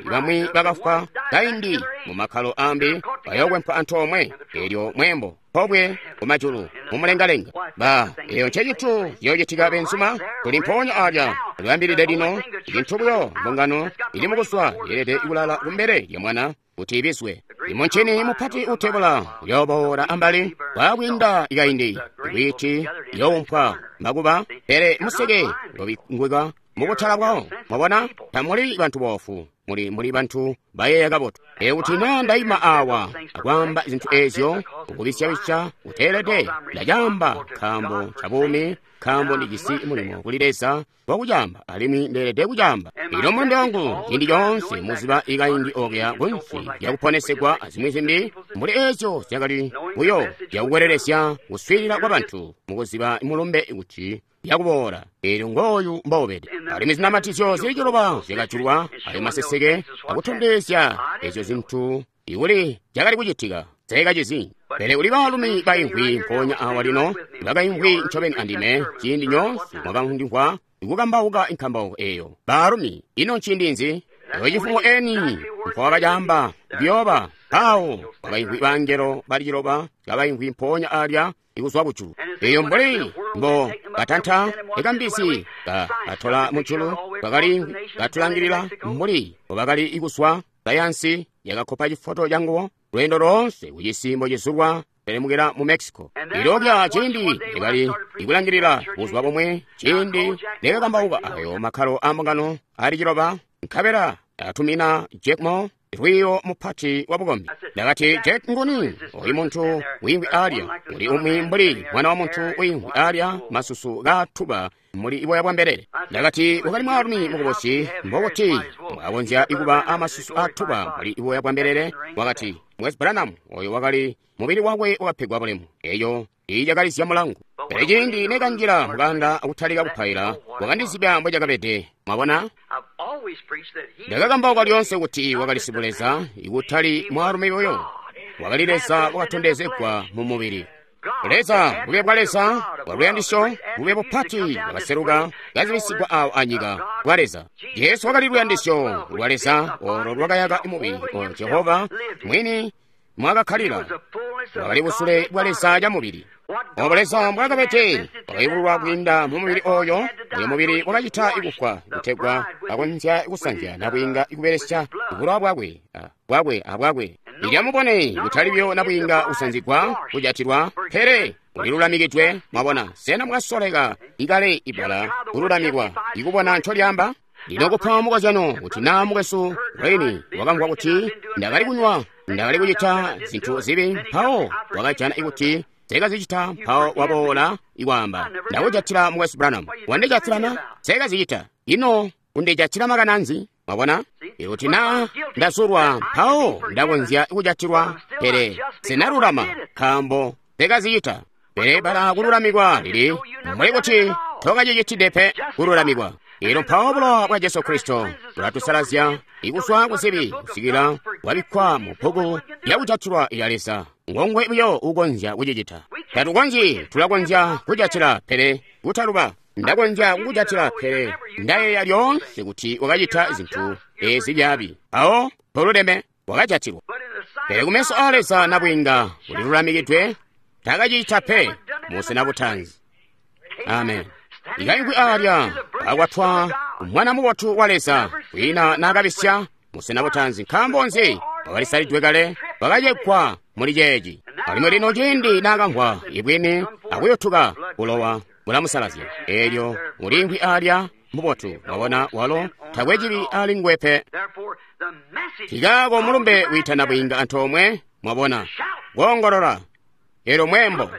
bamwi bakafwa kaindi mu makkalo ambi bayookwempa antoomwe, eelyo mweembo pobwe kumajulu mumulengalenga. Ba eyo ncecintu ciyoocitika benzuma, tuli mpoonya alya luyambilide lino. Icintu buyo mbungano ili mukuswa yeelede kulala kumbele lya mwana kuti ibizwe. Imuncini mupati utebula uyooboola ambali kwaakwiinda ikaindi, iwiiti iyoumpwa makuba, pele museke uyobingwika mukutala bwawo. Mwabona, tamuli bantu boofu, muli muli bantu bayeeya kabotu. Ee kuti naa ndaima awa akwaamba zintu eezyo ukubisyawisya uteelede, ndacaamba nkaambo ca buumi, nkaambo ndijisi mulimo kuli Leza wakucaamba, alimwi ndeelede kucaamba. Ilo mulumbe wangu ciindi coonse muziba ikaindi okuya kunsi lyakuponesegwa azimwi zimbi mbuli eezyo zyakali buyo zyakukwelelesya kuswiilila kwa bantu mukuziba mulumbe kuti yakuboola, eelyo ngooyu mboubede. Alimwi zinamatizyo zili ciloba zyakajulwa, ayo maseseke akutondezya ezyo zintu ikuli zyakali kucitika zayakacizi. Pele kuli baalumi baimvwi mpoonya awa lino, bakaimvwi ncobeni andime ciindi nyoonse mwakandimvwa ikukambauka inkambauko eeyo. Baalumi, ino nciindi nzi? Eyo cifumo eni mpowakacaamba kuyooba, mpawo kwakaimvwi bangelo bali ciloba kabaimvwi mpoonya alya ikuzwa kujulu. Eyo mbuli mbo katanta ikambizi ka katola mujulu, kakali katulangilila mbuli mbobakali ikuswa sayansi yakakkopa cifoto canguwo lweendo loonse kucisi mbocizulwa pelemukila mu Mexico. Ilobya ciindi nekali ikulangilila buzuba bomwe ciindi nekakambauka ayo makkalo a mbungano ali ciloba, nkabela atumina Jack Moore lwiyo mupati wa bukombi. Ndakati, Jack nguni? Oyu muntu wiimvwi alya, uli umwi mbuli mwana wa muntu wiimvwi alya, masusu kaatuba muli iboya bwa mbelele. Ndakati, wakali mwaalumi mukubusi, mbokuti mwakonzya ikuba amasusu aatuba muli iboya bwa mbelele. Wakati, Mwezi Branham, oyo wakali mubili wakwe wakapegwa bulemu. Eyo ijakalizya mulangu. Pele ciindi nekanjila mukanda akutalika kupaila, wakandizibya mbocakabede. Mwabona? Ndakakambauka lyoonse kuti wakali sibuleza, ikutali mwaalumi buyo. Wakali Leza wakatondezegwa mu mubili. Leza, bube bwa Leza, bwa luyandisyo, bube bupati bwakaseluka kazibisigwa awo anyika bwa Leza. Jesu wakali luyandisyo lwa Leza olo lwakayaka mubili o Jehova mwini mwakakkalila. Wakali busule bwa Leza camubili. Obo Leza mbwakabede wakayubululwa kwiinda mu mubili oyo, oyo mubili wakacita kufwa kutegwa akonzya kusanzya nabwiinga kubelesya bulowa bwakwe bwakwe abwakwe. Ilyamubone kutali buyo nabwiinga kusanzigwa kujatilwa, pele ulilulamikidwe. Mwabona, sena mwasoleka ikale ibbala kululamikwa ikubona ncolyamba? Lino kupa mukozyano kuti naa mukwesu Wayne wakamvwa kuti ndakali kunywa, ndakali kucita zintu zibi, mpawo wakajana kuti sekazicita, mpawo waboola ikwaamba, ndakujatila mukwesu Branham. Wandijatilana? Sekazicita. Ino undijatila makananzi? Mwabona? Ikuti naa ndazulwa, mpawo ndakonzya kujatilwa, pele sinalulama nkaambo sekazicita. Pele bala kululamikwa lili mbuli kuti tokacicitide pe kululamikwa. Elo mpawo bulowa bwa Jesu Kristo bulatusalazya ikuzwa kuzibi kusikila bwabikkwa mu bbuku lyakujatilwa ilya Leza. Ngongwe buyo ukonzya kucicita. Tatukonzyi, tulakonzya kujatila pele kutaluba. Ndakonzya kukujatila pele ndayeeya lyoonse kuti wakacita zintu ezi byabi. Mpawo toluleme wakajatilwa. Pele kumeso a Leza nabwiinga ulilulamikidwe, takacicita pe musena butanzi. Amen. Ikayingwi alya akwatwa mwana mubotu wa Leza kwina nakabisya musena butanzi. Nkaambo nzi? Wakalisalidwe kale, wakacekwa muli ceeci. Alimwi lino ciindi nakamvwa ibwini akuyotuka bulowa bulamusalazya. Eelyo uliingwi alya mubotu, wabona walo takwe cibi ali nguwe pe. Kikaako mulumbe wiitana bwiinga antoomwe, mwabona, koongolola. Eelyo mwembo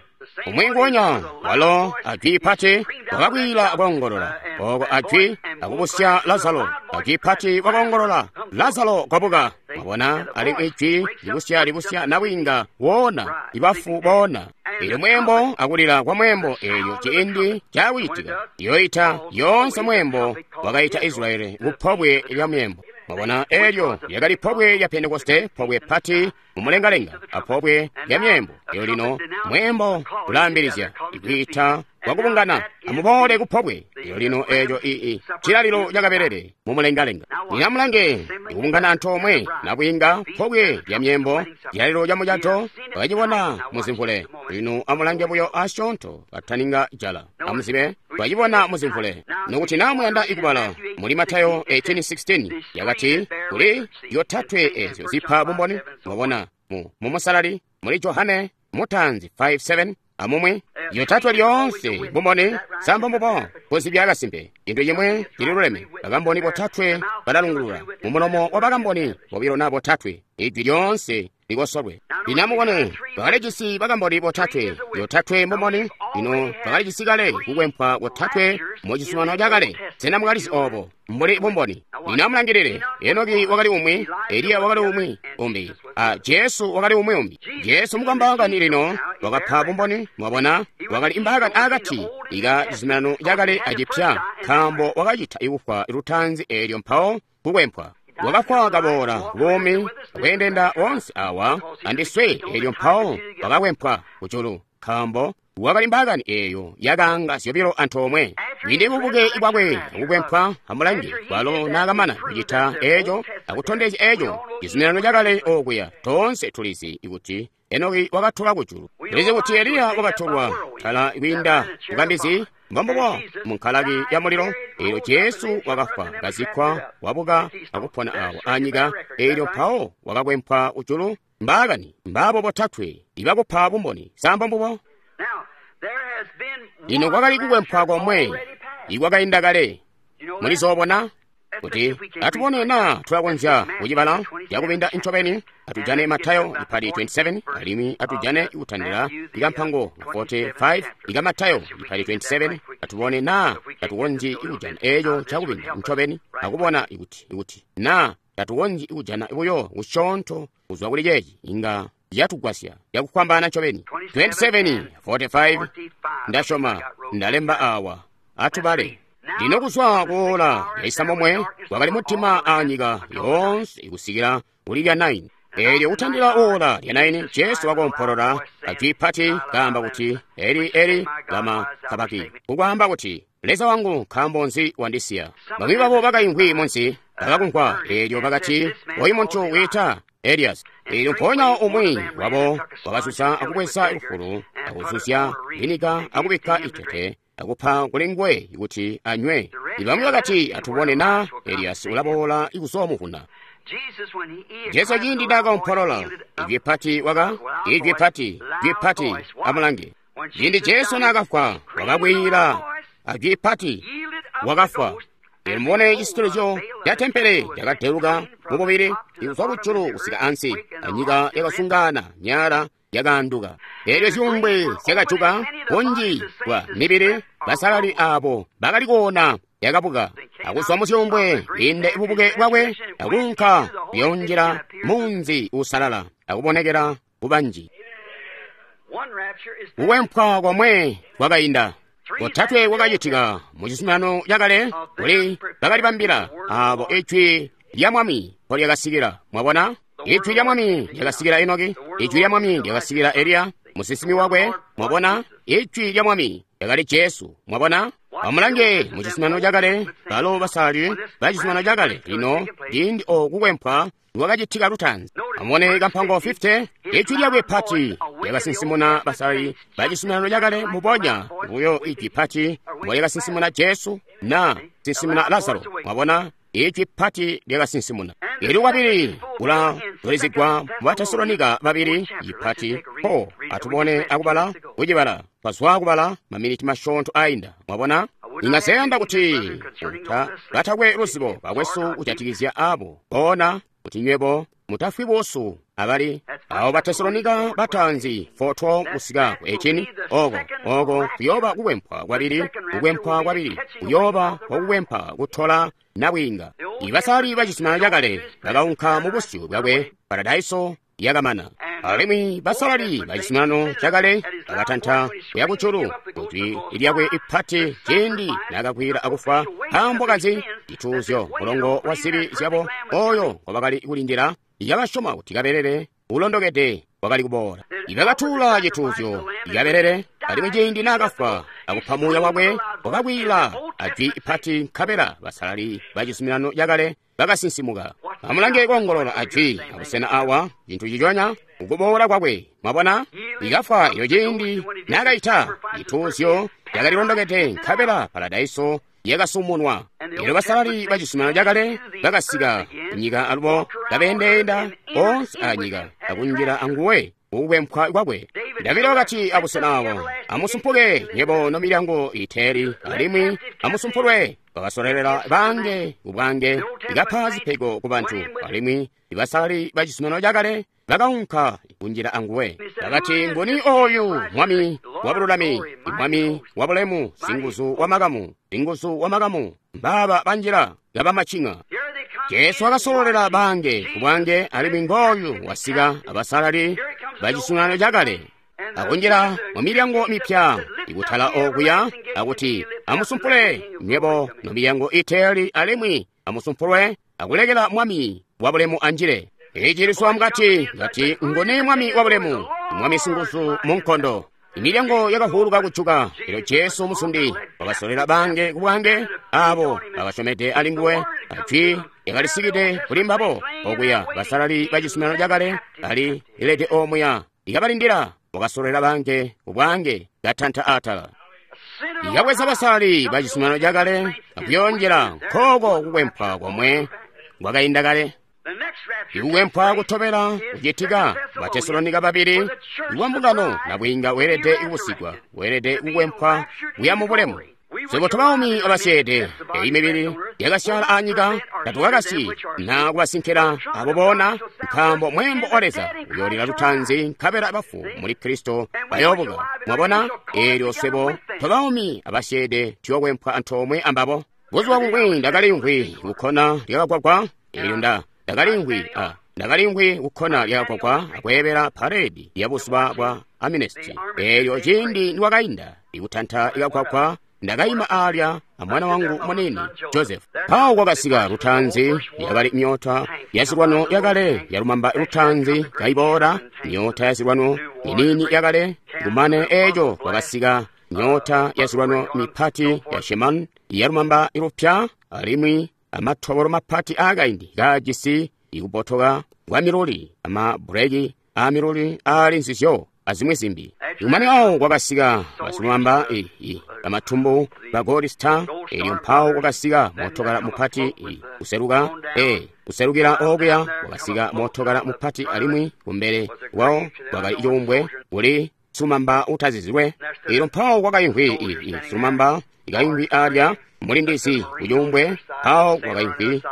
umwi nguonya walo ajwi pati wakakwila koongolola. Oko ajwi akubusya Lazaro, ajwi pati wakoongolola, Lazaro kwabuka. Mwabona, alimwi ijwi libusya libusya nabwiinga woona, ibafu boona. Eelyo mwembo akulila kwa mwembo eelyo ciindi cakucitika yoita yoonse mwembo wakaita Israeli kupobwe lya myembo. Mwabona, eelyo lyakali pobwe lya Pentekoste, pobwe pati mumulengalenga, apobwe lya myembo. Eelyo lino mwembo ulaambilizya ikwiita kwakubungana, amuboole kupobwe. Eelyo lino eeco ii cilalilo cakabelele mumulengalenga. Lino amulange ikubungana antoomwe nabwiinga, pobwe lya myembo, cilalilo ca mucato bakacibona muzimvule. Lino amulange buyo asyoonto kataninga jala, amuzibe twacibona muzimvule. Nokuti naa muyanda ikubala muli Matayo eighteen sixteen yakati kuli yotatwe ezyo zipa bumboni. Mwabona mu mumusalali muli Johane mutanzi five seven amumwi yotatwe lyoonse bumboni samba mbubo kuzibya kasimpe. Cintu cimwe cililuleme, bakamboni botatwe balalungulula mumulomo wa bakamboni bobilo na botatwe, ijwi lyoonse likosolwe. Lino amubone, bakalijisi bakamboni botatwe, yotatwe mbumboni. Lino bakalijisi kale kukwempwa botatwe mu cizuminano cakale. Sena mwakalizi obo mbuli bumboni? Lino amulangilile, Enoki wakali umwi, Eliya wakali umwi umbi, a Jesu wakali umwi umbi. Jesu mukambaakani lino wakapa bumboni. Mwabona, wakali imbaakani akati ika cizuminano cakale acipya, nkaambo wakacita ikufwa lutanzi eelyo mpawo kukwempwa. Wakafwa kaboola buumi akweendenda wonse awa andiswe, eelyo mpawo wakakwempwa kujulu, nkaambo wakali mbaakani eeyo yakaanga zyobilo antoomwe. Kwiinde bubuke bwakwe akukwempwa, amulange kwalo naakamana kucita eeco akutondezya eeco cizuminano cakale okuya. Toonse tulizi kuti Enoki wakatolwa kujulu. Tulizi kuti Eliya wakatolwa tala kwiinda kukambizi, mbombubo munkalaki ya mulilo. Eelyo Jesu wakafwa, kazikkwa, wabuka akupona awo anyika, eelyo mpawo wakakwempwa kujulu. Mbaakani mbaabo botatwe ibakupa bumboni samba mbubo. Lino kwakali kukwempwa komwe ikwakainda kale. Mulizoobona kuti atubone naa tulakonzya kucibala cakubinda ncobeni. Atujane Matayo ipali twenty-seven, alimwi atujane ikutandila ikampango forty-five ika Matayo ipali twenty-seven. Atubone naa tatukonzyi ikujana eeco cakubinda ncobeni, akubona ikuti ikuti naa tatukonzyi ikujana buyo kusyoonto kuzwa kuli ceeci inga yatugwasya yakufwambaana ncobeni. twenty-seven forty-five ndasyoma ndalemba awa, atubale. Lino kuzwa kuola yaisambomwe kwakali mudima anyika yoonse kusikila kuli lya nine. Eelyo kutandila oora lya naini Jesu wakoompolola ajwi pati kaamba kuti, Eli, Eli, lama sabaki, kukwaamba kuti, Leza wangu, nkaambo nzi wandisiya? Bamwi babo bakaimvwi munsi bakakumvwa, eelyo bakati, oyu muntu wiita Elias. Eelyo mpoonya umwi wabo wakasusa akubweza lufulu akuzuzya vinika akubikka itete akupa kuli nguwe kuti anywe. Ibamwi bakati, atubone na Elias ulaboola kuzoomuvuna. Jesu ciindi naakoompolola, ijwi pati waka, ijwi pati, ijwi pati, amulange. Ciindi Jesu naakafwa, wakakwiila ajwi pati, wakafwa. Eelyo mubone cisitilizyo ca tempele cakadeluka mububili kuzwa kujulu kusika ansi, anyika yakasungana, myala yakaanduka. Eelyo zyuumbwe zyakajuka, bunji bwa mibili basalali aabo bakali koona yakabuka akuzwa muzyuumbwe kwiinde bubuke bwakwe akuunka kuyoonjila munzi uusalala akubonekela kubanji. Kukwempwa komwe kwakainda kotatwe kwakacitika mu cizuminano cakale kuli bakalibambila aabo ijwi lya Mwami mpo lyakasikila. Mwabona, ijwi lya Mwami lyakasikila Enoki, ijwi lya Mwami lyakasikila Eliya musinsimi wakwe. Mwabona, ijwi lya Mwami lyakali Jesu. Mwabona, amulange mu cizuminano cakale balo basalali ba cizuminano cakale. Lino ciindi o kukwempwa lwakacitika lutaanzi. Amubone kampango fifty, ijwi lyakwe pati lyakasinsimuna basalali ba cizuminano cakale mubonya buyo ijwi pati mbo lyakasinsimuna Jesu na sinsimuna Lazaro. Mwabona, ijwi pati lyakasinsimuna. Eelyo kwabili kulazulizigwa mu Batesalonika babili ipati po atubone akubala kucibala twazwa kubala maminiti masyoonto ainda. Mwabona, ingazeyanda kuti uta batakwe luzibo bakwesu kujatikizya abo bona kuti nywebo mutafwi buusu abali abo Batesalonika bataanzi four twelve kusika ku eighteen. Oko oko kuyooba kukwempwa kwabili, kukwempwa kwabili kuyooba kwakukwempa kutola nabwiinga. Ibasali ba cizuminano cakale bakaunka mu busyu bwakwe, paradaiso yakamana. Alimwi basalali ba cizuminano cakale bakatanta kuya kujulu kujwi lyakwe ipati ciindi naakakwila akufwa. Nkaambo kanzi? Cituuzyo mulongo wa zibi zyabo oyo ngobakali kulindila yakasyoma kuti kabelele ulondokede wakali kuboola. Ibakatuula cituuzyo kabelele, alimwi ciindi naakafwa akupa muuya wakwe wakakwila ajwi ipati, nkabela basalali ba cizuminano cakale bakasinsimuka. Amulange koongolola ajwi abusena awa, cintu ciconya ukuboola kwakwe. Mwabona, ikafwa iyo ciindi naakaita cituuzyo cakalilondokede, nkabela paradaiso yakasumunwa. Eelyo basalali ba cizuminano cakale bakasika kunyika alubo kabeendeenda onse anyika akunjila anguwe kukwempwa kwakwe. Davida wakati abusena awo, amusumpuke nywebo nomilyango iteeli, alimwi amusumpulwe. Bakasolelela bange kubwange, ikapa zipego ku bantu, alimwi ibasalali ba cizuminano cakale bakaunka kunjila anguwe. Bakati, nguni oyu mwami wa bululami, mwami wa bulemu, singuzu wa makamu, singuzu wa makamu, mbaba banjila kabamacinga. Jesu wakasololela bange kubwange, alimwi ngooyu wasika abasalali ba cizuminano cakale akunjila mu milyango mipya ikutala okuya akuti, amusumpule nywebo nomilyango iteeli, alimwi amusumpulwe akulekela mwami wa bulemu anjile. Iciliswa mukati ngati nguni mwami wa bulemu, mwami singuzu mu nkondo. Imilyango yakavuluka kujuka, elyo Jesu musundi wakasolela bange kubwange abo bakasyomede ali nguwe. Ajwi lyakalisikide kuli mbabo okuya basalali ba cizuminano cakale ali lilede omuya likabalindila. Wakasolela bange kubwange katanta atala, ikabweza basalali ba cizuminano cakale akuyonjela nkoko kukwempwa komwe kwakainda kale. Ikukwempwa kutobela kucitika Batesalonika babili iwa mbungano nabwiinga weelede kubusigwa, weelede kukwempwa kuya mu bulemu. Swebo tobaumi abasyeede, eyi mibili yakasyaala anyika tatukakasyi na kubasinkila abo bona, nkaambo mwembo wa Leza uyoolila lutanzi, nkabela bafu muli Kristo bayoobuka. Mwabona, eelyo swebo tobaumi abasyeede tuyookwempwa antoomwe ambabo. Buzuba bumwi ndakaliimvwi kukkona lyakagwagwa, eelyo nda ndakaliimvwi a ndakaliimvwi kukkona lyakagwagwa akweebela paredi ya buzuba bwa Amnesty. Eelyo ciindi niwakainda ikutanta ikagwagwa Ndakaima alya amwana wangu munini Joseph. Mpawo kwakasika lutaanzi yakali myota ya zilwano yakale yalumamba lutaanzi kaiboola, myota ya zilwano minini yakale. Kumane eco kwakasika myota ya zilwano mipati ya Sheman yalumamba lupya alimwi amatobolo mapati akaindi kajisi ikubotoka kwa miluli amabuleki a miluli ali nzizyo azimwi zimbi. Kumane awo kwakasika basilumamba bamatumbu ba Gold Star, elyo mpawo kwakasika mootokala mupati kuseluka e kuselukila okuya kwakasika mootokala mupati alimwi kumbele kwawo kwakali cuumbwe kuli silumamba utazizilwe. Elyo mpawo kwakaimvwi silumamba ikaimvwi alya mulindizi kucuumbwe. Mpawo kwakaimvwi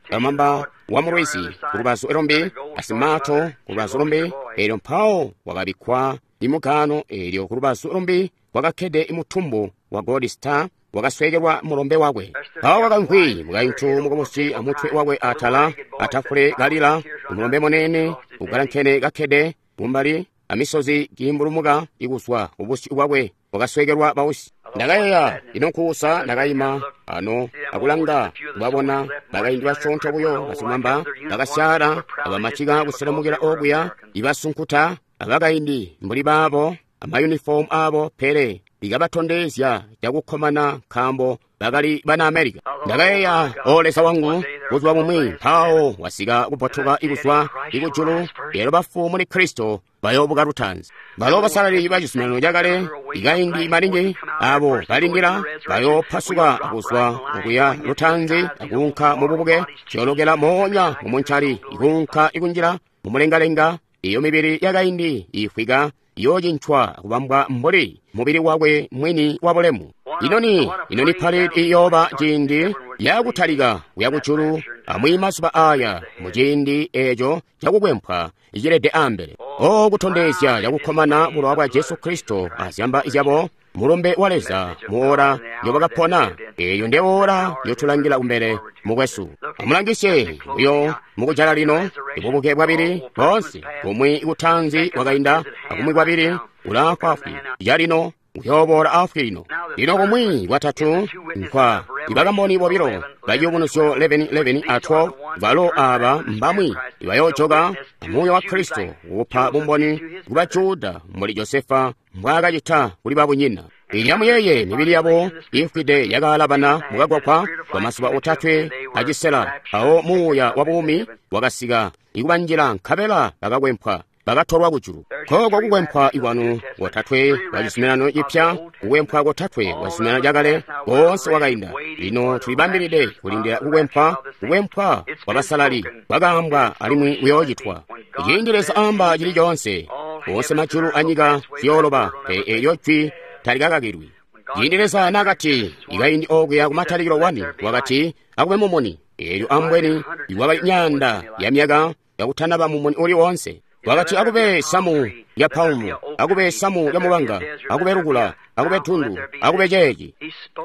silumamba wa mulwizi kulubazu lumbi asimato kulubazu lumbi. Elyo mpawo kwakabikkwa imugano. Elyo kulubazu lumbi kwakakkede imutumbu wa Gold Star wakaswekelwa mulombe wakwe. Mpawo kwakaimvwi mukaintu mukubusi amutwe wakwe atala atafule kalila, umulombe munene ugalankene kakkede kumbali amisozi kiimbulumuka ikuzwa kubusyu bwakwe wakaswekelwa bausi. Ndakayeeya, ino nkuusa. Ndakaima ano akulanga kubabona bakaindi basyoonto buyo basilumamba bakasyala abamacika kuselemukila okuya ibasunkuta abakaindi mbuli baabo amayunifomu abo, pele likabatondezya cakukkomana nkaambo bakali bana America. Ndakayeeya, o Leza wangu, buzuba bumwi mpawo wasika kupotoka ikuzwa ikujulu, lelo bafu muli Kristo bayoobuka lutaanzi. Balo basalali ba cizuminano cakale ikaindi maningi abo balindila bayoopasuka kuzwa okuya lutaanzi akuunka mububuke, ciyoolokela moonya mumuncali ikuunka ikunjila mumulengalenga. Iyo mibili yakaindi ifwika yoocincwa kubambwa mbuli mubili wakwe mwini wa bulemu. Inoni inoni parade iyooba ciindi yakutalika kuya kujulu amwi mazuba aya muciindi eco cakukwempwa icilede ambele. O kutondezya cakukkomana bulowa bwa Jesu Kristo azyamba zyabo mulumbe wa Leza muora yobakapona. Eyo nde ora yotulangila kumbele mukwesu. Amulangisye uyo mukujala lino ibubuke bwabili bonse, kumwi kutanzi kwakainda akumwi kwabili ulaafwaafwi calino uyoboola afwi lino. Lino kumwi kwatatu nkwa ibakamboni bobilo ba Ciyubunuzyo eleven eleven a twelve, balo aba mbamwi ibayoojoka amuuya wa Kristo kupa bumboni kuba Juda mbuli Josefa mbwaakacita kuli babunyina. Ilya muyeye mibili yabo ifwide yakaalabana mukagwagwa kwa mazuba otatwe acisela. Awo muuya wa buumi wakasika ikubanjila nkabela bakakwempwa bakatolwa kujulu. Koko kukwempwa ikwanu kotatwe kwa cizuminano cipya, kukwempwa kotatwe kwa cizuminano cakale konse kwakainda. Lino tulibambilide kulindila kukwempwa, kukwempwa kwa basalali kwakaambwa alimwi kuyoocitwa. Ciindi Leza aamba cili coonse, onse majulu anyika ziyooloba, pele eelyo jwi talikakakilwi. Ciindi Leza naakati ikaindi okuya kumatalikilo wani, wakati akube mumuni, eelyo ambweni iwakali myaanda ya myaka yakutanaba mumuni uli wonse. Wakati akube samu ya palmu, akube samu ya mubanga, akube lukula, akube tundu, akube ceeci.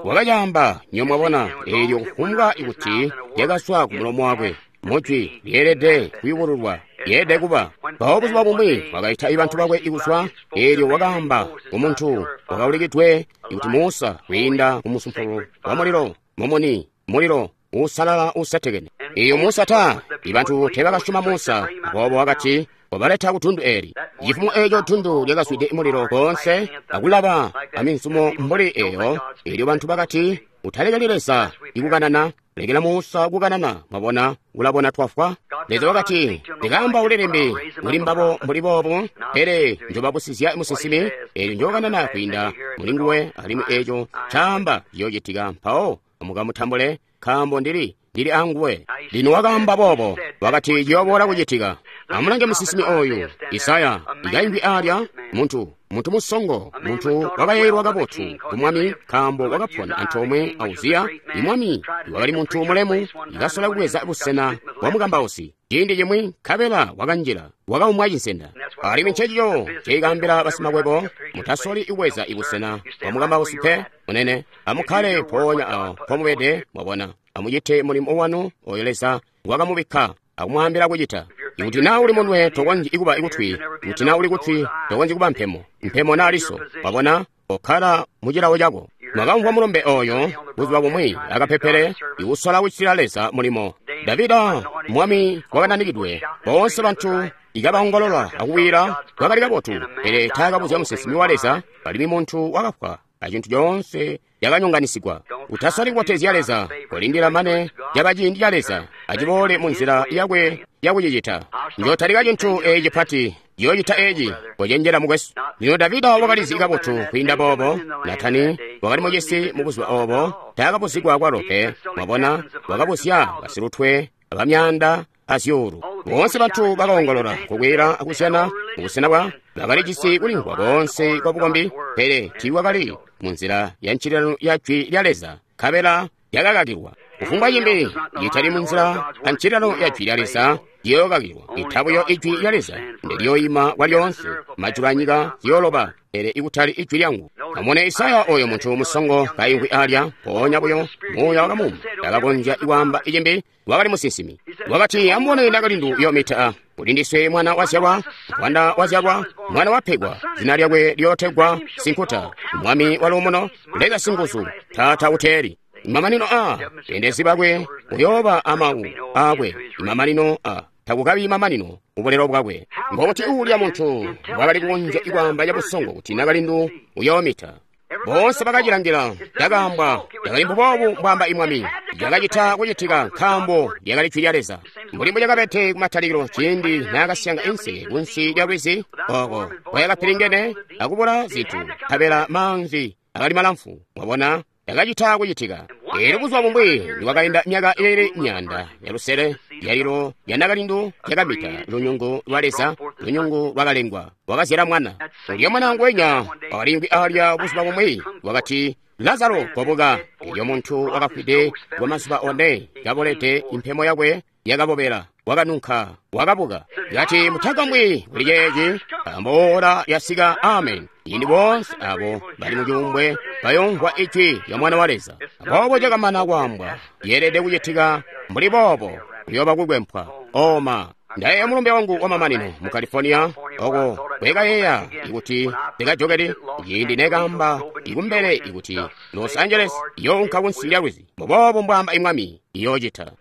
Wakacamba nyomwabona eelyo kufumbwa ikuti lyakaswa ku mulomo wakwe mujwi lyeelede kuyubululwa, lyeelede kuba. Mpawo buzuba bumwi wakaita ibantu bakwe ikuzwa, eelyo wakaamba kumuntu wakaulikidwe ikuti Musa kwiinda ku musumpulu wa mulilo, mumuni, mulilo uusalala uusetekene. Iyo Musa ta ibantu teebakasyoma Musa, aboobo wakati wabaleta ku tundu eli. Cifumo eco tundu lyakazwide mulilo konse akulaba aminzumo mbuli eyo. Eelyo bantu bakati, utalekeli Leza ikukanana, lekela Musa kukanana. Mwabona, ulabona twafwa. Leza wakati, ndikaamba ulilimbi muli mbabo mbuli boobu, pele njobabusizya musinsimi, eelyo njokanana kwiinda muli nguwe, alimwi eco caamba ciyoocitika. Mpawo mukamutambule, nkaambo ndili ndili anguwe. Lino wakaamba boobo, wakati ciyooboola kucitika. Amulange musinsimi oyu Isaya ikaimbi alya, muntu muntu musongo, muntu wakayeeyelwa kabotu ku mwami, nkaambo wakapona antoomwe a Uziya imwami wakali muntu mulemu, ikasola kubweza busena bwa mukambausi ciindi cimwi, nkabela wakanjila wakaumwa cinsenda. Alimwi ncecico ceikaambila basimakwebo, mutasoli kubweza ibusena bwa mukambausi pe munene. Amukkale mpoonya awo mpomubede, mwabona. Amucite mulimo wanu oyo Leza ngwakamubikka akumwaambila kucita. Ikuti naa uli munwe tokonzyi kuba ikutwi, ikuti naa uli kutwi tokonzyi kuba mpemo, mpemo naa liso. Wabona, okkala mucilawo cako. Mwakamvwa mulumbe oyo buzuba bumwi akapepele ikusola kucitila Leza mulimo. Davida mwami wakananikidwe, boonse bantu ikabaongolola akuwira kwakali kabotu, pele taakabuzya musinsimi wa Leza, alimwi muntu wakafwa acintu coonse yakanyonganisigwa. Utasali kubotezya Leza, kolindila mane caba ciindi ca Leza aciboole mu nzila yakwe yakucicita. Njotalika cintu eeci cipati, yoocita eeci, kocenjela mukwesu. Lino Davida wakalizi kabotu kwiinda boobo. Natani wakali mucisi mu buzuba oobo, taakabuzigwa kwalo pe. Mwabona, wakabuzya basilutwe abamyaanda azyuulu. Boonse bantu bakaongolola kukwila akuzyana mubusena bwa bakalijisi kulimvwa koonse kwa bukombi, pele tiikwakali mu nzila ya ncililano ya jwi lya Leza, nkabela yakakakilwa. Kufumbwa cimbi citali mu nzila ya ncililano ya jwi lya Leza ciyookakilwa. Ita buyo ijwi lya Leza ndeliyoima kwalyoonse. Majulu anyika ziyooloba, pele ikutali ijwi lyangu. Amune Isaya oyo muntu musongo kaimvwi alya, mpoonya buyo muuya wakamuuma, takakonzya kwaamba icimbi, wakali musinsimi. Wakati, amubone nakalindu yoomita, kuli ndiswe mwana wazyalwa, mwana wazyalwa, mwana wapegwa, zina lyakwe liyootegwa Sinkuta, mwami waluumuno, Leza singuzu, Taata uteeli. Imamanino a bendezi bakwe uyooba amawu akwe, imamanino a takukabi mamanino ubulelo bwakwe. Ngokuti uulya muntu wakali kukonzya kwaamba cabusongo kuti nakalindu uyoomita. Boonse bakacilangila, cakaambwa cakali mbuboobu mbwaamba imwami, cakacita kucitika nkaambo lyakali jwi lya Leza. Mbuli mbucakabede kumatalikilo ciindi naakasyanga inseke kunsi lya lwizi, ooko kwayakapilingene akubula zintu, nkabela maanzi akali malamfu. Mwabona, yakacita kucitika. Eelyo buzuba bumwi nikwakainda myaka iili myaanda ya lusele, lyalilo lya nakalindu lyakamita lunyungu lwa Leza, lunyungu lwakalengwa, wakazyala mwana. Ulya mwana ngwenya wakaliimvwi alya buzuba bumwi, wakati, Lazaro kobuka. Elyo muntu wakafwide kwa mazuba one, kabolede, impemo yakwe yakabobela, wakanunka, wakabuka. Kati, mutagambwi kuli ceeci, nkaambo ora yasika. Amen. Ciindi boonse abo bali mucuumbwe bayomvwa ijwi lya Mwana wa Leza. Aboobo cakamana kwaambwa, yeelede kucitika mbuli boobo, kuyooba kukwempwa. Oma, ndayeeya mulumbe wangu wamamanino mu California, oko kwekayeeya ikuti ndikajokeli ciindi nekaamba ikumbele ikuti Los Angeles iyounka kunsi lya lwizi. Mbuboobo mbwaamba imwami, iyoocita.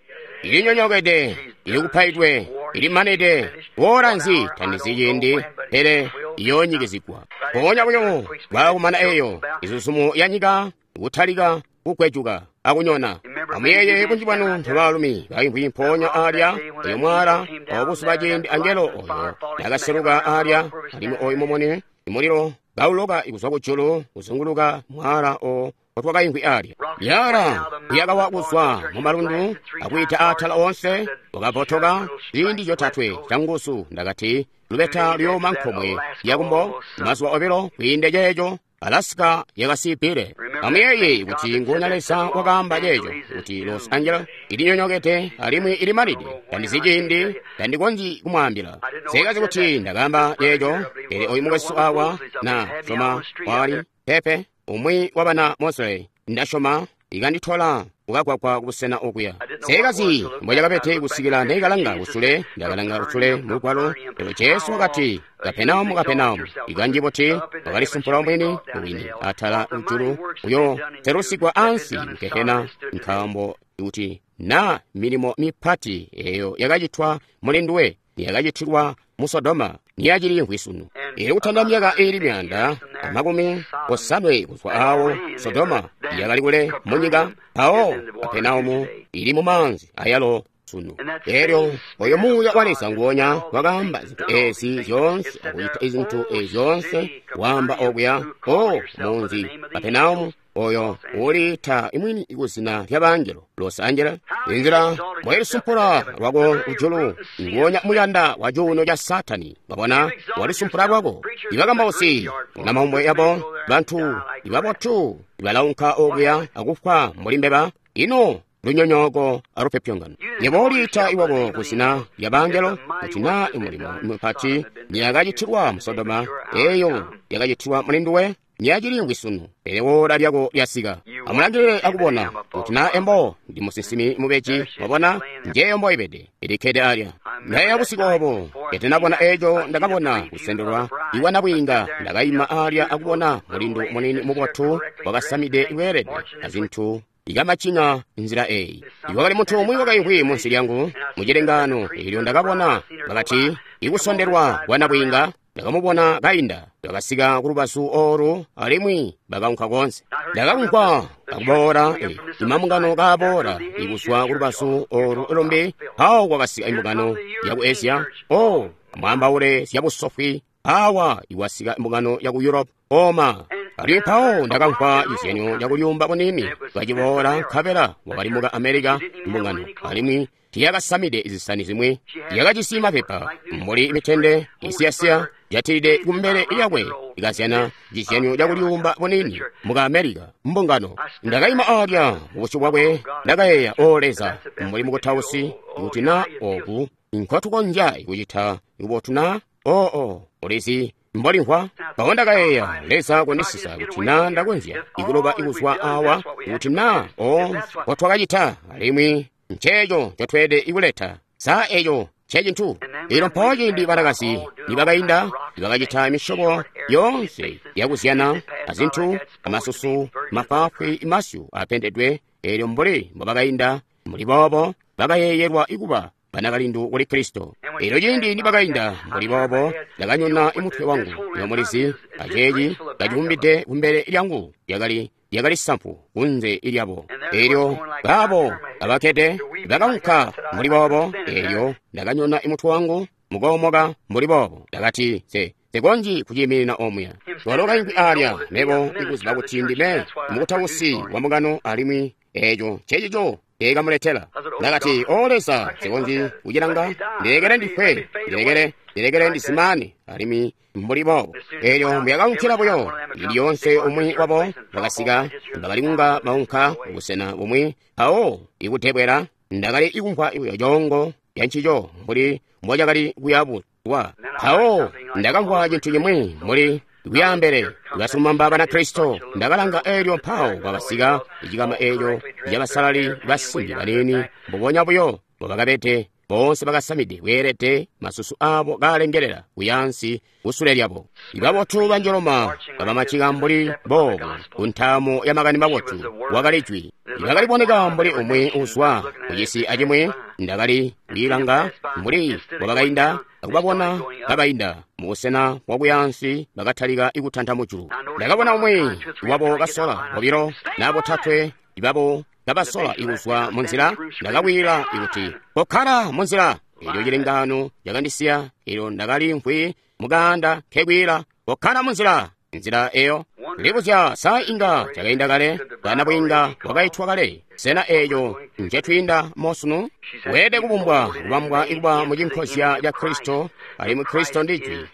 Ilinyonyokede, ilikupaidwe, ilimanide, woola nzi tandizi ciindi, pele iyoonyikizigwa. Mpoonya buyo bwaakumana eeyo izuzumo ya nyika kutalika kugwejuka akunyona. Amuyeeye bunji bwanu ntobaalumi baimvwi mpoonya alya oyo mwala obuzuba ciindi angelo oyo nakaseluka alya, alimwi oyo mumuni imulilo kauloka kuzwa kujulu kuzunguluka mwala o otwakaimvwi alya. Yala yakawa kuzwa mu malundu akwiita atala onse, wakabotoka ziindi zyotatwe canguzu. Ndakati, lubeta luyooma nkomwe yakumbo mazuba obilo kwiinde ceeco Alaska yakasipile. Amuyeeye kuti nguonya Leza wakaamba ceeco kuti Los Angeles ilinyonyokede alimwi ilimalide. Tandizi ciindi, tandikonzyi kumwaambila. Sekazi kuti ndakaamba ceeco, pele oyu mukwesu awa na soma wali pepe umwi wa bana Mosley, ndasyoma ikanditola kukagwagwa kubusena okuya. Sekazi mbocakabede kusikila neikalanga kusule, ndakalanga kusule mulugwalo, lero Jesu wakati, Kapenaumu, Kapenaumu, ikanji buti wakalisumpula mwini wini atala ujulu uyo selusigwa ansi mukehena, nkaambo kuti na milimo mipati eyo yakacitwa muli nduwe niyakacitilwa mu Sodoma niyacili sunu. Ili kutanda myaka iili myaanda amakumi osanwe kuzwa awo Sodoma yakali kule mu nyika, mpawo Kapenaumu ili mu maanzi ayalo sunu. Elyo oyo muuya wa Leza nguonya wakaamba zintu ezi zyoonse akuyita izintu ezi zyoonse, waamba okuya o munzi Kapenaumu oyo uliita imwini kuzina lya bangelo Los Angeles. Inzila mwalisumpula lwako ujulu nguonya muyanda wa cuuno ca Satani. Mwabona, walisumpula lwako. Ibakambausi na maumbwe yabo bantu ibabotu ibalaunka okuya akufwa mbuli mbeba. Ino lunyonyooko alupyopyongano. Yebo uliita iwabo kuzina lya bangelo kuti na imulimo mupati niyakacitilwa mu Sodoma eyo yakacitilwa muli nduwe niyacili sunu, pele woola lyako lyasika. Amulangilile akubona kuti na embo ndi musinsimi mubeji. Mwabona, njeyo mboibede ilikkede alya. Ndayeeya busiku obo ketinabona eco ndakabona kusendelwa iwanabwiinga. Ndakaima alya akubona mulindu munini mubotu wakasamide bweelede azintu ikamacinga nzila eyi. Iwakali muntu umwi wakaimvwi munsi lyangu mucilengano, eelyo ndakabona bakati ikusondelwa kwanabwiinga. Ndakamubona kainda, bakasika kulubazu olu alimwi bakaunka konse. Ndakaunka akuboola imambungano kaaboola ikuzwa kulubazu olu lumbi. Awo kwakasika imbungano yaku Asia, o amwaambaule zyabusofwi. Awa iwasika imbungano yaku Europe, oma. Alimwi mpawo ndakamvwa cizyanyo cakulyumba bunini kaciboola, nkabela wakali muka America mbungano, alimwi tiyakasamide zisani zimwi, yakajisi mapepa mbuli mitende isiyasiya jatilide kumbele lyakwe, ikazyana cizyanyo cakulyumba bunini muka America mbungano. Ndakaima alya mubusyu bwakwe, ndakayeeya, o Leza, mbuli mukutausi, kuti na oku nkotukonzya kucita kubotu na oo ulizi mbolimvwa. Mpawo ndakayeeya, Leza kundisisa kuti na ndakonzya ikuloba ikuzwa awa, kuti na o nkotwakacita, alimwi nceeco ncotweelede ikuleta. Sa eco ncecintu. Elyo mpawo ciindi banakazi nibakainda, nibakacita misyobo yoonse yakuzyana azintu, amasusu mafwaafwi, masyu apendedwe, elyo mbuli mbobakainda mbuli boobo bakayeeyelwa ikuba banakalindu kuli Kristo. Elyo ciindi nibakainda mbuli boobo, ndakanyona imutwe wangu yomulizi aceeci kacivumbide kumbele lyangu, lyakali lyakali sampu kunze lyabo. Elyo baabo abakkede bakaunka mbuli boobo, elyo ndakanyona imutwe wangu mukoomoka mbuli boobo. Ndakati, se nsikonzyi kuciiminina omuya. Walo kaimvwi alya, mebo ikuziba kuti ndime mukutausi wa mbungano, alimwi eco ncecico nceekamuletela. Ndakati, o Leza, nsikonzyi kucilanga, ndilekele ndifwe, ndilekele ndilekele ndizimane, alimwi mbuli boobo. Elyo mbuyakaunkila buyo, ili lyonse umwi wabo bakasika, bakali kunga baunka kubusena bumwi, mpawo ikutebwela ndakali ikumvwa buyo coongo lyancico mbuli mbocakali kuyabuwa. Mpawo ndakamvwa cintu cimwi mbuli kuyaambele basilumamba Banakristo. Ndakalanga, elyo mpawo kwakasika icikama eco cabasalali basimbi baniini, mbubonya buyo mbobakabede, boonse bakasamide bweelede, masusu abo kaalengelela kuyaansi kusule lyabo. Ibabotu banjoloma kabamacika mbuli boobo ku ntaamo ya makani mabotu wakali jwi. Ibakaliboneka mbuli umwi uzwa kucisi acimwi. Ndakali kwiilanga mbuli mbobakainda akubabona kabainda mubusena bwakuyaansi, bakatalika ikutanta mujulu. Ndakabona umwi wabo kasola bobilo na botatwe ibabo kabasola ikuzwa munzila. Ndakawila ikuti, kokkala munzila. Elyo cilengano cakandisiya, elyo ndakalimvwi mukaanda nkekwila, kokkala munzila. Nzila eyo libuzya sa inga cakainda kale, kana bwinga bwakaitwa kale. Sena eco ncetwiinda mosunu? Weelede kubumbwa kubambwa ikuba mucinkozya ca Kristo, alimwi Kristo ndi Jwi.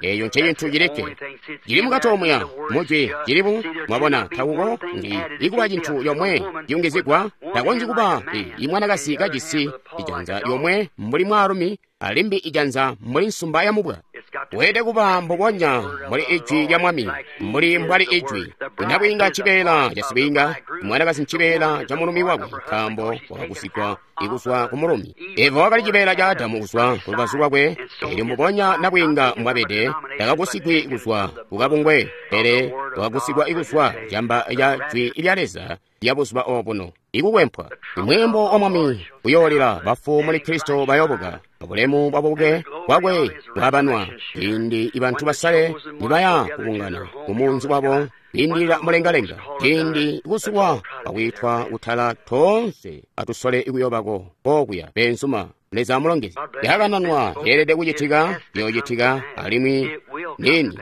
Eco ncecintu cilikke cili mukati omuya mujwi cilibu. Mwabona, takuko ndi ikuba cintu yomwe ciyungizigwa. Takonzyi kuba imwanakazi kajisi ijanza lyomwe mbuli mwaalumi, alimbi ijanza mbuli nsumba ya mubwa. Weelede kuba mbubonya mbuli ijwi lya Mwami, mbuli mbwali ijwi. Inabwiinga ncibeela ca sibwiinga, mwanakazi ncibeela ca mulumi wakwe, nkaambo wakagusigwa ikuzwa ku mulumi. Eva wakali cibeela ca Adamu kuzwa ku lubazu lwakwe, elyo mbubonya nabwiinga mbwabede, takagusigwi kuzwa kukabungwe, pele wakagusigwa ikuzwa camba ca jwi lya Leza lya buzuba obuno. Ikukwempwa imweembo wa Mwami uyoolila, bafu muli Kristo bayobuka, bulemu bwabuke bwakwe bwabanwa. Ciindi ibantu basale nibaya kubungana kumunzi wabo kwiindilila mulengalenga, ciindi kusulwa akwiitwa kutala, toonse atusole ikuyobako kokuya. Beenzuma, Leza amulongeze. Yakananwa yeelede kucitika, yoocitika, alimwi nini.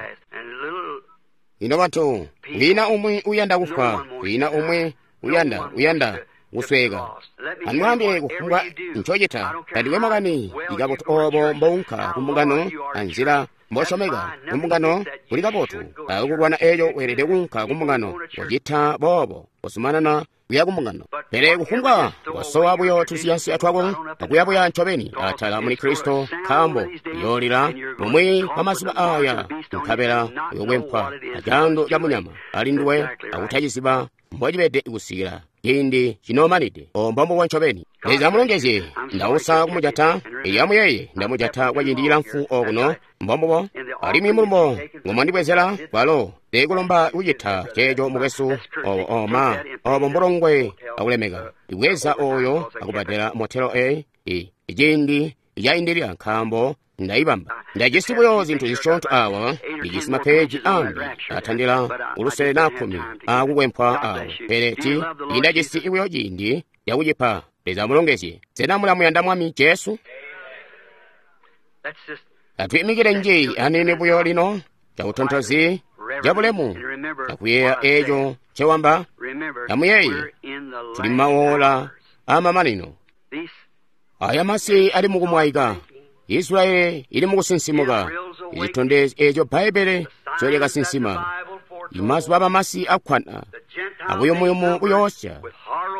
Ino bantu, kwiina umwi uyanda kufwa, kwiina umwi uyanda uyanda kusweka. Amwaambile kufumbwa ncocita, tandikwe makani ikabotu obo mbounka kumbungano anzila mbosyomeka kumbungano kuli kabotu. Akulwana eco weelede kuunka kumbungano, kocita boobo. Kozumanana kuya kumbungano. Pele kufumbwa wasowa buyo tusiyansiya twako akuyabuya ncobeni atala muli Kristo, nkaambo uyoolila bumwi bwa mazuba aya, nkabela uyokwempwa acaando ca munyama ali nduwe akutaciziba mbocibede kusikila ciindi cinoomanide. O mbombubo ncobeni. Leza amulongezye. Ndausa kumujata. Elyo amuyeeye, ndamujata kwa ciindi cilamfu okuno. Mbombubo. Alimwi mulumbo ngomwandibwezela kwalo teekulomba kucita ceeco mukwesu. Obo oma obo mbulongwe akulemeka. Ibweza oyo akubadela motelo e i ciindi caindilila nkaambo ndayibamba. Ndajisi buyo zintu zisyoonto awa, ndijisi mapeji ambi atandila ulusele na kkumi akukwempwa awo, pele ti ndajisi buyo ciindi cakucipa. Leza amulongezye. Sena mulamuyanda Mwami Jesu? Atwiimikile nji anini buyo lino cakutontozi cabulemu akuyeeya eeco ncewamba. Amuyeeye, tuli mawola amamanino. Aya masi ali mukumwaika. Israeli ili mukusinsimuka. Icitondezyo eeco Bbaibbele ncolyakasinsima. Imazuba abamasi akkwana abuyumuyumu buyoosya.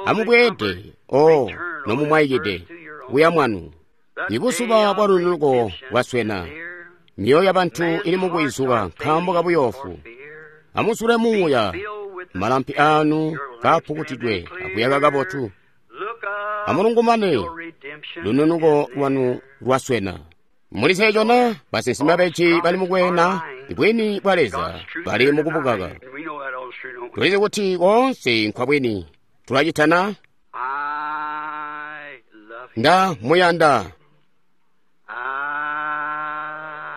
Amubweede, o nomumwaikide, kuya mwanu. Ibuzuba bwa lununuko bwaswena. Myoyo yabantu ili mukwizuka nkaambo kabuyoofu. Amuzule muuya, malampi anu kaapukutidwe akuyaka kabotu. Amulungumane, lununuko lwanu lwaswena. Mulizeeco na basinsimi beji bali mukweena bwini bwa Leza bali mukubukaka. Tulizi kuti koonse nkwabwini. Tulacitana? Nda muyanda.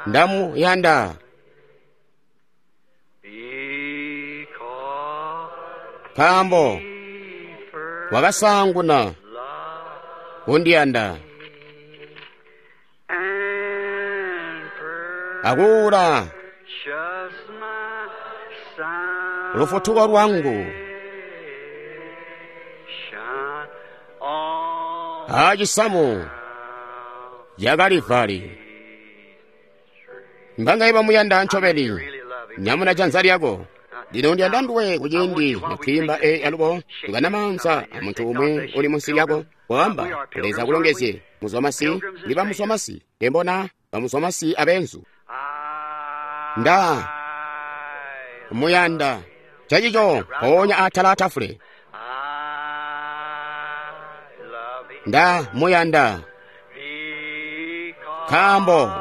Ndamuyanda. Nkaambo wakasaanguna kundiyanda akuula lufutuko lwangu acisamu ca Kalivali. Mbangaye bamuyanda ncobeni? Nyamuna janza lyako. Lino ndiyanda nduwe kuciindi natwiimba e alubo tukana maanza a muntu umwi uli munsi lyako. Waamba, Leza akulongezye. Muzwamasi ndi bamuzwamasi tembona bamuzwamasi abenzu. Nda muyanda. Chachicho mpoonya atala atafule. Nda muyanda nkaambo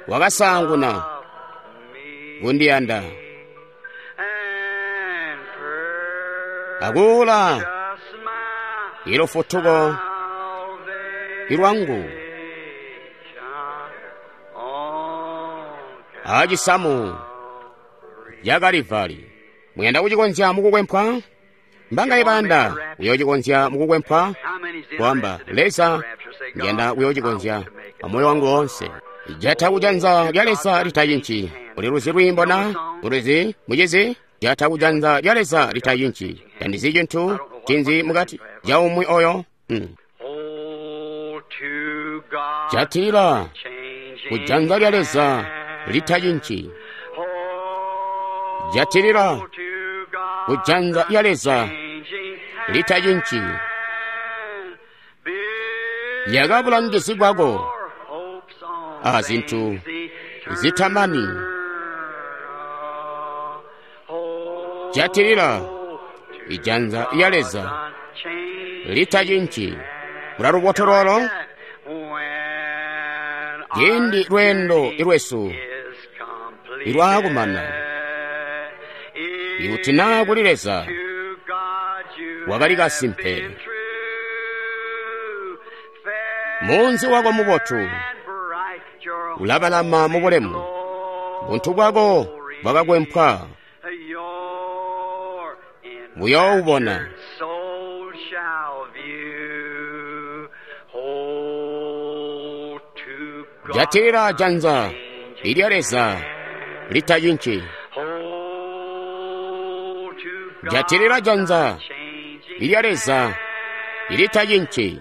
wakasaanguna kundiyanda akuula ilufutuko ilwangu acisamu ca Kalivali. Muyanda kucikonzya mukukwempwa? Mbangaye bayanda kuyoocikonzya mukukwempwa? Kwamba, Leza, ndiyanda kuyoocikonzya amoyo wangu wonse. Jata kujanza lya Leza litayinci. Uli luzi lwiimbo na? Ulizi, mucizi? Jata kujanza lya Leza litayinci. Tandizi cintu cinzi mukati ca umwi oyo. Hmm. Jatila kujanza lya Leza litayinci. Jatilila kujanza lya Leza litayinci. Yaka bulangizi bwako a zintu zitamani. Jatilila ijanza lya Leza litayinci. Mulaluboto lolo ciindi lweendo ilwesu ilwaakumana. Ikuti naa kuli Leza wakali kasimpe, munzi wako mubotu ulabalama mubulemu. Buntu bwako bwakakwempwa buyoobona. Jatilila janza ilya Leza litayinci. Jatilila janza ilya Leza ilitayinci.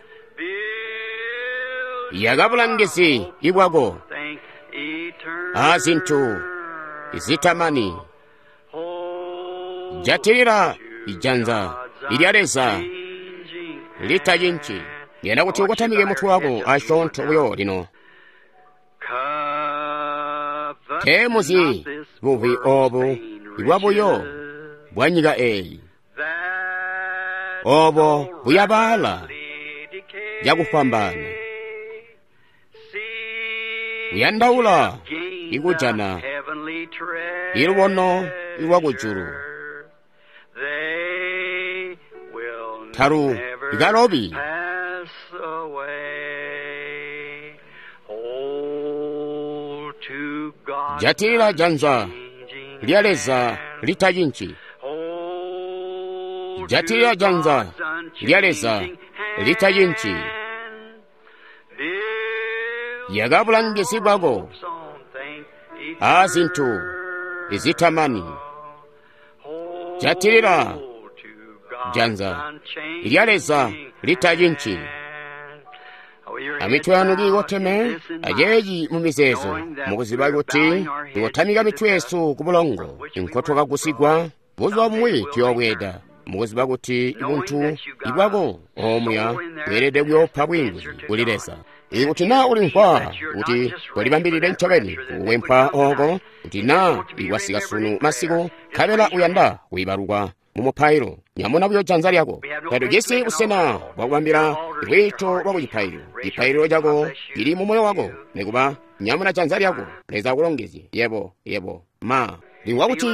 Yaka bulangizi ibwako a zintu zitamani. Jatilila ijanza ilya Leza litacinci. Ndiyanda kuti ukotamike mutwe wako asyoonto buyo lino. Teemuzyi buvi oobu ibwabuyo bwa nyika eeyi, oobo buyabaala cakufwambaana, buyandaula ikujana ilubono lwakujulu talu ikalobi. Jatilila janza lya Leza litacinci. Jatilila janza lya Leza litacinci. Yaka bulangizi bwako aazintu izitamani. Jatilila janza lya Leza litacinci. Amitwe yanu kiikoteme, aceeci mumizeezo, mukuziba kuti tikotamika mitwe yesu ku bulongo nkotwakagusigwa, buzuba bumwi tuyoobweeda, mukuziba kuti buntu ibwako omuya bweelede kuyoopa bwiinguzi kuli Leza. Ikuti naa ulimvwa kuti tolibambilide ncobeni kukwempwa ooko, kuti naa ikwasika sunu masiku nkabela uyanda kuibalukwa mu mupailo, nyamuna buyo janza lyako. Tatujisi busena bwakubambila lwiito lwa kucipaililo. Cipaililo cako cili mu moyo wako, nikuba nyamuna janza lyako. Leza akulongezye yebo, yebo ma limvwa kuti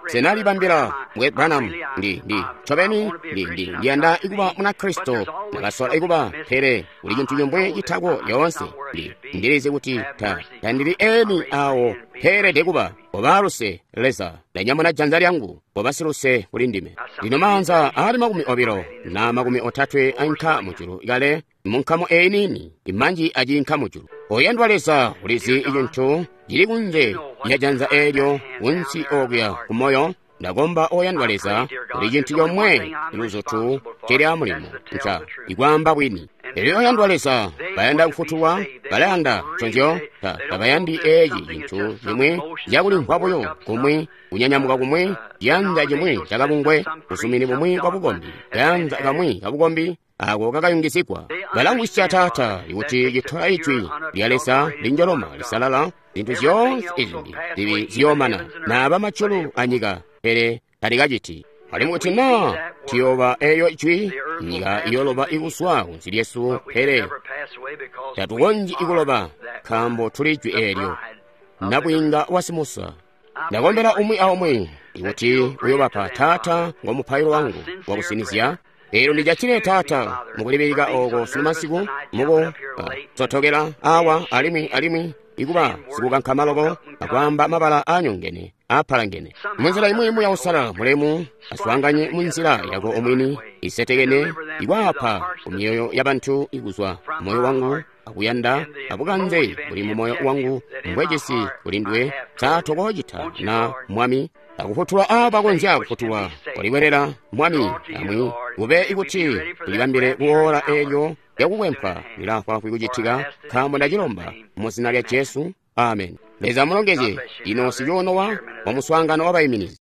senalibambila mwe Branham, ndi ndi ncobeni ndi ndi ndiyanda ikuba Munakristo, ndakasola ikuba, pele kuli cintu cimwi citako lyoonse. Ndi ndilizi kuti ta tandili eni awo peelede kuba. Koba luse Leza, ndanyamuna janza lyangu, koba siluse kuli ndime. Lino maanza aali makumi obilo na makumi otatwe ainka mujulu kale munkamu eyi niini, imanji aciinka mujulu. Oyandwa Leza, ulizi icintu cili kunze lya janza eelyo kunsi okuya ku moyo. Ndakomba oyandwa Leza, kuli cintu comwe luzutu cili amulimo nca ikwaamba bwini. Elyo oyandwa Leza, bayanda kufutulwa, balayanda nconzyo, ta tabayandi eeci cintu cimwi cakulimvwa buyo kumwi, kunyanyamuka kumwi, ciyanza cimwi cakabungwe, busumini bumwi bwa bukombi, kayanza kamwi kabukombi ako kakayungizigwa. Balamvwisya Taata kuti citola ijwi lya Leza linjoloma lisalala, zintu zyoonse izimbi zibi ziyoomana, naaba majulu anyika, pele talikaciti. Alimwi kuti naa tuyooba eeyo ijwi, nyika iyooloba ikuzwa kunsi lyesu, pele tatukonzyi ikuloba, nkaambo tuli ijwi eelyo. Nabwiinga wa Simusa. Ndakombela umwi aumwi kuti uyoobapa Taata ngo mupailo wangu wakusinizya. Eelyo ndijatile Taata mukulibilika ooko sunu masiku, muku sotokela awa alimwi alimwi ikuba sikukankama loko akwaamba mabala aanyongene aapalangene munzila imwi Muuya Uusalala mulemu aswaanganye munzila yako omwini isetekene ikwaapa ku myoyo yabantu ikuzwa moyo wangu akuyanda abukanze buli mu moyo wangu mbwejisi kuli nduwe. Saatokocita na Mwami akufutula abakonzya kufutulwa kuliwelela Mwami amwi kube ikuti tulibambile kuola eelyo lyakukwempwa lilaafwaafwi kucitika, nkaambo ndacilomba mu zina lya Jesu. Amen. Leza amulongezye. Ino sicuuno wa wa muswaangano wa baiminizi.